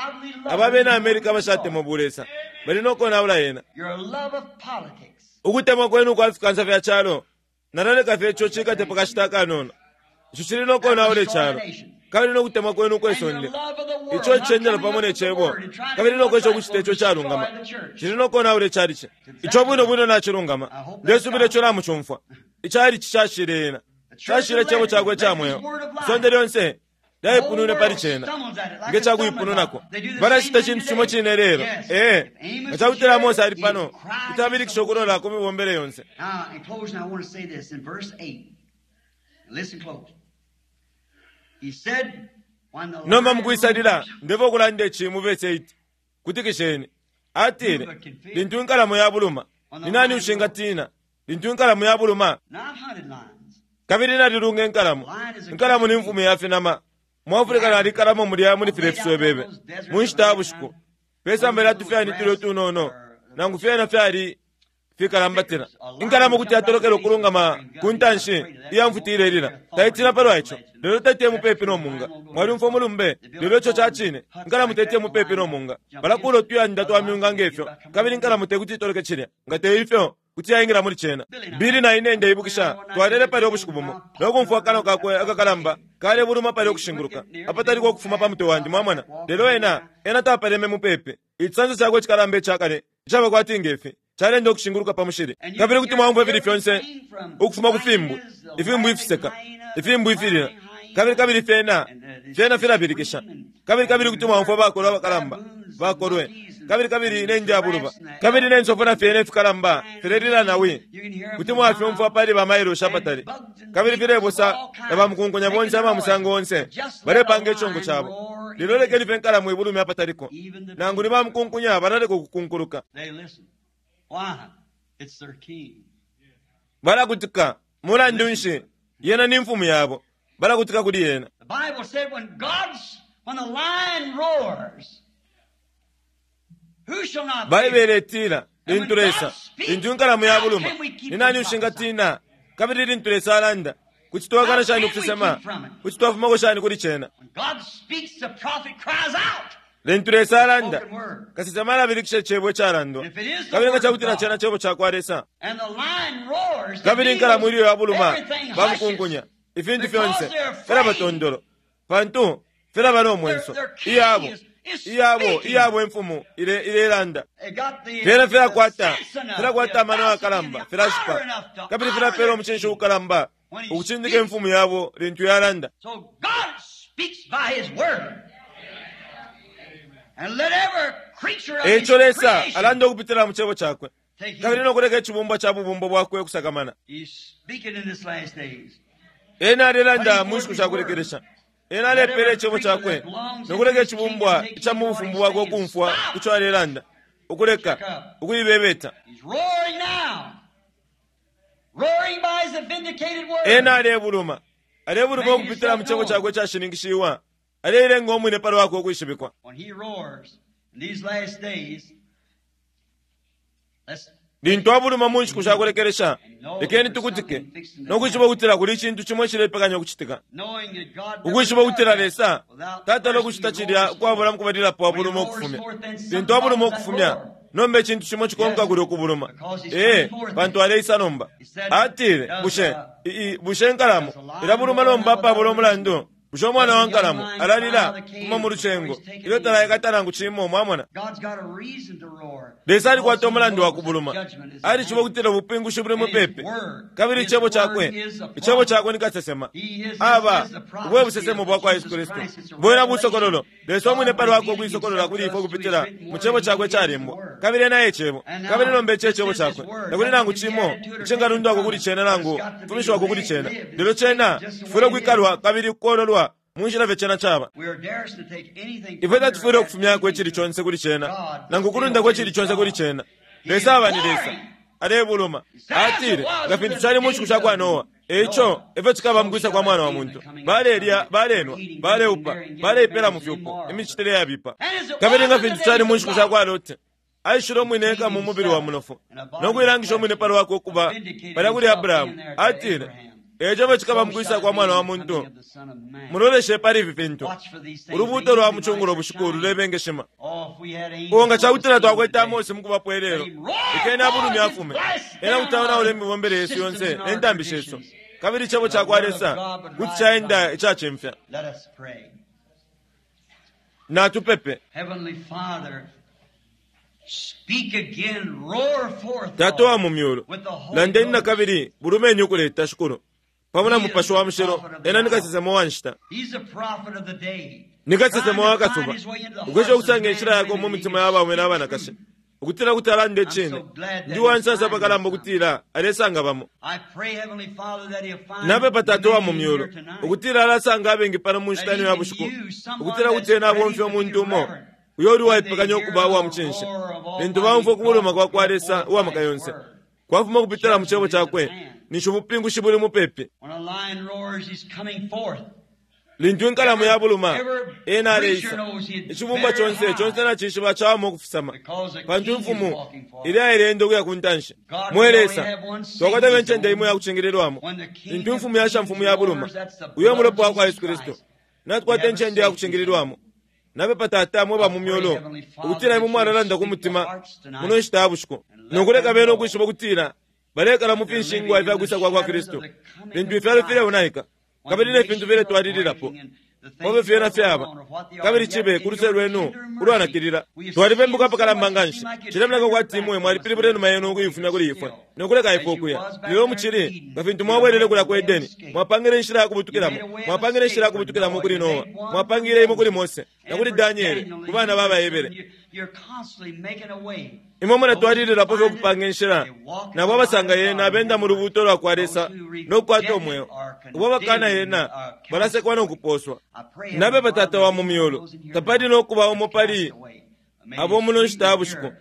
aba bena America abashatemwa bulesa, bali no konaula yena. Ukutemwa kwenu ukwa fikansa fya calo, nalaleka fye ico cikate pa kashita akanono. Ico cili no konaula icalo, kabili no kutemwa kwenu ukwe sonde, ico icendela pamo ne Cebo, kabili no kwesha ukucita ico calungama, cili no konaula icalici. Ico bwino bwino nacilungama. Ndesubila ico namucumfwa. Icalici cashile yena. Cashile Icebo Cakwe ica mweo. Isonde lyonse lyaipunwine pali cena, nge ca kuipununako. Balacita icintu cimo cine lelo. Ee, nga ca kutila Amose ali pano, kuti abilikisha ukulola ku mibombele yonse. Nomba mukwisalila, ndefwaya ukulanda ici mu vesi 8. Kutikisheni. Atile, Lintu inkalamo yabuluma, ni nani ushingatiina? Lintu inkalamo yabuluma, kabili nalilunga inkalamo. Inkalamo ni mfumu ya finama. Mu Afrika nalikalamo mulya muli filya ifiswebebe mu nshita ya bushiku, pe samba lya tufyani tulya utunono, nangu fyena fyali fikalambatila. Inkalamo kuti yatolokela ukulungama ku ntanshi iya mfuti ilelila. Taitina palwa ico, lelo teti iye mupepi no munga. Mwalyumfwa umulumbe, lelo ico ca cine. Inkalamo teti iye mupepi no munga. Balakuula utuyanda twa myunga nge fyo, kabili inkalamo te kuti itoloke cilya. Nga te ifyo, kuti yaingila muli cena. Billy na ine, ndeibukisha, twalele palya ubushiku bumo, no kumfwa akanwa kakwe akakalamba kalebuluma palya ukushinguluka, apataliko ukufuma pa mutwe wandi, mwamona. Lelo ena, ena tapaleme mupepi. Icisanso cakwe icikalamba ica kale, icaba kwati nge fi, caleenda ukushinguluka pa mushili. Kabili kuti mwaumfwa ifili fyonse ukufuma ku fimbwi, ifimbwi ifiseka, ifimbwi ifilila, kabili, kabili fyena, fyena filabilikisha. Kabili, kabili kuti mwaumfwa bakolwe abakalamba, bakolwe, kabili, kabili ne njabuluba, kabili ne nsofu na fyena ifikalamba filelila na wi. Kuti mwafyumfwa pali ba mailoshi apatali. Kabili filebosa na bamukunkunya bonse aba musango onse, balepanga icongo cabo. Lelo lekeni fye nkalamu ibulume apataliko. Nangu ni bamukunkunya balaleka ukukunkuluka. Balakutika. Mulandu nshi? Yena ni mfumu yabo. Balakutika kuli yena. The Bible said when God's, when the lion roars, who shall not fear? Baibele itila, lintu Lesa, lintu inkalamu yabuluma, ni nani ushingatina? Kabili lintu Lesa alanda, kuti twakana shani ukusesema? Kuti twafumako shani kuli cena? When God speaks, the prophet cries out. Lintu Lesa alanda, kasesema alabilikisha icebo icalandwa. Kabili nga ca kutila cena cebo ca kwa Lesa, And the lion roars, the kabili inkalamu ilyo yabuluma, everything bamukunkunya, hushes. ifintu fyonse filaba tondolo, pantu filaba no mwenso. Iyabo, iyabo, iyabo imfumu ile ilelanda. They got the, Fyena filakwata, the sense enough, filakwata the amano audacity, yakalamba, the filashipa, power enough to kabili honor filapela their umucinshi king. ukalamba, When he ukucindika speaks. imfumu yabo lintu yalanda. So God speaks by His word. And let every creature of His Eico Lesa creation alanda ukupitila mu cebo cakwe, take kabili heed. no kuleka icibumbwa ca bubumbo bwakwe ukusakamana. He's speaking in this last days. Ena alelanda mu nshiku sha kulekelesha. Ena alepela icebo cakwe no kuleka icibumbwa ica mu bufumu bwakwe ukumfwa ico alelanda, ukuleka ukuibebeta. He's roaring now. Roaring by his vindicated word. Ena alebuluma, alebuluma ukupitila mu cebo cakwe icashininkishiwa, aleilenga umwine pa lwakwe ukwishibikwa. When he roars in these last days, let's Lintu abuluma mu nshiku sha kulekelesha, lekeni tukutike no kwishiba ukutila kuli icintu cimo icilepekanya ukucitika. knowing that God Ukwishiba ukutila Lesa without tatala first ukucita he cilya roars ukwabula mukubalilapo abuluma ukufumya. Lintu abuluma ukufumya, nomba icintu cimo cikonka kulya ukubuluma. Ee, pantu aleisa nomba. Atile, bushe, i- i- bushe inkalamo ilabuluma nomba apabula umulandu? Bushe umwana wa nkalamo alalila kuma mu lucengo ilyo talaikata nangu cimo? Mwamona? God's got a reason to roar. Lesa alikwata umulandu wa Because he kubuluma. knows that judgment is at Alishiba hand. ukutila ubupingushi buli mupepi. Kabili icebo cakwe, icebo cakwe ni kasesema. Aba, ubwe busesemo bwa kwa Yesu Kristu. Bwena busokololo. Lesa umwine pali wakwe ukuisokolola kuli ifwe ukupitila mu cebo cakwe calembwa. Kabili ena e Cebo. Kabili nomba ici e Cebo Cakwe. Takuli nangu cimo icingalundwako kuli Cena nangu kufumishiwako kuli Cena. Lelo Cena cifwile ukwikalwa kabili ukololwa mu nshila fye Cena caba. Ifwe tatufwile ukufumyako icili conse kuli Cena, nangu ukulundako icili conse kuli Cena. Lesa aba ni Lesa. Alebuluma. Atile, Nga fintu cali mu nshiku sha kwa Noa, e ico e fyo cikaba mu kwisa kwa Mwana wa muntu. Balelya, balenwa, baleupa, baleipela mu fyupo, imicitile yabipa. Kabili nga fintu cali mu nshiku sha kwa Lote, aishile umwine eka mu mubili wa munofu, no kuilangisha umwine pa lwakwe ukuba palya kuli Abrahamu. Atile, E ico e fyo cikaba mu kwisa kwa Mwana wa muntu. Muloleshe pali ifi fintu. Ulubuuto lwa mu cungulo bushiku lulebengeshima. Oh, nga ca kutila twakwete Amose mu kubapo ilelo, lekeni abulume afume. Ena kuti aonaula imibombele yesu yonse ne ntambi shesu, kabili Icebo ca kwa Lesa kuti caenda icacimfya. Natupepe. Tata uwa mu Myulu, landeni nakabili, bulumeni ukuleta, Shikulu, pamo na Mupashi wa Mushilo. Ena ni kasesema wa nshita. Ni kasesema wa kasuba, ukwesha ukusanga inshila yakwe mu mitima ya baume na banakashi, ukutila kuti alanda icine. Ndi uwansansa apakalamba ukutila alesanga bamo. Napepa, Tata uwa mu Myulu, ukutila alasanga abengi pano mu nshita ino ya bushiku, ukutila kuti Ena abomfya umuntu umo uyo uli uwaipekanya ukuba uwa mucinshi lintu baumfwa ukubuluma kwa kwa Lesa uwa maka yonse kwafuma ukupitila mu Cebo cakwe, ninshi ubupingushi buli mupepi. Lintu inkalamo yabuluma, ena aleisa. Icibumba conse, conse nacishiba cawama ukufisama, pantu imfumu ilya ileenda ukuya ku ntanshi. Mwe Lesa, twakwata fye incende imo iyakucingililwamo. Lintu Imfumu ya shamfumu yabuluma, uyo Mulopa wakwa Yesu Kristu, natukwata incende iyakucingililwamo. Napepa, Tata, mwe ba mu Myulu, ukutila Imwe mwalalanda ku mutima muno nshita ya bushiku, no kuleka bena ukwishiba ukutila balekala mu finshingwa ifya kwisa kwa kwa Kristu, lintu ifyalo fileonaika kabili ne fintu filetwalililapo pa fyo fyena fyaba, kabili cibe ku luse lwenu ulwanakilila. Twalibembuka apakalamba nganshi. Cilemoneka kwati Imwe mwalipilibula inuma Yenu ukuifumya kuli ifwe no kuleka ifwe ukuya. Lelo mucili, nga fintu mwabwelele kulya ku Edeni, mwapangile inshila ya kubutukilamo. Mwapangile inshila ya kubutukilamo kuli Noa. Mwapangile imo kuli Mose, na kuli Daniele, ku bana ba baHebere. Imwe mulatwalililapo fye ukupanga inshila. Nabo abasanga Yena benda mu lubuuto lwa kwa Lesa no kukwata umweo. Abo abakana Yena balasekwa no kupooswa. Napepa, Tata wa mu Myulu, tapali no kuba umo pali abo muno nshita ya bushiku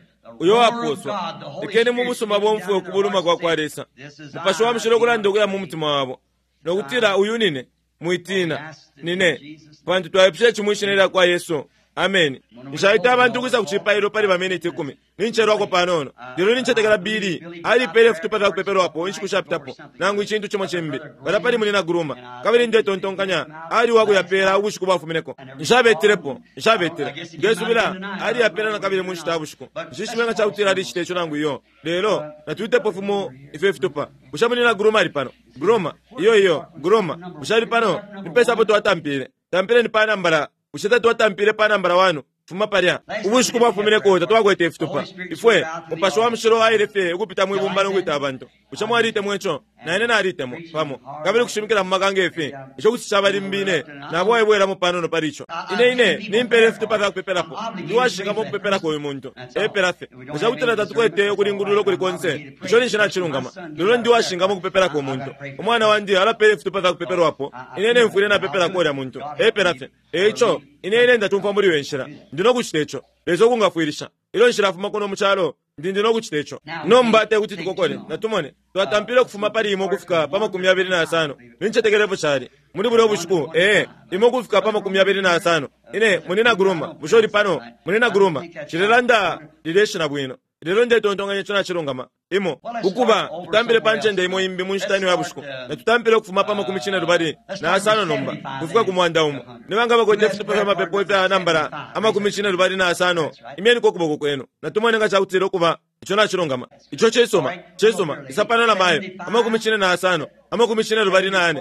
uyo wapooswa. Lekeni mu busuma bomfwe ukubuluma kwa kwa Lesa, Mupashi wa Mushilo ukulanda ukuya mu mutima wabo, no kutila, Uyu nine, mwitiina, nine, pantu twaipusha ici mwi Shina ilya kwa Yesu. Ameni. Nshaita abantu ukwisa ku cipailo pali baminiti ikumi. Nincelwako panono. Lelo nincetekela Billy alipele ifitupa fya kupepelwapo inshiku shapitapo, nangu icintu cimo cimbi, palya pali Munyina Groomer. Kabili ndetontonkanya ali uwakuyapela ubushiku bwafumineko. Nshabetilepo. Nshabetile. Ndesubila aliyapela nakabili mu nshita ya bushiku. Nshishibe nga cakutila alicita ico nangu iyo. Lelo, natuitepo fimo ifyo ifitupa. Bushe Munyina Groomer ali pano? Groomer? Iyo, iyo. Groomer. Bushe ali pano? Nipesa apo twatampile? Tampileni pa nambala Bushe tatwatampile pa nambala wanu? Fuma palya. Ubushiku bwafumineko tatwakwete ifitupa. Ifwe, Mupashi wa Mushilo aile fye ukupita mwi bumba no kwita abantu. Bushe mwalitemwa ico? Na ine nalitemwa, pamo. Kabili ukushimikila mu maka nge fi, ico kuti caba limbi ine nabo waibwelamo panono pali ico. Ine, ine nimpela ifitupa fya kupepelapo. Ndi uwashingamo ukupepelako uyu muntu. Epela fye. Nga ca kutila tatukwete ukulingulula ukuli konse, ico ninshi nacilungama. Lelo ndi uwashingamo ukupepelako umuntu. Umwana wandi alapela ifitupa fya kupepelwapo, ine, ine mfwile napepelako ulya muntu. Epela fye. E ico, ine, ine ndacumfwa muli iyo nshila. Ndi no kucita ico. Lesa ukungafwilisha. Ilyo nshilafuma kuno mu calo, ndi, ndi no kucita ico. Nomba te kuti tukokole. Natumone. Twatampile ukufuma pali imo ukufika pa 25. Nincetekela efyo cali, muli bulya ubushiku, ee, imo ukufika pa 25. Ine, Munyina Groomer, bushe uli pano? Munyina Groomer, nshilelanda lilye shina bwino. Lelo ndetontonkanya ico nacilungama. Imo, ukuba, tutampile pa ncende imo imbi mu nshita ino ya bushiku. Natutampile ukufuma pa 76 nomba, ukufika ku 100. Nibanga abakwete ifitupa fya mapepo ifya nambala 75? Imyeniko ukuboko kwenu. Natumone nga cakutila ukuba ico nacilungama. Ico cisuma. Cisuma. Isa pano na mayo. 75. 24,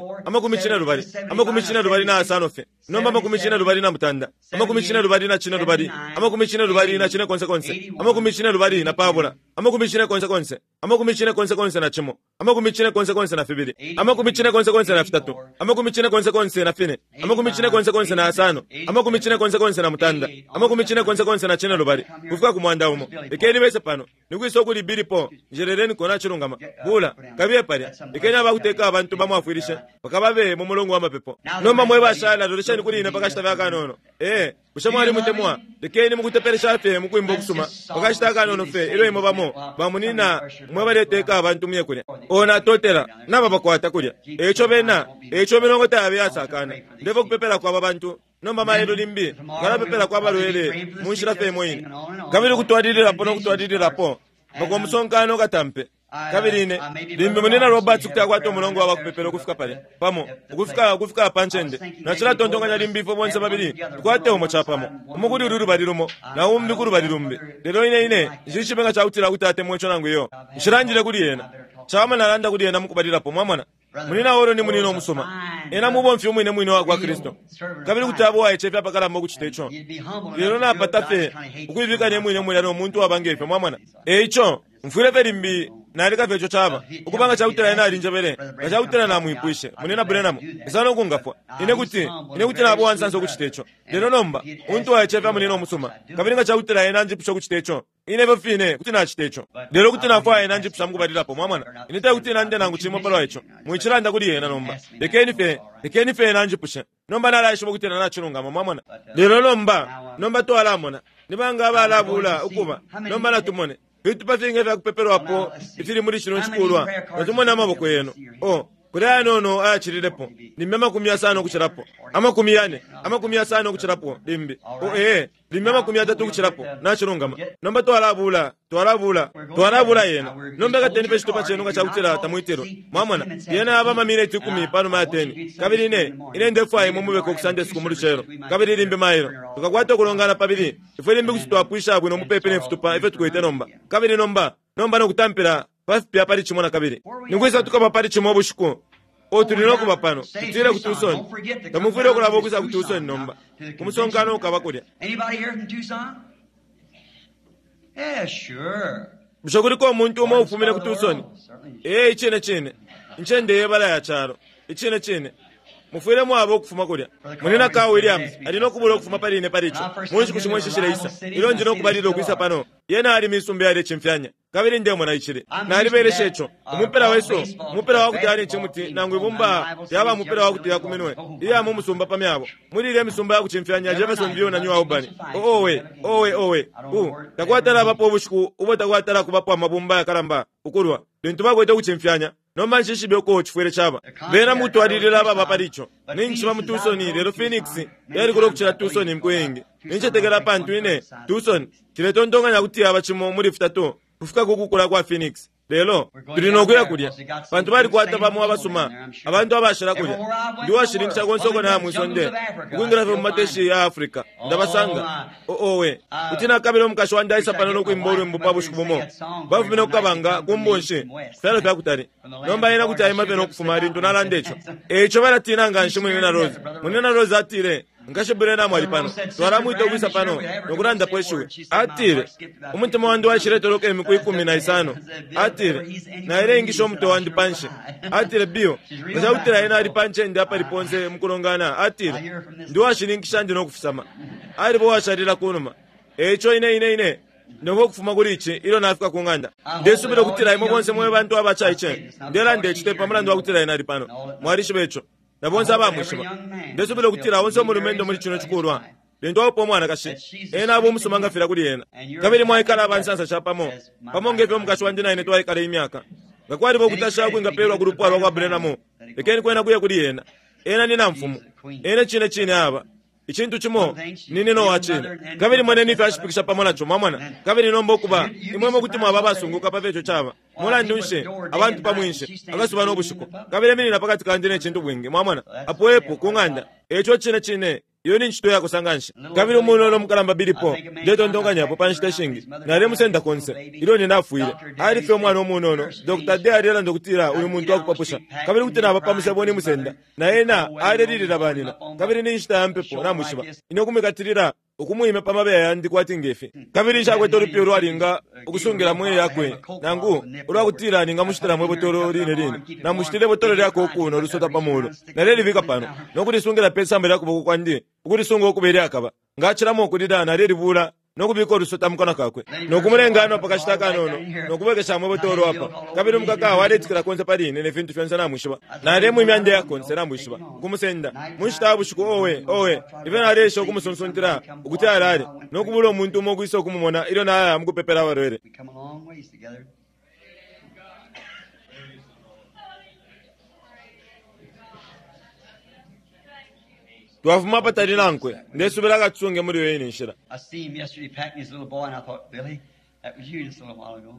25 fye. Nomba 28, 22, 24, 25, 41, 42, 44, 46, 48, kufika ku 100. Lekeni bese pano. Nikwisa ukuli bilipo njerereni kona chilungama. Bula kabiye palya. Lekeni abakuteka abantu bamwafwilishe bakababe mu mulongo wa mapepo. Nomba mwe bashala lolesheni kuli ine pakashita fyakanono. Bushe mwali mutemwa? Lekeni mukutepelesha fye mukwimba okusuma pakashita akanono fye ilyo imwe bamo bamunina mwe baleteka abantu muye kulya. Ona totela naba bakwata kulya. Eco bena eco milongo tayabe yasakana. Ndevo kupepela kwa bantu. Nomba mailo limbi ngalapepela kwa balwele munshila fye imo ine. Kabili kutwalililapo no kutwalililapo mpaka umusonkano katampe. Kabili ine limbi munina Roberts kuti akwata umulongo wa bakupepela ukufika palya pamo ukufika pa ncende. Nacilatontonkanya limbi ifwe bonse babili tukwate umo capamo, umo kuli ulu lubali lumo na umbi ku lubali lumbi. Lelo ine nshishibe nga cakutila kuti atemwa ico nangu iyo. Nshilandile kuli ena. Cawama nalanda kuli ena mukubalilapo, mwamona. Munina olo ni munina omusuma. Ena mubomfi umwine mwine wa kwa Kristo. Kabili kuti abo waicefya apakalamba ukucita ico. Lelo napata fye ukuibika ne mwine mwine no muntu waba ngefyo, mwamona. Eico mfwile fye limbi naleka fye ico caba. Ukubanga cakutila ena alinjebele, nga cakutila namwipwishe, munina Branham, esa kungafwa. Ine kuti nabo wansansa ukucita ico. Lelo nomba, untu waicefya munina omusuma. Kabili nga cakutila ena anjipusha ukucita ico, ine fyo fine kuti nacita ico. Lelo kuti nafwaya ena anjipusha mukubalilapo, mwamona. Ine tekuti nande nangu cimo palwa ico. Mwicilanda kuli ena nomba. Lekeni fye ena anjipushe. Nomba nalaishiba ukuti ena nacilungama, mwamona. Lelo nomba twalamona. Nibanga abalabula ukuba. Nomba natumone. Fitupa fingi fya kupepelwapo ifili muli chino chikulwa. Natumone amaboko yenu. Kuli ayanono ayachililepo. Limbi 50 ukuchilapo. 400, 50 ukuchilapo limbi. Limbi 30 ukuchilapo. Nachilungama. Nomba twalabula yena. Nomba kateni pe chitupa chenu nga chakutila tamwitirwe. Mwamona, yena aba mamineti 10 panuma ya 10. Kabili ine ndefwaya imwe mubeko ku Sunday school mu lucelo. Kabili limbi mailo. Tukakwata ukulongana pabili. Ifwe limbi kuti twapwisha bwino mupepe ne fitupa ifyo tukwete nomba. Kabili nomba nokutampila pafipya pali cimo na kabili. Nikwisa tukaba pali cimo ubushiku. Tuli nokuba pano. Tutile ku Tucson. Tamufwile ukulaba ukwisa ku Tucson nomba. Kumusonkano ukaba kulya. Bushe kuliko umuntu umo ufumine ku Tucson? Icine cine. Incende yebala ya calo. Icine cine. Mufwile mwaba ukufuma kulya. Munina Carl Williams ali nokubula ukufuma pali ine pali ico. Munshiku shimwe shishileisa. Ilyo ndi nokubalila ukwisa pano. Yena ali misumba yalecimfyanya. Kabili ndemona icili. Nalibelesha ico. Umupela wesu, umupela wa kuti ali icimuti nangu ibumba yaba umupela wa kuti yakuminwe. Iya mu musumba pa myabo. Muli ile misumba ya kucimfyanya Jeffersonville na New Albany. Owe. Takwatala abapo ubushiku ubo takwatala kubapo amabumba yakalamba ukulwa. Lintu bakwete kucimfyanya. Nomba nshishibe uko chifwele chaba. Bena mutwalilila baba palicho. Ninchi mu Tucson lelo Phoenix yali kulo kuchila Tucson mkwingi. Ninchetekela pantu ine Tucson chiletontonkanya kuti yaba chimo muli 3 kufika kukukula kwa Phoenix. Lelo tuli nokuya kulya. Pantu bali kwata pamo abasuma. Abantu abashila kulya. Ndi washilingisha konse uko na mwisonde. Ukwingira fye mu mateshi ya Africa. Ndabasanga. Owe. Kuti nakabila umukashi wandi aisa pano nokwimba ulwimbo pa bushiku bumo. Bafumine kukabanga kumbonshi. Fyalo fya kutali. Nomba ena kuti aima fye nokufuma lintu nalanda ico. Eico balatina nga nshi munina Rose. Munina Rose atile, Nkashi Branham ali pano. Twalamwita ukwisa pano nokulandapo ishiwi. Atile, umutima wandi waishiletoloka imiku 15. Atile, naileingisha umutwe wandi panshi. Atile, Bill, nga cakutila ena ali pa ncende apali ponse mukulongana. Atile, ndi washininkisha ndi nokufisama. Alipo washalila kunuma. Eico ine ndongo kufuma kuli ici ilyo nafika ku ng'anda. Ndesubila ukutila imwe bonse mwe bantu abacaice. Ndelanda ici te pamulandu wa kutila ena ali pano. Mwalishiba ico. Na bonse abamwishiba. Ndesubila ukutila onse umulumendo muli chino chikulwa. Lintu aupa umwanakashi, ena abo umusuma ngafila kuli ena. Kabili mwaikala abansansa chapamo. Pamo ngefyo umukashi wandi na ine twaikala imyaka. Nga kwaliba ukutasha kwingapelwa ku lupwa lwa kwa Branham. Lekeni kwena kuya kuli ena. Ena ni namfumu. Ena cine cine aba. Icintu cimo nini no wacine. Kabili moneni ifyo ashipikisha pamo naco, mwamona. Kabili nomba ukuba imwe kuti mwaba abasunguka pa fyeco caba. Mulandu nshi abantu pamwinshi akasuba no bushiku. Kabili minina pakati kandi ne cintu bwingi, mwamona. Apo epo ku ng'anda. Eco cine cine. Iyo ni ncito iyakosa nganshi. Kabili umunono umukalamba Billy Paul, ndetontonkanyapo pa nshita ishingi, nalemusenda konse ilyo nyina afwile. Ali fye umwana umunono. Dr. Day alelanda ukutila uyu muntu wakupapusha. Kabili kuti naba pa musebo nimusenda, na ena alelilila banina. Kabili ni nshita ya mpepo, namwishiba. Ine ukumwikatilila, ukumwimya pa mabeya yandi kwati ngefi. Kabili nshakwete ulupiya ulwalinga ukusungilamo iyakwe, nangu ulwakutila ningamushitilamo ibotolo line line. Namushitile ibotolo lya koku no lusota pa mulu. Nalelibika pano, no kulisungila pe samba lya kuboko kwandi, ukulisunga ukuba ilyakaba. Nga acilamo ukulila, nalelibula no kubika ulusota mu kanwa kakwe, no kumulenga anwa pa kashita akanono, no kubwekeshamo ibotolo apa. Kabili umukaka waletikila konse pali ine ne fintu fyonse, namwishiba. Nalemwimya ndeya konse, namwishiba, ukumusenda. Mu nshita ya bushiku, owe, owe, ifyo naleesha ukumusunsuntila ukuti alale, no kubula umuntu umo ukwisa ukumumona ilyo naya mu kupepela abalwele. We come a long ways together. Twafuma apatali nankwe, ndesubila akatusunge muli iyo ine nshila. I see him yesterday packing his little boy, and I thought, Billy, that was you just a little while ago.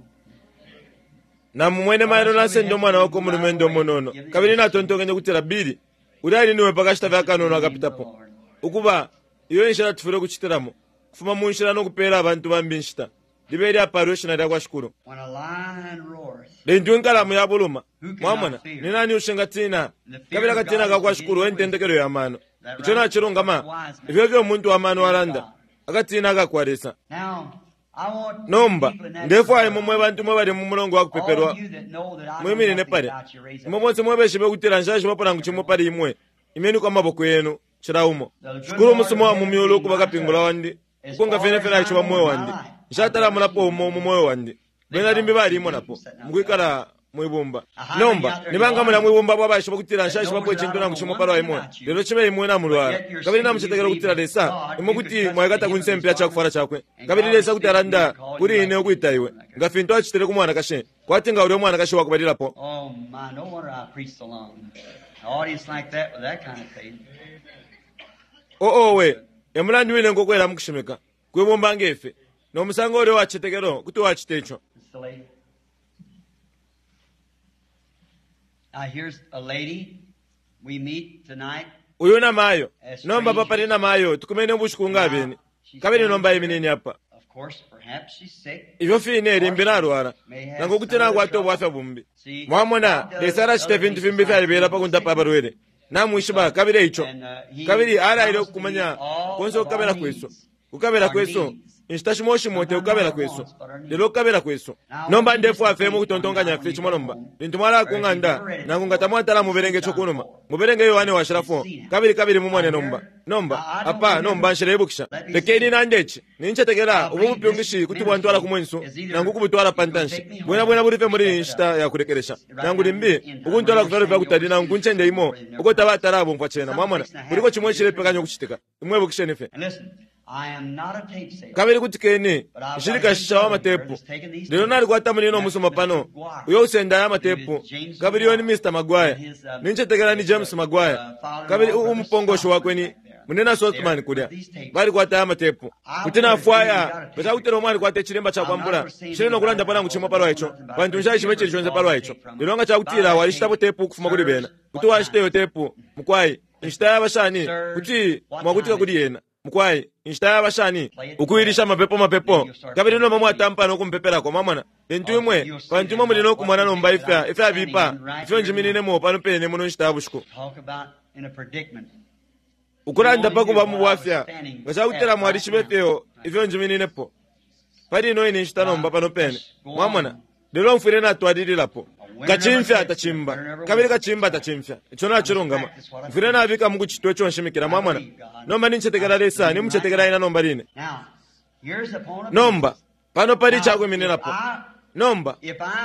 Namumwene mailo nasenda umwana wakwe umulumendo umunono, kabili natontonkenye ukutila, Billy, ulya ali niwe pa kashita fye akanono akapitapo. Ukuba, iyo inshila tufwile ukucitilamo, kufuma mu nshila no kupeela abantu bambi inshita. Libe ilyapaalwa ishina lya kwa Shikulu. When a lion roars, Lintu inkalamu yabuluma, mwamona, ni nani ushingatiina? Kabili akatina ka kwa Shikulu e ntendekelo ya mano. Ico nacilungama, ifyo efyo umuntu wa mano alanda, akatina aka kwa Lesa. Now, I want Nomba, people in that ndefwaya imwe mwe bantu mwe bali mu mulongo wa all kupepelwa, of you that know that I know mwiminine nothing palya. about you, raise up. Imwe bonse mwebeshibe ukutila nshaishibapo nangu cimo pali imwe, imeniko amaboko yenu, cila umo. Shikulu umusuma wa mu myulu ukuba kapingula wandi, ukonka fyene fye naishiba mu mweo wandi. Nshatalamulapo umo mu mweo wandi. Bena limbi balimonapo, mukwikala mwibumba. Nomba, nibanga mulya mwibumba abo abaishiba ukutila nshaishibapo icintu nangu cimo palwa imwe, lelo cibe imwe namulwala, kabili namucetekela ukutila Lesa, imwe kuti mwaikata ku nsempe ya cakufwala cakwe, kabili Lesa kuti alanda kuli ine ukwita iwe, nga fintu acitile ku mwanakashi, kwati nga ulya umwanakashi wakubalilapo. Oh my, no wonder I preached so long. An audience like that with that kind of faith. Oo we, e mulandu wine nkokwela mukushimika, kwibumba ngefe, no musango ulya uwacicetekelo kuti wacita ico. It's the lady. Now here's a lady we meet tonight. Uyu namayo, nomba apa pali namayo, tukumene ubushiku nga abeni, kabili nomba iminini apa. Of course, perhaps she's sick. Ifyo fine limbi nalwala, nangu kuti nakwata ubwafya bumbi. Mwamona, Lesa alacita ifintu fimbi ifyalibela pa kundapa abalwele. Namwishiba, kabili eico. Kabili alaile ukukumanya konse ukukabila kwesu. Kukabila kwesu, inshita shimo shimo te kukabila kwesu, lelo kukabila kwesu. Nomba ndefwaya fye mukutontonkanya fye cimo nomba. Lintu mwalaya ku ng'anda, nangu nga tamwatala muberenge ico kunuma, muberenge Yohane washila 4, kabili kabili mumone nomba. Nomba, apa, nomba nshileibukisha. Lekeni nande ici, nincetekela ubu bupyungishi kuti bwantwala ku mwensu, nangu ukubutwala pa ntanshi. Bwena bwena buli fye muli iyi nshita ya kulekelesha. Nangu limbi, ukuntwala ku fyalo fya kutali nangu ku ncende imo, uko tabatala abomfwa cena, mwamona, kuliko cimo icilepekanya ukucitika. Imwe ibukisheni fye. And listen, I am not a tape salesman. Kabili kutikeni, nshili kashisha wa matepu. Lelo nalikwata munino umusuma pano, uyo usenda aya matepu, kabili uyo ni Mr. Maguire. Nincetekela ni James Maguire. Kabili umupongoshi wakwe ni munena Sotman kulya. Balikwata aya matepu. Kuti nafwaya, nga cakutila umo alikwata icilimba cakwambula, nshili no kulandapo nangu cimo palwa ico, pantu nshaishiba icili conse palwa ico. Lelo nga cakutila walishitapo tepu ukufuma kuli bena, kuti washita iyo tepu, mukwai, inshita yaba shani, kuti mwakutika kuli yena. Mukwai, inshita yaba shani ukuilisha mapepo mapepo, kabili nomba mwatampa no kumpepelako, mwamona. Lintu imwe, pantu imwe muli no kumona nomba ifya ifyabipa ifyo njimininemo pano pene muno nshita ya bushiku. Talk about in a predicament. Ukulanda pa kuba mu bwafya, nga cakutila mwalishibe fyo ifyo njimininepo pali ino ine nshita nomba pano pene, mwamona. Lelo mfwile natwalililapo. Kacimfya tacimba, kabili kacimba tacimfya. Ico nacilungama. Mfwile nabika mukucitwa ico nshimikila, mwamona. Nomba nincetekela Lesa, nimucetekela ina nomba line. Now, here's the point of Nomba, pano pali icakwimininapo. Nomba,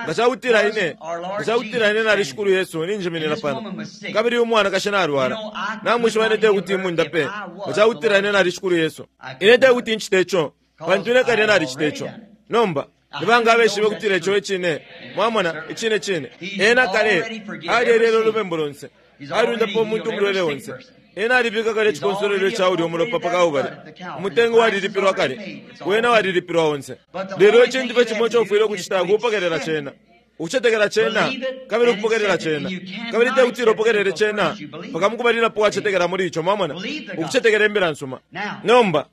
nga cakutila ine, nga cakutila ine nali Shikulu Yesu, ninjiminina pano. Kabili uyu mwanakashi nalwala. Namwishiba ine tekuti imundape, nga cakutila ine nali Shikulu Yesu. Ine tekuti ncite ico, pantu ine kale nalicita ico. Nomba, nibanga abeshibe ukutila ico icine, mwamona, icine cine. Ena kale, alyelela ulubembu lonse. Alundapo umuntu umulwele onse. Ena alibika kale icikonsolwelo ca ulya umulopa pa Kalbale. Umutengo walilipilwa kale, wena walilipilwa onse. Lelo icintu fye cimo ico ufwile ukucita kupokelela cena. Ukucetekela cena kabili ukupokelela cena. Kabili te kutila upokelele cena mpaka mukubalilapo wacetekela muli ico, mwamona, ukucetekela Imbila nsuma. Nomba,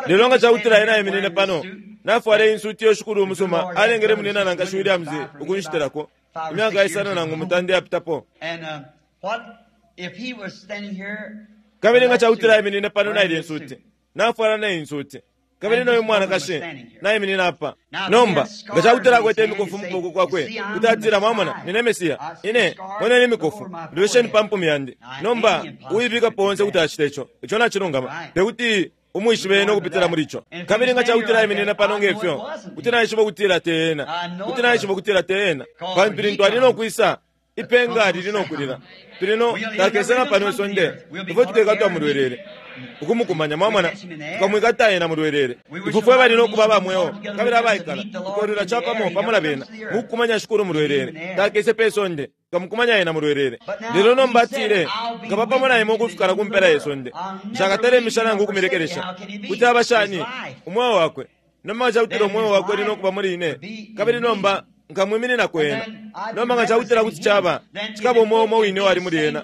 lelo nga cakutila ena aiminine pano, nafwala iyi nsuti iyo Shikulu umusuma alengele Munyina na Nkashi Williams ukunshitelako, imyaka isano nangu mutanda iyapitapo. Kabili nga cakutila aiminine pano na ilye nsuti, nafwala na iyi nsuti, kabili noyu mwanakashi naiminina apa. Nomba, nga cakutila akwete imikofu mu kuboko kwakwe, kuti atila, Mwamona, nine Mesiya. Ine, moneni imikofu, lolesheni pa mpumi yandi. Nomba, uibikapo onse kuti acita ico. Ico nacilungama. Tekuti umwishibe ena ukupitila muli ico. Kabili nga cakutila aiminina pano nge fyo, kuti naishiba ukutila te ena. Kuti naishiba ukutila te ena. Pantu lintu ali no kwisa, Ipenga lili no kulila. Tuli no, takese na pano isonde, ifwe tukekatwa mulwelele, ukumukumanya, mwamona, tukamwikata ena mulwelele. Ifwe fwe bali no kuba aba mweo kabili abaikala, tukolwila capamo pamo na bena, mukukumanya Shikulu mulwelele. Takese pe sonde, tukamukumanya ena mulwelele. Lelo nomba atile, Nkaba pamo na imwe ukufika na ku mpela ye sonde. Nshakatale imisha nangu ukumilekelesha. Kuti aba shani? Umweo wakwe. Nomba nga cakutila umweo wakwe uli no kuba muli ine, kabili nomba Nkamwimininako ena. Nomba nga cakutila kuti caba, cikaba umweo umo wine uwali muli ena,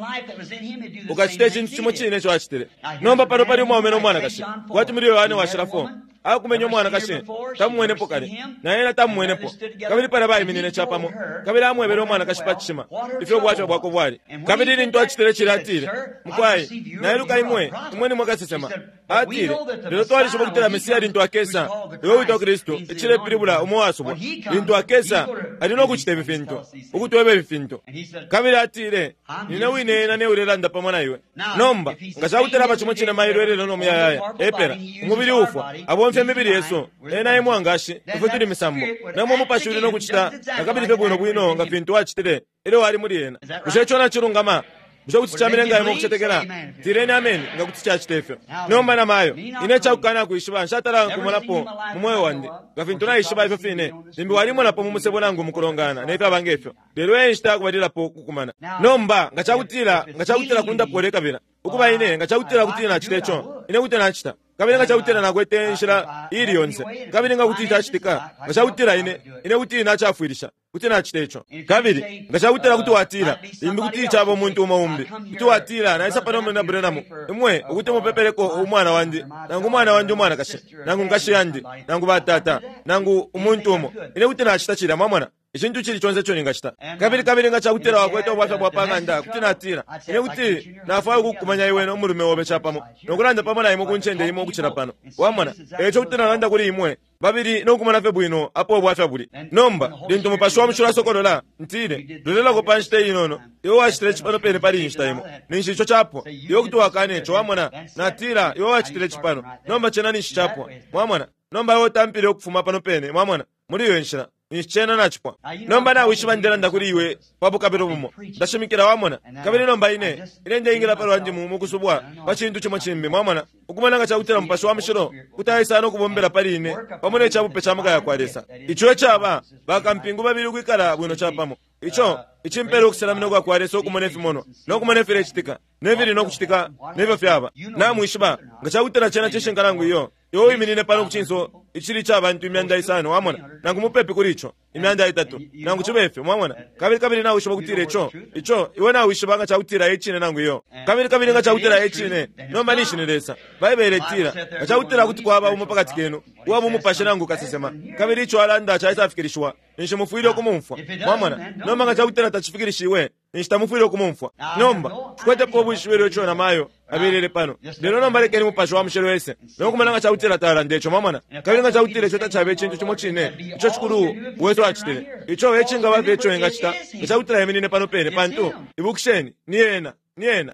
ukacita icintu cimo cine ico acitile. Nomba pano pali umwaume no mwanakashi, kwati muli Yohane Washila 4, akumenye umwanakashi, tamumwenepo kale, na ena tamumwenepo. Kabili palya baiminine capamo, kabili amwebele umwanakashi pa cishima ifyo ubwafya bwakwe bwali. Kabili lintu acitile cilya, atile, Mukwai, nailuka imwe, imwe nimwe kasesema. Atile, Lelo twalishiba ukutila Mesia lintu akesa, uyo uwitwa Kristu, icilepilibula umo uwasubwa, lintu akesa, ali no kucita ifi fintu, ukutweba ifi fintu. Kabili atile, Nine wine ena ne ulelanda pamo na iwe. Nomba, nga cakutila aba cimo cine mailo, ilelo, no muyayaya, epela, umubili uufwa, abomfya imibili yesu, ena e mwangashi, ifwe tuli misambo. Nomba umupashi uli no kucita nakabili fye bwino bwino nga fintu wacitile ilyo wali muli ena. Bushe ico nacilungama? Bushe kuti camilenga imwe ukucetekela? Tileni ameni nga kuti cacita ifyo. Nomba namayo, ine icakukana kwishiba nshatala nkumonapo mu mweo wandi, nga fintu naishiba ifyo fine, limbi walimonapo mu musebo nangu mukulongana ne fyaba nge fyo, lelo e nshita yakubalilapo ukukumana. Nomba nga cakutila, nga cakutila kundapwa ulekabila, ukuba ine, nga cakutila kuti nacita ico, ine kuti nacita. Kabili nga cakutila nakwete inshila iili yonse, kabili nga kuti cacitika, nga cakutila ine, ine kuti nacafwilisha. Kuti nacita ico. Kabili nga cakutila kuti watila, limbi kuti caba umuntu umo umbi, kuti watila, Naisa pano Munyina Branham, imwe ukuti mupepeleko umwana wandi, nangu umwana wandi umwanakashi, nangu nkashi yandi, nangu batata, nangu umuntu umo. Ine kuti nacita cilya, mwamona, icintu icili conse ico ningacita. Kabili, kabili nga cakutila wakwete ubwafya bwa pa ng'anda, kuti natila, Ine kuti nafwaya ukukukumanya iwe no mulume obe capamo, no kulanda pamo na imwe ku ncende imo ukucila pano. Wamona? Eico kuti nalanda kuli imwe babili no kumona fye bwino apo ubwafya buli. Nomba, lintu Mupashi wa Mushilo asokolola, ntile, lolelako pa nshita inono, iwe wacitile ici pano pene pali iyi nshita imo, ninshi ico capwa. Iwe kuti wakana ico, wamona. Natila, Iwe wacitile ici pano, nomba cena ninshi capwa. Mwamona? Nomba iwe utampile ukufuma pano pene, mwamona, muli iyo nshila. Ninshi cena nacipwa. Nomba nawishiba ndelanda kuli iwe pa bukabilo bumo. Ndashimikila, wamona. Kabili nomba ine, ine ndeingila palwandi mu, mukusubwa pa cintu cimo cimbi, mwamona, ukumona nga cakutila Mupashi wa Mushilo kuti aisa no kubombela pali ine pamo ne cabupe ca maka yakwa Lesa. Ico ecaba bakampingu babili ukwikala bwino capamo. Ico icimpela ukusenamina ukwakwa Lesa ukumona ifimonwa, no kumona ifilecitika, ne fili no kucitika, ne fyo fyaba. Namwishiba, nga cakutila cena cishinka nangu iyo, iwe wiminine pano ku cinso icili ica bantu imyanda isano, wamona, nangu mupepi kuli ico, imyanda itatu, nangu cibe ifyo, mwamona. Kabili, kabili nawishiba ukutila ico, ico, iwe nawishiba nga cakutila e cine nangu iyo. Kabili, kabili nga cakutila e cine, nomba ninshi ni Lesa. Baibele itila, Nga cakutila kuti kwaba umo pakati kenu, uwa bumupashi nangu kasesema, kabili ico alanda caisafikilishiwa, ninshi mufwile ukumumfwa. Mwamona? Nomba nga cakutila tacifikilishiwe, ninshi tamufwile ukumumfwa. Nomba, nshikwetepo ubwishibilo ico namayo abelele pano. Lelo nomba lekeni Mupashi wa Mushilo ese no kumona nga cakutila talanda ico, mwamona. Kabili nga cakutila ico tacaba icintu cimo cine ico Shikulu wesu acitile, ico e cingaba fye ico engacita nga cakutila eminine pano pene, pantu, ibukisheni, ni Ena, ni Ena.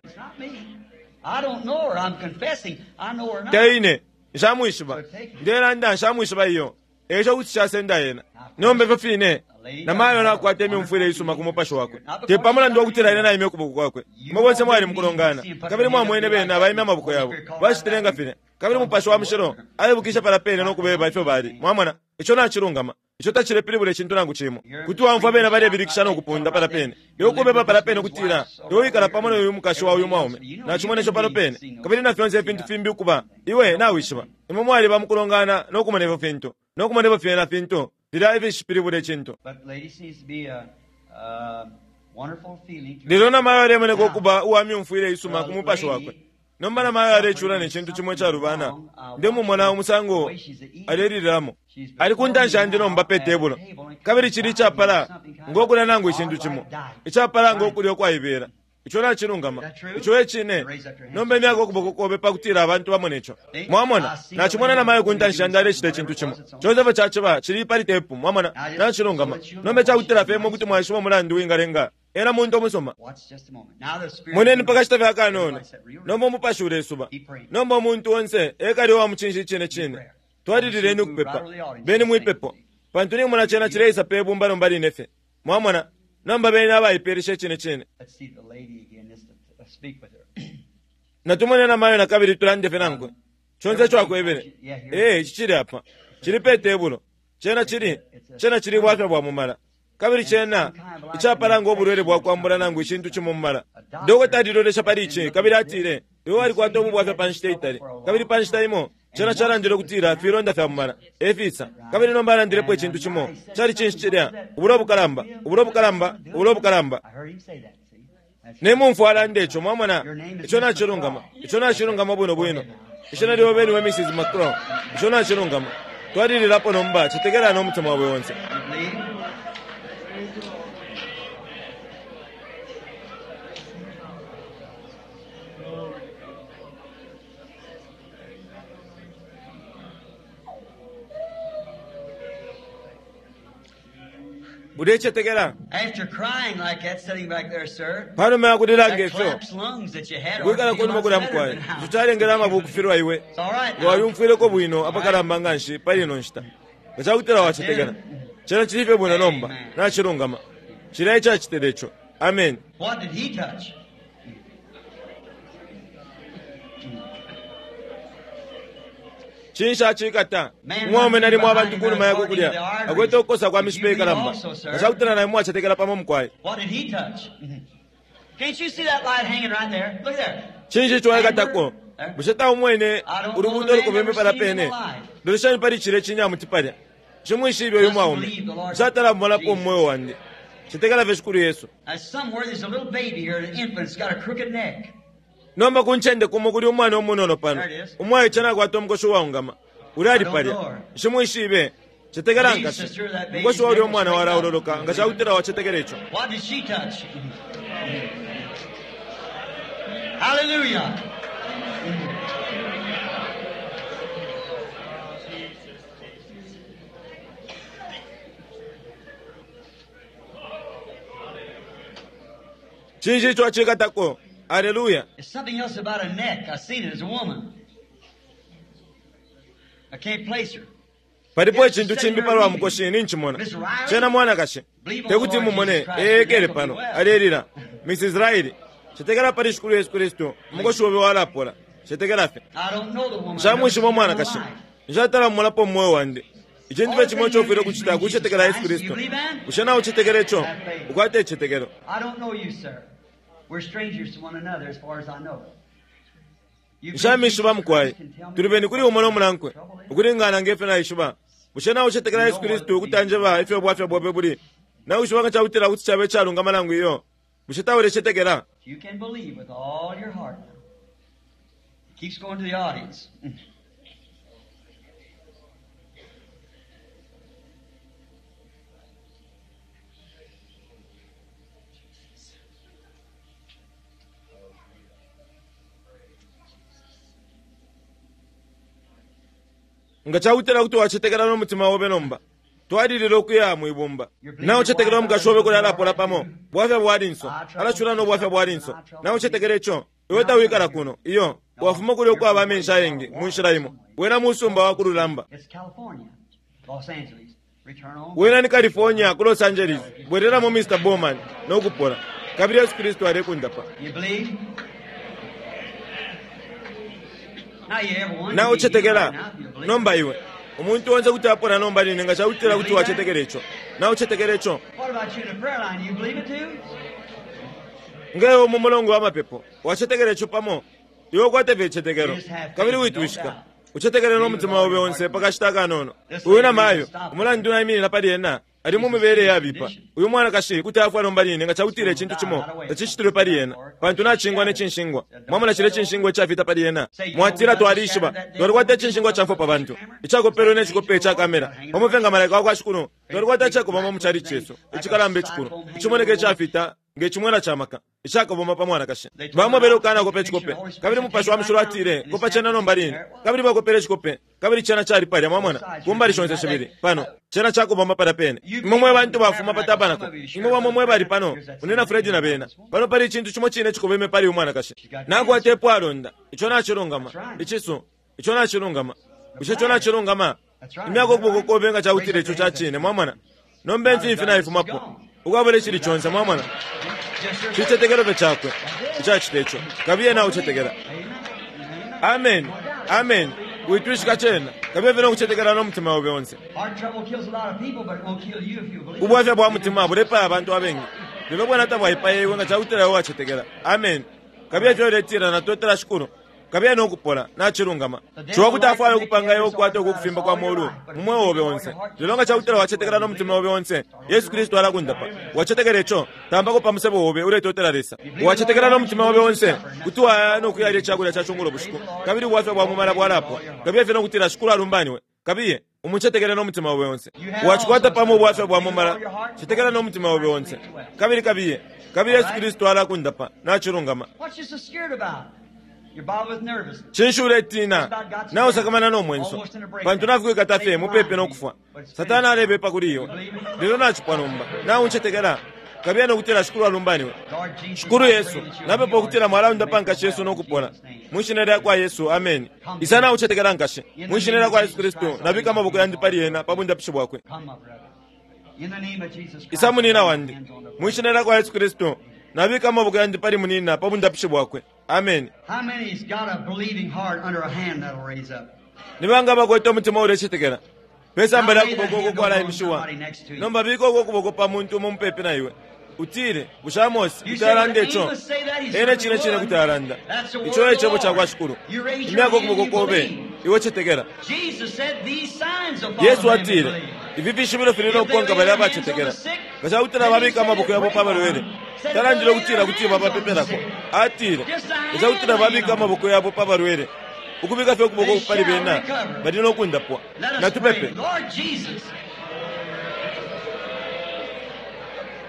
Te ine, nshamwishiba. Ndelanda, nshamwishiba iyo. Eico kuti casenda ena. Nomba ifyo fine, na mayo nakwata imyumfwile isuma ku mupashi wakwe, te pa mulandu wa kutila ine naimye ukuboko kwakwe. Imwe bonse mwali mukulongana, kabili mwamwene bena baimya amaboko yabo. Bacitile nga filya. Kabili Mupashi wa Mushilo aibukishe palya pene no kubeba ifyo bali. Mwamona? Ico nacilungama. Ico tacilepilibula icintu nangu cimo. Kuti waumfwa bena balebilikisha no kupunda palya pene. Iwe ukubeba palya pene ukutila, Iwe wikala pamo no yu mukashi wa uyu mwaume. Nacimona ico pano pene. Kabili na fyonse ifintu fimbi ukuba. Iwe nawishiba. Imwe mwaliba mukulongana no kumona ifyo fintu, no kumona ifyo fyena fintu. Filya ifishipilibula icintu. But lady seems to be a, a wonderful feeling to Lelo namayo alemoneka ukuba uwa myumfwile isuma ku mupashi wakwe. Nomba namayo alecula ne cintu cimo icalubana. Ndemumona umusango alelilamo. Ali ku ntanshi yandi nomba pe tebulo. Kabili cili icapala ngo kulya nangu icintu cimo. Icapala ngo kulya ukwaibela. Ico nacilungama. Ico e cine. Nomba imyaka ukuboko kobe pa kutila abantu bamone ico. Mwamona, nacimona namayo ku ntanshi yandi alecita icintu cimo. Conse fye caciba cili pali tepu, mwamona, nacilungama. Nomba icakutila fye imwe kuti mwaishiba umulandu wingalenga ena muntu umusuma. Watch just a moment. Now the Spirit Moneni pa kashita fye akanono. Nomba umupashi ulesuba. Nomba umuntu onse ekali uwa mucinshi icine cine. Twalilileni ukupepa. Beni mwipepo. Pantu nimona cena cileisa pe bumba nomba line fye. Mwamona, nomba beni abaipeelesha icine cine. Let's see the lady again just to speak with her. Natumone namayo na kabili tulande fye nankwe. Conse ico akwebele. Ee, ici cili apa. Cili pe tebulo. Cena cili, cena cili bwafya bwa mumala. Kabili cena icapala ngo bulwele bwa kwambula nangu icintu cimo mumala. Dokota alilolesha pali ici kabili atile, iwe walikwata ubu bwafya pa nshita itali. Kabili pa nshita imo, cena calandile ukutila filonda fya mumala, efisa. Kabili nomba alandilepo icintu cimo. Cali cinshi cilya? Ubulo bukalamba, ubulo bukalamba, ubulo bukalamba. I heard him say that, see? That's Ne mumfwa alanda ico, mwamona, ico nacilungama, ico nacilungama bwino bwino. Ishina lyobe niwe Mrs. McCraw, ico nacilungama. Twalililapo nomba, cetekela no mutima wawe onse. You believe? Ulecetekela? After crying like that, sitting back there, sir, Panuma ya kulila that ngefyo, collapsed lungs that you had ought kwikala to be kunuma lots kulya better mukwai. than Ico now. calengele amabu kufilwa iwe. It's all right Nga now. wayumfwileko bwino apakalamba nga nshi pali ino nshita. Nga cakutila wacetekela. Cena cili fye bwino nomba, nacilungama. Cilya icacitile ico. Amen. What did he touch? Cinshi acikata? Umwaume nalimo abantu kunuma yakwe kulya. Akwete ukukosa kwa mishipa ikalamba. Nga cakutila naimwe mwacetekela pamo mukwai. What did he touch? Can't you see that light hanging right there? Look there. Cinshi ico waikatako? Bushe taumwene ulubuuto lukubembe pala pene? Loleshani pali cilya cinyamuti palya. Nshimwishibe uyu mwaume. Nshatala mumolapo mu moyo wandi. Cetekela fye Shikulu Yesu. Now, somewhere there's a little baby here, an infant's got a crooked neck. Nomba ku ncende kumo kuli umwana umunono pano. Umwaice nakwata umukoshi uwaungama. Uli ali palya. Nshimwishibe. Cetekela nkashi. Umukoshi wa ulya umwana walaololoka nga cakutila wacetekela ico. What did she touch? Hallelujah. Cinshi ico acikatako? Aleluya. There's something else about a neck. I seen it as a woman. I can't place her. Palipo icintu cimbi palwa mukoshi ninchimona. Cena mwanakashi. Tekuti mumone eyekele pano alelila. Mrs. Riley. Cetekela pali Shikulu Yesu Kristu. Umukoshi obe walapola. Cetekela fye. I don't know the woman. Nshamwishiba umwanakashi. Nshatala mumolapo mu moyo wandi. Icintu fye cimo ico ufwile ukucita kucetekela Yesu Kristu. Bushe nawe ucetekela ico? Ukwate icicetekelo. I don't know you, sir. We're strangers to one another as far as I know. You Nshamishiba mukwai. Tuli beni kuli umo no munankwe. Ukulingana ngefyo naishiba. Bushe nawe ucetekela Yesu Kristu ukuti anjeba ifyo bwafya bwobe buli? Nawishiba nga cakutila kuti cabe icalungama nangu iyo. Bushe taulecetekela? You can believe with all your heart now. It keeps going to the audience. Nga cakutila kuti wacetekela no mutima obe nomba. Twalilila ukuya mwibumba. Nawe ucetekela umukashi obe kuli alapola pamo. Bwafya bwa linso. Alacula no bwafya bwa linso. Nawe ucetekela ico. Iwe tawikala kuno. Iyo. Wafuma kuli ukwaba amenshi ayengi mu nshila imo. Wena musumba wa kululamba. It's California, Los Angeles. Return on. Wena ni California ku Los Angeles. Bwereramo Mr. Bowman no kupola. Kabili Yesu Kristu alekundapa. You believe? Now you everyone. Nawe can be healed ucetekela right now if you believe. nomba iwe. Umuntu onse kuti apola nomba line nga cakutila kuti wacetekela ico. Nawe ucetekela ico. What about you in the prayer line? You believe it too? Nga iwe mu mulongo wa mapepo wacetekela ico pamo. Iwe ukwate fye icicetekelo. Kabili witwishika. Ucetekele no mutima obe onse pakashita akanono. Uyu na mayo, umulandu naiminina pali ena, ali mu mibele yabipa. Uyu mwanakashi kuti afwa nomba line nga cakutila icintu cimo tacicitilwe pali ena, pantu nacingwa ne cinshingwa. Mwamona cilya cinshingwa icafita pali ena? Mwatila, Twalishiba twalikwata icinshingwa ca mfwa pa bantu, icakopelwe ne cikope ica kamera, pamo fye nga malaika wa kwa Shikulu. Twalikwata icakobama mu chalichi cesu, icikalamba icikulu, icimoneka icafita nge cimwela ca maka, icakoboma pa mwanakashi. Bamwebele ukukanakopa icikope, kabili Mupashi wa Mushilo atile, Kopa cena nomba line. Kabili bakopele icikope, kabili cena cali palya, mwamona, ku mbali shonse shibili. Pano, cena cakobama palya pene. Imwe mwe bantu bafuma pa tabanako, imwe bamo mwe bali pano, Munyina Fred na bena, pano pali icintu cimo cine icikobeme pali uyu mwanakashi. Nakwata ipwalonda. Ico nacilungama. Icisu. Ico nacilungama. Bushe ico nacilungama? Imyako ukuboko kobe nga cakutila ico ca cine, mwamona. Nomba imfimfi naifumapo, ukwabula icili conse, mwamona. Cicetekelo fye cakwe icacita ico. Kabiye naucetekela. Ameni. Ameni. Witwishika cena. Kabiye fye no kucetekela no mutima obe onse. Ubwafya bwa mutima bulepaya abantu abengi, lelo bwena tabwaipaya iwe nga cakutila iwe wacetekela. Ameni. Kabiye fye uletila, Natotela Shikulu. Kabiye no kupola. Nacilungama. Ciwa kuti afwaya ukupanga iwe ukukwata uku kufimba kwa molu mu mweo obe onse. Lelo nga cakutila wacetekela no mutima obe onse, Yesu Kristu alakundapa. Wacetekela ico? Tambako pa musebo obe uletotela Lesa. Wacetekela no mutima obe onse, kuti waya no kuyalya icakulya ca cungulo bushiku, kabili ubwafya bwa mumala bwalapwa. Kabiye fye no kutila, Shikulu alumbaniwe. Kabiye, umucetekele no mutima obe onse. Wacikwata pamo ubwafya bwa mumala, cetekela no mutima obe onse. Kabili kabiye, kabili Yesu Kristu alakundapa. Nacilungama. Cinshi uletina? Nausakamana no mwenso, pantu nafikwikata fye mupepi no kufwa. Satana alebepa kuli iwe, lelo nacipwa nomba. Nauncetekela, kabiye no kutila, Shikulu alumbaniwe. Shikulu Yesu, napepa ukutila mwalaundapa nkashi yesu no kupola. Mwi Shina lyakwa Yesu, ameni. Isa naucetekela nkashi. Mwi Shina lyakwa Yesu Kristu, nabika amaboko yandi pali ena pa bundapishi bwakwe. Isa munina wandi. Mwi Shina lyakwa Yesu Kristu, nabika amaboko yandi pali munina pa bundapishi bwakwe. Ameni. How many's got a believing heart under a hand that'll raise up? Ni banga abakwete umutima ulecetekela pe samba lya kuboko uko kwalaimishiwa? Nomba bika uko kuboko pa muntu umo mupepi na iwe. Utile, Bushe Amose You kuti say, well, alanda ico? Amos say that, he Ene certainly cine cine would. kuti alanda. That's the Ico word e of the cebo ca kwa Lord. Shikulu. You raise your Imyako hand, ukuboko you kobe, believe. iwe cetekela. Jesus said these signs will follow Yesu them that atile, believe. Ifi fishibilo fili no kukonka balya abacetekela. Nga ca kutila babika amaboko yabo pa balwele, talandile ukutila kuti babapepelako. Atile, nga ca kutila babika amaboko yabo pa balwele, ukubika fye ukuboko They pali shall bena, recover. bali no kundapwa. Let us pray. Natupepe. Lord Jesus,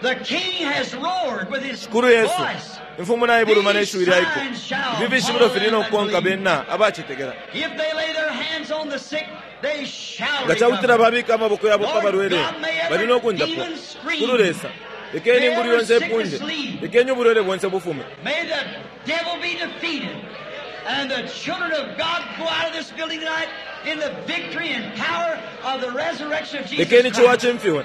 the King has roared with his Shikulu Yesu, voice. imfumu naibuluma ne These shiwi lya iko. signs shall Ifi fishibilo follow fili them no that kukonka believe. bena abacetekela. If they lay their hands on the sick, they shall Nga ca kutila recover. babika amaboko yabo pa Lord balwele, God, may bali every no kundapwa. demon scream. Shikulu Lesa, lekeni May ingulu every yonse sickness ipunde, leave. lekeni ubulwele bonse bufume. May the devil be defeated and the children of God go out of this building tonight in the victory and power of the resurrection of Jesus Lekeni ciwa Christ. cimfiwe,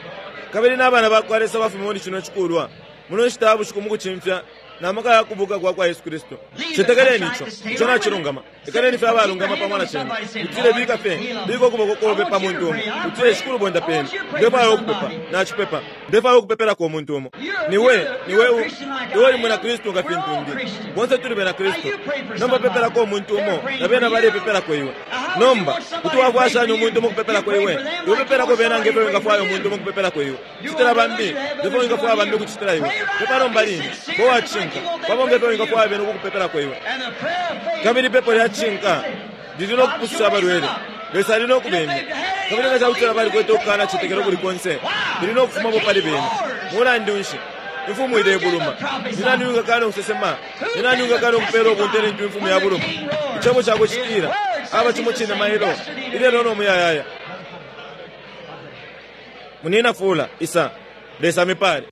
kabili n'abana ba kwa Lesa bafume muli cino cikulwa muno nshita ya bushiku mu kucimfya na maka ya kubuka kwa kwa Yesu Kristu. Cetekeleni ico, ico nacilungama. Lekeleni fye abalungama pamo na cena. Utile bika fye, bika ukuboko kobe pa muntu umo. Utile Shikulu bondapeni. Ndefwaya ukupepa, nacipepa. Ndefwaya ukupepelako umuntu umo. Niwe, niwe, u- iwe uli mwina Kristu nga fintu ndi. Bonse tuli bena Kristu. Nomba pepelako umuntu umo, na bena balepepelako iwe. Nomba, kuti wafwaya shani umuntu umo ukupepelako iwe? Iwe pepelako bena nge fyo wingafwaya umuntu umo ukupepelako iwe. Citila bambi, nge fyo wingafwaya bambi ukucitila iwe. Pepa nomba line, bo wacishinka, pamo nge fyo wingafwaya bena ukukupepelako iwe. And the prayer of faith Kabili ipepo lya cishinka lili no kupususha abalwele. Lesa ali no kubemya. Kabili nga cakutila balikwete ukukana cetekelo kuli konse, lili no kufumapo pali bena. Mulandu nshi? Imfumu ilebuluma. Ni nani uwingakana ukusesema? Ni nani uwingakana ukupela ubunte lintu imfumu yabuluma? Icebo cakwe citila, aba cimo cine mailo, ilelo no muyayaya. Munina fula, isa, Lesa amipale.